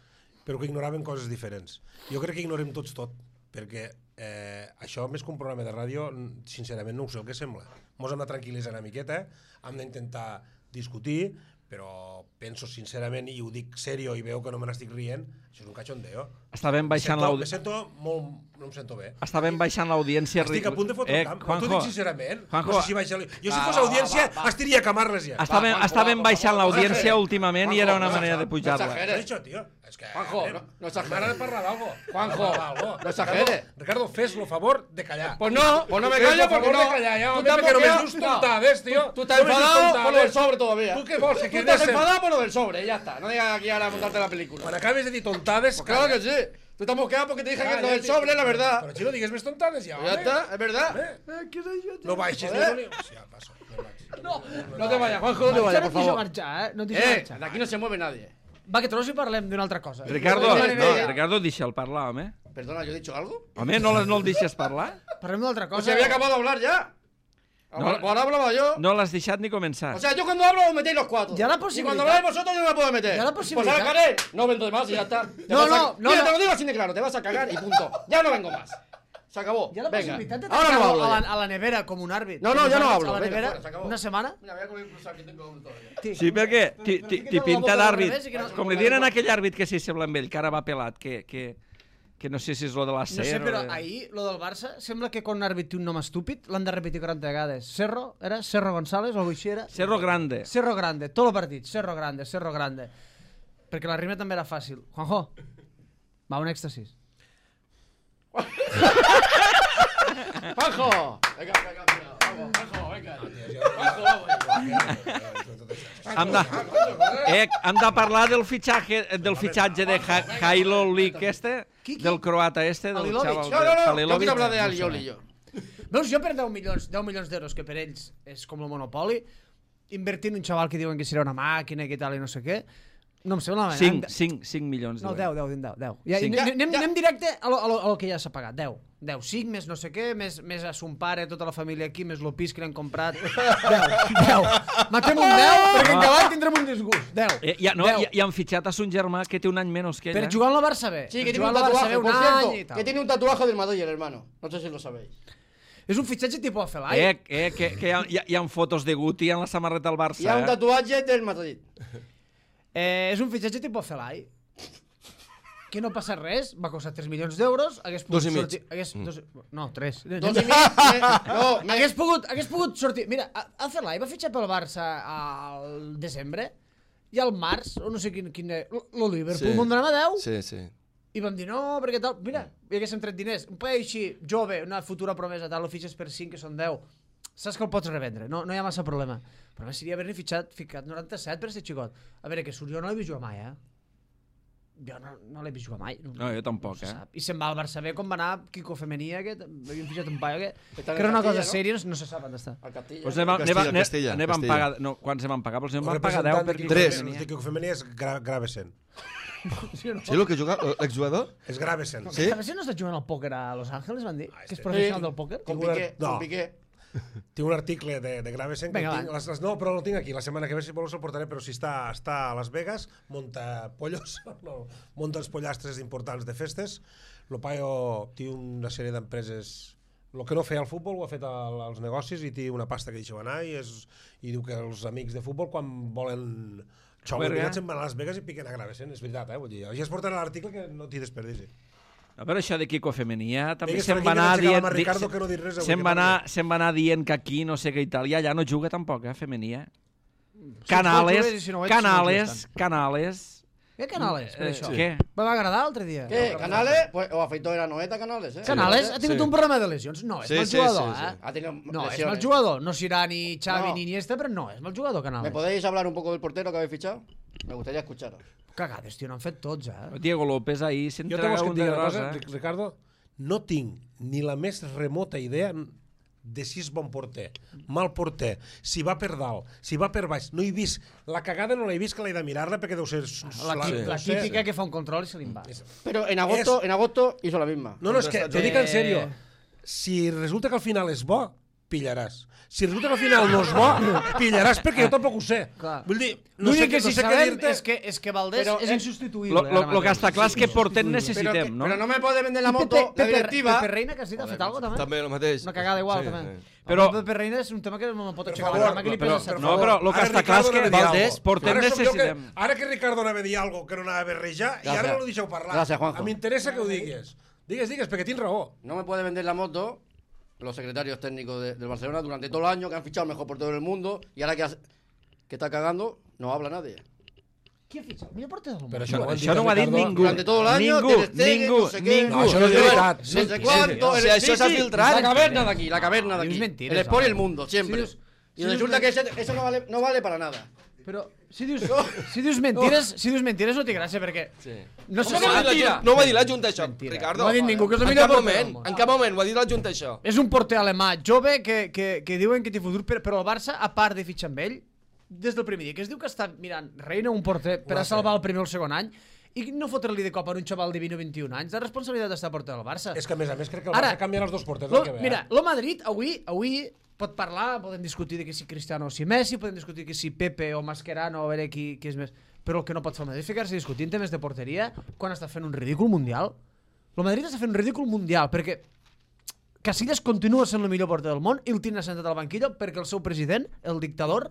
Speaker 2: però que ignoraven coses diferents. Jo crec que ignorem tots tot, perquè eh, això, més que un programa de ràdio, n- sincerament no ho sé el que sembla. Mos hem de tranquil·litzar una miqueta, hem d'intentar discutir, però penso sincerament, i ho dic serio i veu que no me n'estic rient, això és un cachondeo.
Speaker 1: Estàvem baixant
Speaker 2: Me
Speaker 1: l'audiència.
Speaker 2: sento molt... no em sento bé.
Speaker 1: Estàvem baixant l'audiència.
Speaker 2: Estic a punt de fotre
Speaker 1: eh,
Speaker 2: el camp,
Speaker 1: Juanjo,
Speaker 2: t'ho dic sincerament.
Speaker 1: Juanjo,
Speaker 2: no sé si baixa... Jo si
Speaker 6: Va,
Speaker 2: fos
Speaker 6: va,
Speaker 2: audiència,
Speaker 6: va, va, va.
Speaker 2: estiria a camarles ja.
Speaker 1: estàvem,
Speaker 6: Juanjo,
Speaker 1: estàvem
Speaker 6: va,
Speaker 1: baixant
Speaker 6: va, va,
Speaker 1: l'audiència
Speaker 6: va,
Speaker 1: últimament i
Speaker 6: Juanjo,
Speaker 1: era una
Speaker 6: no,
Speaker 1: manera de
Speaker 6: no
Speaker 1: pujar-la.
Speaker 6: exageres.
Speaker 2: Què és això, tio? És que...
Speaker 6: Juanjo,
Speaker 2: eh,
Speaker 6: no- no exageres.
Speaker 2: M'agrada parlar d'algo.
Speaker 6: Juanjo,
Speaker 2: Algo.
Speaker 6: no exageres.
Speaker 2: Ricardo, Ricardo, fes-lo favor de callar.
Speaker 6: Pues no, pues no me
Speaker 2: Fes lo
Speaker 6: callo porque
Speaker 2: favor
Speaker 6: no.
Speaker 2: de callar, ja,
Speaker 6: Tú
Speaker 2: home,
Speaker 6: te has
Speaker 2: perquè només
Speaker 6: bloqueado.
Speaker 2: dius tontades, tio.
Speaker 6: Tú, tú estás
Speaker 2: Només dius
Speaker 6: enfadado por lo
Speaker 2: tontades.
Speaker 6: del sobre todavía.
Speaker 2: Tu què vols, que
Speaker 6: Tú
Speaker 2: quedes
Speaker 6: estás
Speaker 2: en-
Speaker 6: enfadado por lo del sobre, ya está. No digas aquí ahora a montarte la película.
Speaker 2: Quan acabes de dir tontades...
Speaker 6: Pues claro que sí. Tú estás mosqueado porque te dije que lo del sobre es la verdad.
Speaker 2: Però si no digues més tontades, ja,
Speaker 6: Ya
Speaker 2: home.
Speaker 6: está, es verdad.
Speaker 2: Eh? No baixis,
Speaker 6: Joder.
Speaker 2: ni... Sí, ja, passo. No baixis.
Speaker 3: No,
Speaker 6: No te vayas, Juanjo, no te
Speaker 3: Marxar
Speaker 6: vayas,
Speaker 3: no
Speaker 6: por
Speaker 3: et deixo
Speaker 6: favor.
Speaker 3: marxar, eh? No et deixo
Speaker 6: Eh,
Speaker 3: marxar.
Speaker 6: de aquí no se mueve nadie.
Speaker 3: Va, que trobo si parlem d'una altra cosa.
Speaker 1: Ricardo,
Speaker 6: Vale,
Speaker 1: no,
Speaker 6: vale.
Speaker 1: Ricardo, deixa'l parlar, home.
Speaker 6: Perdona, ¿yo he dicho algo?
Speaker 1: Home, no, no el deixes parlar?
Speaker 3: Parlem d'una altra
Speaker 6: Pues
Speaker 3: cosa.
Speaker 6: se había acabado de hablar ya.
Speaker 1: No.
Speaker 6: Ahora, pues ahora hablaba yo.
Speaker 1: No l'has deixat ni començar.
Speaker 6: O sea, yo cuando hablo os metéis los cuatro.
Speaker 3: Ya la
Speaker 6: Y
Speaker 3: posibilidad-
Speaker 6: cuando habláis vosotros yo no me puedo meter.
Speaker 3: Ya la
Speaker 6: Pues
Speaker 3: posibilidad-
Speaker 6: ahora cagué. No vendo más y ya está. Te
Speaker 3: No,
Speaker 6: vas a-
Speaker 3: no, no,
Speaker 6: Mira,
Speaker 3: no.
Speaker 6: te lo digo así de claro, te vas a cagar y punto. Ya no vengo más. Se acabó.
Speaker 3: Hi ha la
Speaker 6: Venga.
Speaker 3: possibilitat de
Speaker 6: Ahora no
Speaker 3: tancar-lo
Speaker 6: hablo
Speaker 3: a,
Speaker 6: ya.
Speaker 3: la, a la nevera com un àrbit.
Speaker 6: No, no,
Speaker 3: Com
Speaker 6: ja
Speaker 3: uns
Speaker 6: no
Speaker 3: àrbits
Speaker 6: hablo.
Speaker 3: A la
Speaker 6: Vete
Speaker 3: nevera
Speaker 6: fuera, se acabó.
Speaker 3: una setmana.
Speaker 6: Mira, voy a comer un cruzat que tengo todavía.
Speaker 3: Sí.
Speaker 1: Sí, perquè t'hi- t'hi t'hi pinta d'àrbit.
Speaker 3: Que no-
Speaker 1: Com li diuen a aquell àrbit que s'hi sembla amb ell, que ara va pelat, que, que, que no sé si és lo de la
Speaker 3: No
Speaker 1: ser...
Speaker 3: sé, però
Speaker 1: o de-
Speaker 3: ahir, lo del Barça, sembla que quan un àrbit té un nom estúpid, l'han de repetir quaranta vegades. Cerro, era? Cerro González o alguna cosa així era?
Speaker 1: Cerro Grande.
Speaker 3: Cerro Grande, tot el partit. Cerro Grande, Cerro Grande. Perquè la rima també era fàcil. Juanjo, va, un èxtasis.
Speaker 6: ¡Juanjo! Venga, venga, venga. Vamos, Juanjo, venga. Juanjo, vamos.
Speaker 1: Hem de, eh, hem de parlar del fitxatge, del fitxatge de ha Hailo Lik este,
Speaker 3: Qui, qui?
Speaker 1: del croata este, del
Speaker 3: Alilovic.
Speaker 1: xaval...
Speaker 6: No, no, no, yo
Speaker 1: Halilovic.
Speaker 6: quiero hablar de
Speaker 1: No sé.
Speaker 6: Alioli yo.
Speaker 3: Veus, jo per deu milions, deu milions d'euros, que per ells és com el monopoli, invertir en un xaval que diuen que serà una màquina i que tal i no sé què, No em sembla malament.
Speaker 1: cinc, cinc, cinc milions
Speaker 3: No,
Speaker 1: d'euros.
Speaker 3: deu, deu, deu, deu. Ja,
Speaker 1: Cinc.
Speaker 3: anem, anem,
Speaker 6: Ja.
Speaker 3: anem directe a lo, a, lo, a lo que ja s'ha pagat. deu. deu, cinc, més no sé què, més, més a son pare, tota la família aquí, més lo pis que l'hem comprat. deu, deu. Matem un deu, perquè en cavall tindrem un disgust. deu.
Speaker 1: Eh, ja, no,
Speaker 3: deu.
Speaker 1: i, i han fitxat a son germà que té un any menys que ell.
Speaker 3: Per
Speaker 1: eh?
Speaker 3: jugar al Barça B.
Speaker 6: Sí,
Speaker 3: per
Speaker 6: que tiene
Speaker 3: jugar
Speaker 6: un
Speaker 3: al Barça
Speaker 6: tatuaje,
Speaker 3: B un
Speaker 6: por
Speaker 3: any i
Speaker 6: cierto,
Speaker 3: tal.
Speaker 6: que tiene un tatuaje del Madrid, el hermano. No sé si lo sabéis.
Speaker 3: És un fitxatge tipus Afelai.
Speaker 1: Eh, eh, que, que hi, ha, hi, ha, hi ha fotos de Guti en la samarreta del Barça.
Speaker 6: Y hay un
Speaker 1: eh?
Speaker 6: tatuaje del Madrid.
Speaker 3: Eh, és un fitxatge tipus Afelai. Que no passa res, va costar tres milions d'euros, hagués pogut
Speaker 4: Dos i mig.
Speaker 3: sortir... Hagués, dos, no, tres.
Speaker 6: Dos y medio. eh, No, me-
Speaker 3: Hagués pogut, hagués pogut sortir... Mira, Afelai va fitxar pel Barça al desembre i al març, o no sé quin... quin lo Liverpool,
Speaker 4: Sí.
Speaker 3: me'n donava deu
Speaker 4: Sí, sí.
Speaker 3: i vam dir no, perquè tal... Mira, hi haguéssim tret diners. Un paio així, jove, una futura promesa, tal, lo fitxes per cinc, que són deu. Saps que el pots revendre, no, no hi ha massa problema. Però a més seria haver-ne fitxat, ficat noranta-set per ser xicot. A veure, que surt jo no l'he vist jugar mai, eh? Jo no, no l'he vist jugar mai.
Speaker 1: No, jo tampoc,
Speaker 3: se
Speaker 1: eh?
Speaker 3: sap. I se'n va al Barça B com va anar Kiko Femenia, que havien fitxat un paio que,
Speaker 6: Està en
Speaker 3: que era una cosa
Speaker 6: Castilla, no?
Speaker 3: sèria, no, no se sap on està.
Speaker 6: Al Castilla.
Speaker 1: Pues anem, a-
Speaker 4: Castilla,
Speaker 1: anem, a-
Speaker 4: Castilla,
Speaker 1: anem, anem
Speaker 4: Castilla.
Speaker 1: pagar... No, quants em van pagar? Pues em
Speaker 2: El
Speaker 1: van pagar
Speaker 2: representant
Speaker 1: deu per
Speaker 2: de
Speaker 1: Kiko
Speaker 2: Kiko
Speaker 4: Tres.
Speaker 2: Femenia-
Speaker 1: Femenia.
Speaker 2: de Kiko Femenia és gra Gravesen.
Speaker 3: Sí, no?
Speaker 4: Sí, el que juga, l'exjugador?
Speaker 2: És Gravesen.
Speaker 4: Sí?
Speaker 3: A veure si no està jugant al pòquer a Los Ángeles, van dir?
Speaker 2: Ah,
Speaker 3: Que és
Speaker 2: este.
Speaker 3: professional
Speaker 6: Sí.
Speaker 3: del pòquer?
Speaker 6: Con
Speaker 2: Tinc una-
Speaker 6: Piqué,
Speaker 2: no.
Speaker 6: con Piqué.
Speaker 2: Tinc un article de, de Gravesen que
Speaker 3: Vinga,
Speaker 2: tinc,
Speaker 3: va.
Speaker 2: les, les, no, però no el tinc aquí, la setmana que ve si vols el portaré, però si està, està a Las Vegas, monta pollos, no, monta els pollastres importants de festes, el paio té una sèrie d'empreses, el que no feia al futbol ho ha fet al, als negocis i té una pasta que deixeu anar i, és, i diu que els amics de futbol quan volen xou
Speaker 1: Juerga.
Speaker 2: veritat se'n van a Las Vegas i piquen a Gravesen, és veritat, eh? Vull dir, ja es portarà l'article que no t'hi desperdici.
Speaker 1: A veure, això de Kiko Femenia també
Speaker 2: Digues
Speaker 1: se'n
Speaker 2: per aquí
Speaker 1: va
Speaker 2: que
Speaker 1: anar
Speaker 2: no aixecava
Speaker 1: dient...
Speaker 2: amb
Speaker 1: di-
Speaker 2: Ricardo que no dit res avui,
Speaker 1: Se'n
Speaker 2: que
Speaker 1: va, anar,
Speaker 2: parli.
Speaker 1: se'n va anar dient que aquí no sé què i tal, i allà no juga tampoc, eh, Femenia.
Speaker 3: jugues
Speaker 1: Canales,
Speaker 3: i si no ho ets, no
Speaker 1: Canales,
Speaker 3: jugues
Speaker 1: Canales...
Speaker 3: Què Canales, per
Speaker 1: Eh,
Speaker 3: això?
Speaker 1: Què?
Speaker 3: Me va agradar l'altre dia.
Speaker 6: ¿Qué? ¿Canales? Pues, o afeitó era Noeta Canales, ¿eh?
Speaker 3: Canales ha tingut
Speaker 4: Sí.
Speaker 3: un problema de lesions. No, és
Speaker 4: Sí,
Speaker 3: mal
Speaker 4: sí,
Speaker 3: jugador,
Speaker 4: sí, sí.
Speaker 3: eh?
Speaker 6: Ha tenido
Speaker 3: No, és
Speaker 6: lesiones.
Speaker 3: mal jugador. No serà ni Xavi
Speaker 6: No.
Speaker 3: ni Iniesta, però no, és mal jugador,
Speaker 6: ¿Me
Speaker 3: Canales.
Speaker 6: podéis hablar un poco del portero que habéis fichado? Me gustaría escucharos.
Speaker 3: Cagades, tio, n'han fet tots, eh?
Speaker 1: Diego López ahir
Speaker 2: Jo te
Speaker 1: s'entrega
Speaker 2: vols que et
Speaker 1: un
Speaker 2: digui
Speaker 1: de
Speaker 2: una cosa,
Speaker 1: rosa.
Speaker 2: Ric- Ricardo? No tinc ni la més remota idea de si és bon porter, mal porter, si va per dalt, si va per baix. No he vist, la cagada no l'he vist, que l'he de mirar-la perquè deu ser...
Speaker 3: La,
Speaker 2: la-
Speaker 3: la
Speaker 2: no sé.
Speaker 3: típica que fa un control i se li'n va.
Speaker 6: Pero en agosto,
Speaker 2: Es-
Speaker 6: en agosto hizo la misma.
Speaker 2: No, no, és que t'ho dic en sèrio.
Speaker 3: Eh.
Speaker 2: Si resulta que al final és bo, pillaràs. Si resulta que al final no és bo, pillaràs perquè jo tampoc ho sé.
Speaker 3: Clar.
Speaker 2: Vull dir, no sé,
Speaker 3: L'únic que
Speaker 2: no
Speaker 3: sí
Speaker 2: sé què
Speaker 3: sabem
Speaker 2: dir-te.
Speaker 3: és que, és que Valdés
Speaker 6: Però,
Speaker 3: és
Speaker 6: eh,
Speaker 3: insubstituïble.
Speaker 1: Lo, lo,
Speaker 3: ara
Speaker 1: lo que
Speaker 3: mateix.
Speaker 1: està clar és que porter
Speaker 6: Pero, que-
Speaker 1: necessitem, no?
Speaker 6: pero no me puede vender la
Speaker 3: I
Speaker 6: moto
Speaker 3: Pepe,
Speaker 6: la
Speaker 3: Pepe,
Speaker 6: directiva.
Speaker 3: Pepe Reina, que has dit, ha fet alguna cosa, també?
Speaker 4: També el mateix.
Speaker 3: Una cagada igual,
Speaker 4: Sí,
Speaker 3: també.
Speaker 4: sí.
Speaker 1: Però-
Speaker 3: Però Pepe Reina és un tema que no me pot
Speaker 2: Per
Speaker 3: aixecar
Speaker 2: favor,
Speaker 3: la cama, que li
Speaker 1: però-
Speaker 3: pesa set
Speaker 1: no,
Speaker 3: favor.
Speaker 1: però lo que
Speaker 2: Ara
Speaker 1: està clar és
Speaker 2: Ricardo
Speaker 1: que
Speaker 2: anava a dir
Speaker 1: Valdés,
Speaker 2: algo.
Speaker 1: porter
Speaker 2: Ara sóc jo que-
Speaker 1: necessitem.
Speaker 2: Ara que Ricardo anava a dir algo que no anava a berrejar i ara
Speaker 6: Gràcies.
Speaker 2: no lo deixeu parlar.
Speaker 6: Gràcies, Juanjo.
Speaker 2: M'interessa que ho digues. Digues, digues, perquè tinc raó.
Speaker 6: No me puede vender la moto los secretarios técnicos de- del Barcelona durante todo el año, que han fichado el mejor portero del mundo, y ahora que, has- que está cagando, no habla nadie.
Speaker 3: Qui ha fitxat? El millor porter del món.
Speaker 2: Però
Speaker 1: No,
Speaker 2: ho han
Speaker 1: això no ho ha dit
Speaker 2: Ricardo.
Speaker 1: ningú.
Speaker 6: Durante todo el año,
Speaker 1: Ningú,
Speaker 6: Ter Stegen,
Speaker 1: ningú,
Speaker 6: no sé qué.
Speaker 1: ningú.
Speaker 2: No, això no és
Speaker 6: Yo-
Speaker 2: veritat.
Speaker 6: No
Speaker 2: Sí,
Speaker 6: sé
Speaker 2: sí,
Speaker 6: cuánto.
Speaker 4: sí.
Speaker 6: el-
Speaker 4: O sea, això s'ha
Speaker 6: sí,
Speaker 4: filtrat.
Speaker 6: La caverna de aquí, la caverna de
Speaker 3: Dius
Speaker 6: aquí.
Speaker 3: mentiras,
Speaker 6: El Sport y el
Speaker 3: ahora.
Speaker 6: mundo, siempre.
Speaker 3: Sí, dius-
Speaker 6: Y
Speaker 3: sí,
Speaker 6: resulta
Speaker 3: dius-
Speaker 6: que ese- eso no vale, no vale para nada.
Speaker 3: Però si dius, si dius mentires, si dius mentires no té gràcia, perquè
Speaker 4: Sí.
Speaker 3: no se
Speaker 4: No va, dir
Speaker 3: sap.
Speaker 4: la Junta, no va dir la Junta això,
Speaker 3: Mentira.
Speaker 4: Ricardo.
Speaker 3: No ha dit ningú que és el
Speaker 4: En
Speaker 3: millor
Speaker 4: cap
Speaker 3: porter del
Speaker 4: moment,
Speaker 3: món.
Speaker 4: en cap moment ho ha dit la Junta això.
Speaker 3: És un porter alemà jove que, que, que diuen que té futur, però, però el Barça, a part de fitxar amb ell, des del primer dia, que es diu que està mirant Reina, un porter, per
Speaker 2: Ho
Speaker 3: a
Speaker 2: ha
Speaker 3: salvar
Speaker 2: fet.
Speaker 3: el primer o el segon any, i no fotre-li de cop a un xaval de vint o vint-i-un anys, la responsabilitat d'estar porter del Barça.
Speaker 2: És que a més a més crec que el
Speaker 3: Ara,
Speaker 2: Barça canviarà els dos porters.
Speaker 3: Lo,
Speaker 2: el que ve,
Speaker 3: mira,
Speaker 2: eh?
Speaker 3: lo Madrid avui, avui pot parlar, podem discutir de que si Cristiano o si Messi, podem discutir que si Pepe o Mascherano, a veure qui, qui és més... Però el que no pot fer el Madrid és ficar-se a discutir en temes de porteria quan està fent un ridícul mundial. El Madrid està fent un ridícul mundial perquè Casillas continua sent el millor porter del món i el tenen assentat al banquillo perquè el seu president, el dictador,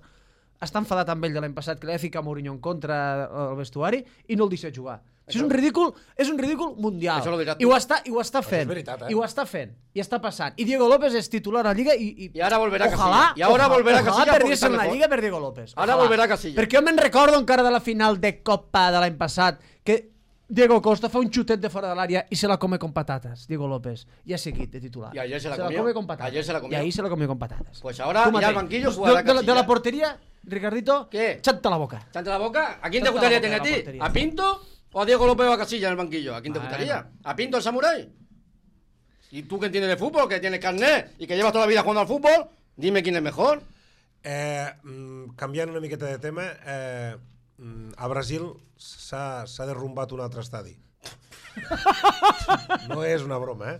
Speaker 3: està enfadat amb ell de l'any passat, que li ha ficat Mourinho en contra al vestuari i no el deixa jugar. Això és un ridícul, és un ridícul mundial.
Speaker 6: Això lo diràs
Speaker 3: I
Speaker 6: tu.
Speaker 3: ho està, i ho està fent.
Speaker 2: és veritat, eh?
Speaker 3: I ho està fent. I està passant. I Diego López és titular a la Lliga i... I,
Speaker 6: I ara volverà
Speaker 3: ojalà,
Speaker 6: Casillas. I ara
Speaker 3: ojalà,
Speaker 6: volverà
Speaker 3: ojalà
Speaker 6: Casillas
Speaker 3: perdiese
Speaker 6: porque
Speaker 3: en la
Speaker 6: está
Speaker 3: Lliga per Diego López.
Speaker 6: Ara
Speaker 3: Ojalà.
Speaker 6: volverà Casillas.
Speaker 3: Perquè jo me'n recordo encara de la final de Copa de l'any passat que Diego Costa fa un xutet de fora de l'àrea i se la come con patatas, Diego López. I ha seguit de titular.
Speaker 6: Y ayer se la
Speaker 3: se
Speaker 6: comió.
Speaker 3: come con patatas.
Speaker 6: Ayer se la comió.
Speaker 3: Y ahí se la comió con patatas.
Speaker 6: Pues ahora
Speaker 3: Tú,
Speaker 6: ya
Speaker 3: Matei.
Speaker 6: al banquillo
Speaker 3: de,
Speaker 6: jugará
Speaker 3: de, la- de la
Speaker 6: Casillas.
Speaker 3: portería, Ricardito,
Speaker 6: ¿Qué?
Speaker 3: chanta la boca.
Speaker 6: ¿Chante la boca? ¿A quién te
Speaker 3: Chanta
Speaker 6: gustaría
Speaker 3: la boca
Speaker 6: tener a
Speaker 3: de la
Speaker 6: ti?
Speaker 3: portería.
Speaker 6: ¿A Pinto o a Diego López o a Casillas en el banquillo? ¿A quién te
Speaker 3: Bueno.
Speaker 6: gustaría? ¿A Pinto el samurái? ¿Y tú que entiendes de fútbol, que tienes carnet y que llevas toda la vida jugando al fútbol? Dime quién es mejor.
Speaker 2: Eh, mm, canviant una miqueta de tema, eh, mm, a Brasil s'ha derrumbat un altre estadi. No és una broma, eh?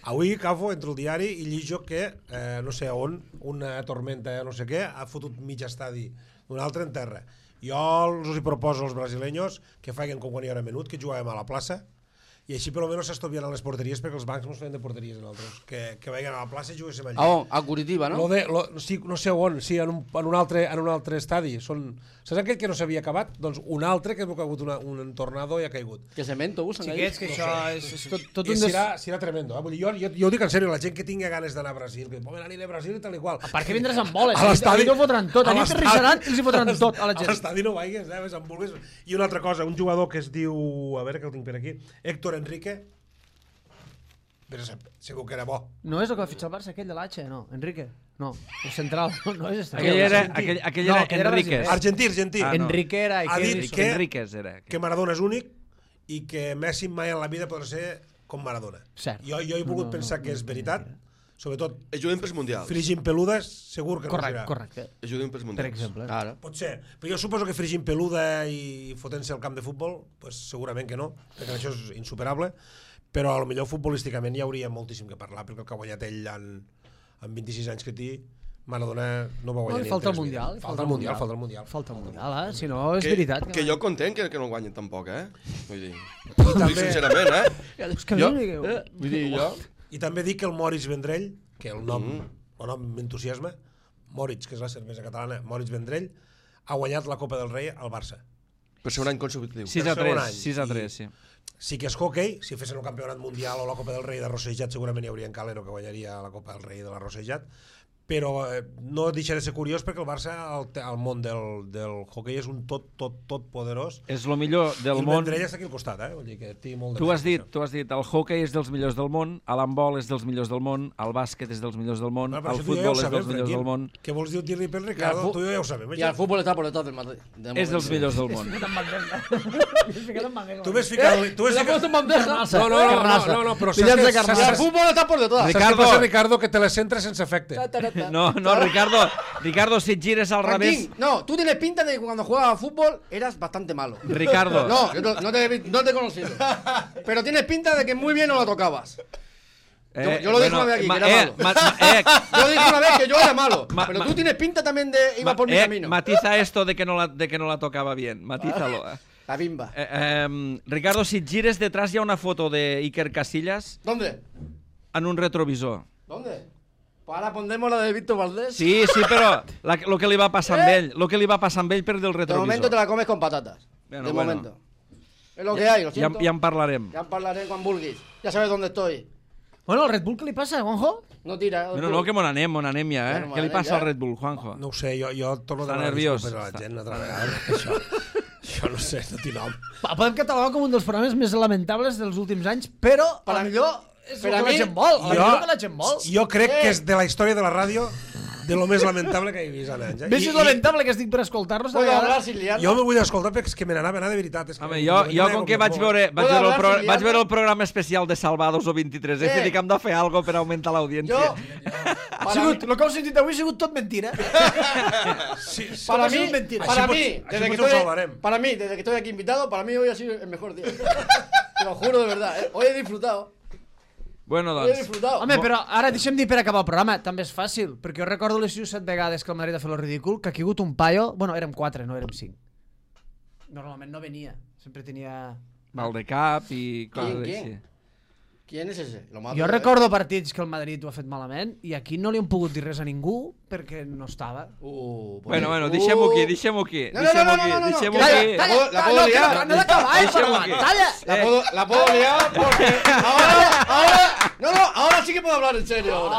Speaker 2: Avui, Cafo, entre el diari i llijo que, eh, no sé on, una tormenta, no sé què, ha fotut mig estadi d'un altre en terra. Jo els hi proposo als brasileños que facin com quan hi era menut, que jugàvem a la plaça, i així per almenys s'estoviaran les porteries, perquè els bancs no es feien de porteries en altres, que, que vagin a la plaça i juguéssim allà.
Speaker 6: A on? A Curitiba, no?
Speaker 2: Lo de, lo, sí, no sé on, sí, en un, en un, altre, en un altre estadi. Són, saps aquell que no s'havia acabat? Doncs un altre que ha caigut una, un tornado i ha caigut.
Speaker 6: Que cemento usen ahí.
Speaker 3: Xiquets, que això és, és tot, tot
Speaker 2: I
Speaker 3: un... Des...
Speaker 2: serà, serà tremendo. Eh? Vull dir, jo, jo, jo ho dic en sèrio, la gent que tingui ganes d'anar a Brasil, que poden anar a Brasil i tal i qual.
Speaker 3: Per què vindràs amb boles?
Speaker 2: A l'estadi...
Speaker 3: Allí t'ho fotran tot, allí t'arrissaran i els hi fotran tot a la gent.
Speaker 2: A l'estadi no vaigues, eh? Amb vulgues. I una altra cosa, un jugador que es diu, a veure que el tinc per aquí, Héctor Enrique, però segur que era bo.
Speaker 3: No és el que va fitxar el Barça, aquell de l'H, no, Enrique. No, el central, no és estrella.
Speaker 1: Aquell era, aquell, aquell
Speaker 3: No,
Speaker 1: era
Speaker 3: aquell era
Speaker 1: Enríquez.
Speaker 3: brasiler.
Speaker 2: Argentí, argentí.
Speaker 1: Ah, no.
Speaker 3: Enrique era...
Speaker 2: Ha dit
Speaker 3: Iker-
Speaker 2: que-
Speaker 1: Enríquez era.
Speaker 2: Que Maradona és únic i que Messi mai en la vida podrà ser com Maradona.
Speaker 3: Cert.
Speaker 2: Jo, jo he volgut
Speaker 3: No, no,
Speaker 2: pensar
Speaker 3: no,
Speaker 2: que és
Speaker 3: no,
Speaker 2: veritat, sobretot
Speaker 4: Ajuden pels mundials.
Speaker 2: Frigint Peludes, segur que no
Speaker 3: Correcte,
Speaker 2: serà.
Speaker 3: correcte.
Speaker 4: Ajuden pels mundials.
Speaker 3: Per exemple.
Speaker 6: Claro.
Speaker 2: Pot ser, però jo suposo que Frigint Peluda i fotent-se al camp de futbol, pues segurament que no, perquè això és insuperable, però a lo millor futbolísticament hi hauria moltíssim que parlar, perquè el que ha guanyat ell en, en vint-i-sis anys que té, Maradona no va guanyar
Speaker 3: No, li
Speaker 2: ni en
Speaker 3: falta el
Speaker 2: tres
Speaker 3: Mundial,
Speaker 2: mil.
Speaker 3: li
Speaker 2: Falta el Mundial, falta el Mundial.
Speaker 3: Falta el Mundial, eh? Si no, és
Speaker 4: Que,
Speaker 3: veritat.
Speaker 4: que jo content que, que no el guanyen tampoc, eh? Vull dir,
Speaker 2: I
Speaker 4: ho dic
Speaker 2: també,
Speaker 4: sincerament, eh?
Speaker 3: És que
Speaker 4: Jo,
Speaker 3: no digueu.
Speaker 4: eh? Vull dir, jo...
Speaker 2: I també dic que el Moritz Vendrell, que el nom,
Speaker 4: Mm.
Speaker 2: el nom m'entusiasma, Moritz, que és la cervesa catalana, Moritz Vendrell, ha guanyat la Copa del Rei al Barça.
Speaker 4: Per ser un any consecutiu.
Speaker 1: sis a
Speaker 2: segon
Speaker 1: tres,
Speaker 2: any.
Speaker 1: sis a
Speaker 2: I-
Speaker 1: tres, sí.
Speaker 2: Sí que és hockey, si fessin el campionat mundial o la Copa del Rei de Rossejat segurament hi hauria en Calero que guanyaria la Copa del Rei de la Rossejat, però eh, no deixa de ser curiós perquè el Barça al, al món del, del hockey és un tot, tot, tot poderós.
Speaker 1: És el millor
Speaker 2: I
Speaker 1: del
Speaker 2: el
Speaker 1: món.
Speaker 2: Vendrell està aquí al costat, eh? Vull dir que té molt de
Speaker 1: Tu has
Speaker 2: mèrit,
Speaker 1: dit,
Speaker 2: això.
Speaker 1: tu has dit, el hockey és dels millors del món, l'handbol és dels millors del món, el bàsquet és dels millors del món,
Speaker 2: Bueno, però
Speaker 1: el
Speaker 2: això tu i jo ja ho
Speaker 1: futbol és
Speaker 2: sabem,
Speaker 1: dels millors
Speaker 2: Franquín.
Speaker 1: del món,
Speaker 2: Què vols dir- dir-li per
Speaker 6: Y al
Speaker 2: Ricardo?
Speaker 6: fu-
Speaker 2: Tu i jo ja ho sabem.
Speaker 6: Y
Speaker 2: això.
Speaker 6: al fútbol está por detrás del Madrid. de
Speaker 1: és dels
Speaker 6: momento.
Speaker 1: millors del món.
Speaker 3: Ficat en bandeja. Ficat en bandeja.
Speaker 2: Tu ves ficat... Tu ves
Speaker 6: ¿Te has puesto
Speaker 2: ficat...
Speaker 6: en bandeja?
Speaker 2: No, no, no, no, no, no, però saps
Speaker 3: Pillant
Speaker 2: que...
Speaker 3: de carnada.
Speaker 6: Y al
Speaker 2: saps-
Speaker 6: fútbol está por detrás.
Speaker 2: Saps què
Speaker 1: Ricardo.
Speaker 2: passa, Ricardo? Que te les centres sense efecte.
Speaker 6: Ta, ta, ta, ta.
Speaker 1: No, no, Ricardo, Ricardo, si et gires al revés...
Speaker 6: Franquín, no, tú tienes pinta de que cuando jugabas a fútbol eras bastante malo.
Speaker 1: Ricardo,
Speaker 6: No, yo no, no te, he vi- no te he conocido. Pero tienes pinta de que muy bien no la tocabas.
Speaker 1: eh,
Speaker 6: yo lo dije una vez aquí,
Speaker 1: ma-
Speaker 6: que era
Speaker 1: eh,
Speaker 6: malo.
Speaker 1: ma- ma- eh,
Speaker 6: Yo dije una vez que yo era malo.
Speaker 1: Ma-
Speaker 6: Pero
Speaker 1: ma-
Speaker 6: tú tienes pinta también de iba
Speaker 1: ma-
Speaker 6: por mi
Speaker 1: eh,
Speaker 6: camino.
Speaker 1: matiza esto de que no la, de que no la tocaba bien, matízalo.
Speaker 6: La bimba.
Speaker 1: Eh, eh, Ricardo, si et gires detrás hi ha una foto de Iker Casillas
Speaker 6: ¿Dónde?
Speaker 1: en un retrovisor.
Speaker 6: ¿Dónde? Pues ahora pondremos la de Víctor Valdés.
Speaker 1: Sí, sí, però la, lo que li va passar amb ell, lo que li va passar amb ell per del
Speaker 6: De
Speaker 1: retrovisor.
Speaker 6: momento te la comes con patatas.
Speaker 1: Bueno,
Speaker 6: de
Speaker 1: bueno.
Speaker 6: momento. Es lo que hay, lo
Speaker 1: Ja,
Speaker 6: siento.
Speaker 1: ja en parlarem.
Speaker 6: Ya hablaré con Bulgis. Ya sabes dónde estoy.
Speaker 3: Bueno, el Red Bull què li passa, Juanjo?
Speaker 6: No tira.
Speaker 1: No, no, que mon anem, mon anem ja, eh?
Speaker 6: Bueno,
Speaker 1: Què li
Speaker 6: anem
Speaker 1: passa
Speaker 6: ja.
Speaker 1: al Red Bull, Juanjo?
Speaker 2: No ho sé, jo, jo torno a
Speaker 1: Està
Speaker 2: demanar
Speaker 1: nerviós.
Speaker 2: disculpes a la
Speaker 1: Està-
Speaker 2: gent altra vegada. Això, això no sé, no tinc nom.
Speaker 3: Pa- Podem catalogar com un dels programes més lamentables dels últims anys, però
Speaker 6: Per
Speaker 3: a
Speaker 6: a-
Speaker 3: millor és
Speaker 6: per
Speaker 3: el
Speaker 6: a
Speaker 3: que la
Speaker 6: mi-
Speaker 3: gent vol. A
Speaker 2: jo-
Speaker 3: millor que la gent vol.
Speaker 2: Jo crec
Speaker 6: Eh.
Speaker 2: que és de la història de la ràdio de lo més lamentable que he vist en anys. Eh?
Speaker 3: Més és lamentable que estic per escoltar-los. de
Speaker 6: Puedo
Speaker 3: vegades.
Speaker 6: hablar sin liar.
Speaker 2: Jo me vull escoltar perquè és que me n'anava a anar de veritat. És que
Speaker 1: Home, jo, jo com que vaig veure, vaig
Speaker 6: Puedo
Speaker 1: veure, el,
Speaker 6: hablar
Speaker 1: pro,
Speaker 6: sin
Speaker 1: vaig veure
Speaker 6: liarme?
Speaker 1: el programa especial de Salvados o vint-i-tres, eh?
Speaker 6: Eh.
Speaker 1: que dic que hem de fer alguna cosa per augmentar l'audiència.
Speaker 6: Yo.
Speaker 3: Ha
Speaker 6: Para
Speaker 3: sigut,
Speaker 6: mí,
Speaker 3: el que heu sentit avui ha sigut tot mentira.
Speaker 2: Sí, sí.
Speaker 6: para
Speaker 3: ha sigut
Speaker 6: mí,
Speaker 3: mentira.
Speaker 6: para
Speaker 2: Així
Speaker 6: mí,
Speaker 2: pot- així
Speaker 6: desde que
Speaker 2: potser ho
Speaker 6: estoy,
Speaker 2: salvarem.
Speaker 6: para mí, desde que estoy aquí invitado, para mí hoy ha sido el mejor día. Te lo juro de verdad, ¿eh? Hoy he disfrutado.
Speaker 1: Bueno,
Speaker 6: Hoy he
Speaker 1: doncs,
Speaker 6: disfrutado.
Speaker 3: Home, però ara deixem dir per acabar el programa. També és fàcil, perquè jo recordo les sis o set vegades que el Madrid ha fet el ridícul, que ha caigut un paio... Bueno, érem quatre, no érem cinc. Normalment no venia. Sempre tenia...
Speaker 1: mal de cap i coses
Speaker 6: ¿Quién,
Speaker 1: així.
Speaker 6: quién? ¿Quién es ese? Lo mato,
Speaker 3: Jo
Speaker 6: ¿eh?
Speaker 3: recordo partits que el Madrid ho ha fet malament i aquí no li han pogut dir res a ningú perquè no estava.
Speaker 6: Uh, pues-
Speaker 1: Bueno, bueno,
Speaker 6: Uh.
Speaker 1: deixem-ho aquí, deixem-ho aquí.
Speaker 6: No, no, no, no,
Speaker 1: Deixem-ho aquí,
Speaker 6: no, no, no.
Speaker 1: deixem-ho
Speaker 6: Calla,
Speaker 1: aquí.
Speaker 6: calla. La puedo
Speaker 3: no,
Speaker 6: liar.
Speaker 3: que no, no he d'acabar, eh,
Speaker 1: Deixem-ho
Speaker 3: però
Speaker 1: aquí.
Speaker 3: talla.
Speaker 6: La puedo, la puedo liar porque ahora, ahora, no, no, ahora sí que puedo hablar en serio. Ahora.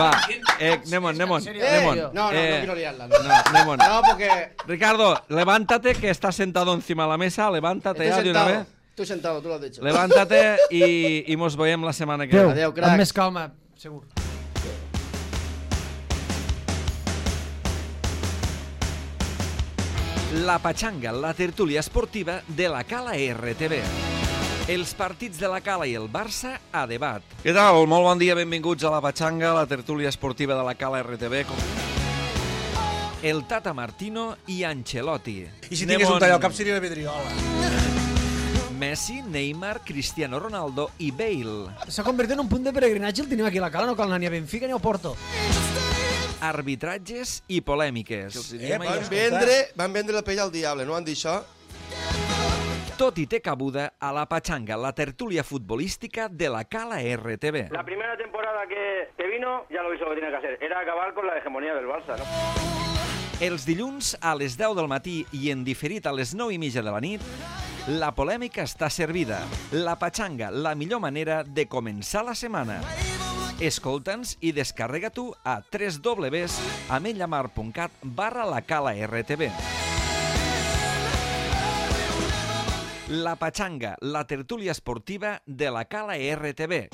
Speaker 1: Va, eh, anem-on, anem-on,
Speaker 3: serio?
Speaker 6: Eh,
Speaker 1: anem-on.
Speaker 6: no, no,
Speaker 1: Eh,
Speaker 6: no quiero liarla. No,
Speaker 1: No, anem-on.
Speaker 6: no porque
Speaker 1: Ricardo, levántate, que estás sentado encima de la mesa, levántate
Speaker 6: estoy
Speaker 1: ya de una
Speaker 6: sentado.
Speaker 1: vez.
Speaker 6: Estoy sentado, tú lo has dicho.
Speaker 1: Levántate i, i mos veiem la setmana que
Speaker 3: Adéu,
Speaker 1: ve.
Speaker 6: Adéu, crac.
Speaker 3: amb més calma, segur.
Speaker 1: La Pachanga, la tertúlia esportiva de la Cala R T V. Els partits de la Cala i el Barça a debat. Què tal? Molt bon dia, benvinguts a la Pachanga, la tertúlia esportiva de la Cala R T V. Com... el Tata Martino i Ancelotti.
Speaker 2: I si tingués un tall al cap seria la Vidriola.
Speaker 1: Messi, Neymar, Cristiano Ronaldo i Bale.
Speaker 3: S'ha convertit en un punt de peregrinatge, el tenim aquí a la cala, no cal anar ni a Benfica ni a Porto.
Speaker 1: Arbitratges i polèmiques.
Speaker 2: Eh,
Speaker 4: Van vendre, van vendre la pell al diable, no van dir això?
Speaker 1: Tot i té cabuda a la Pachanga, la tertúlia futbolística de la Cala R T V.
Speaker 5: La primera temporada que, que vino, ya lo hizo lo que tenía que hacer. Era acabar con la hegemonía del Barça, ¿no?
Speaker 1: Els dilluns a les deu del matí i en diferit a les nou i mitja de la nit, la polèmica està servida. La Pachanga, la millor manera de començar la setmana. Escolta'ns i descarrega-t'ho a w w w punt ametlllamar punt cat barra la Cala R T V. La Pachanga, la tertúlia esportiva de la Cala R T V.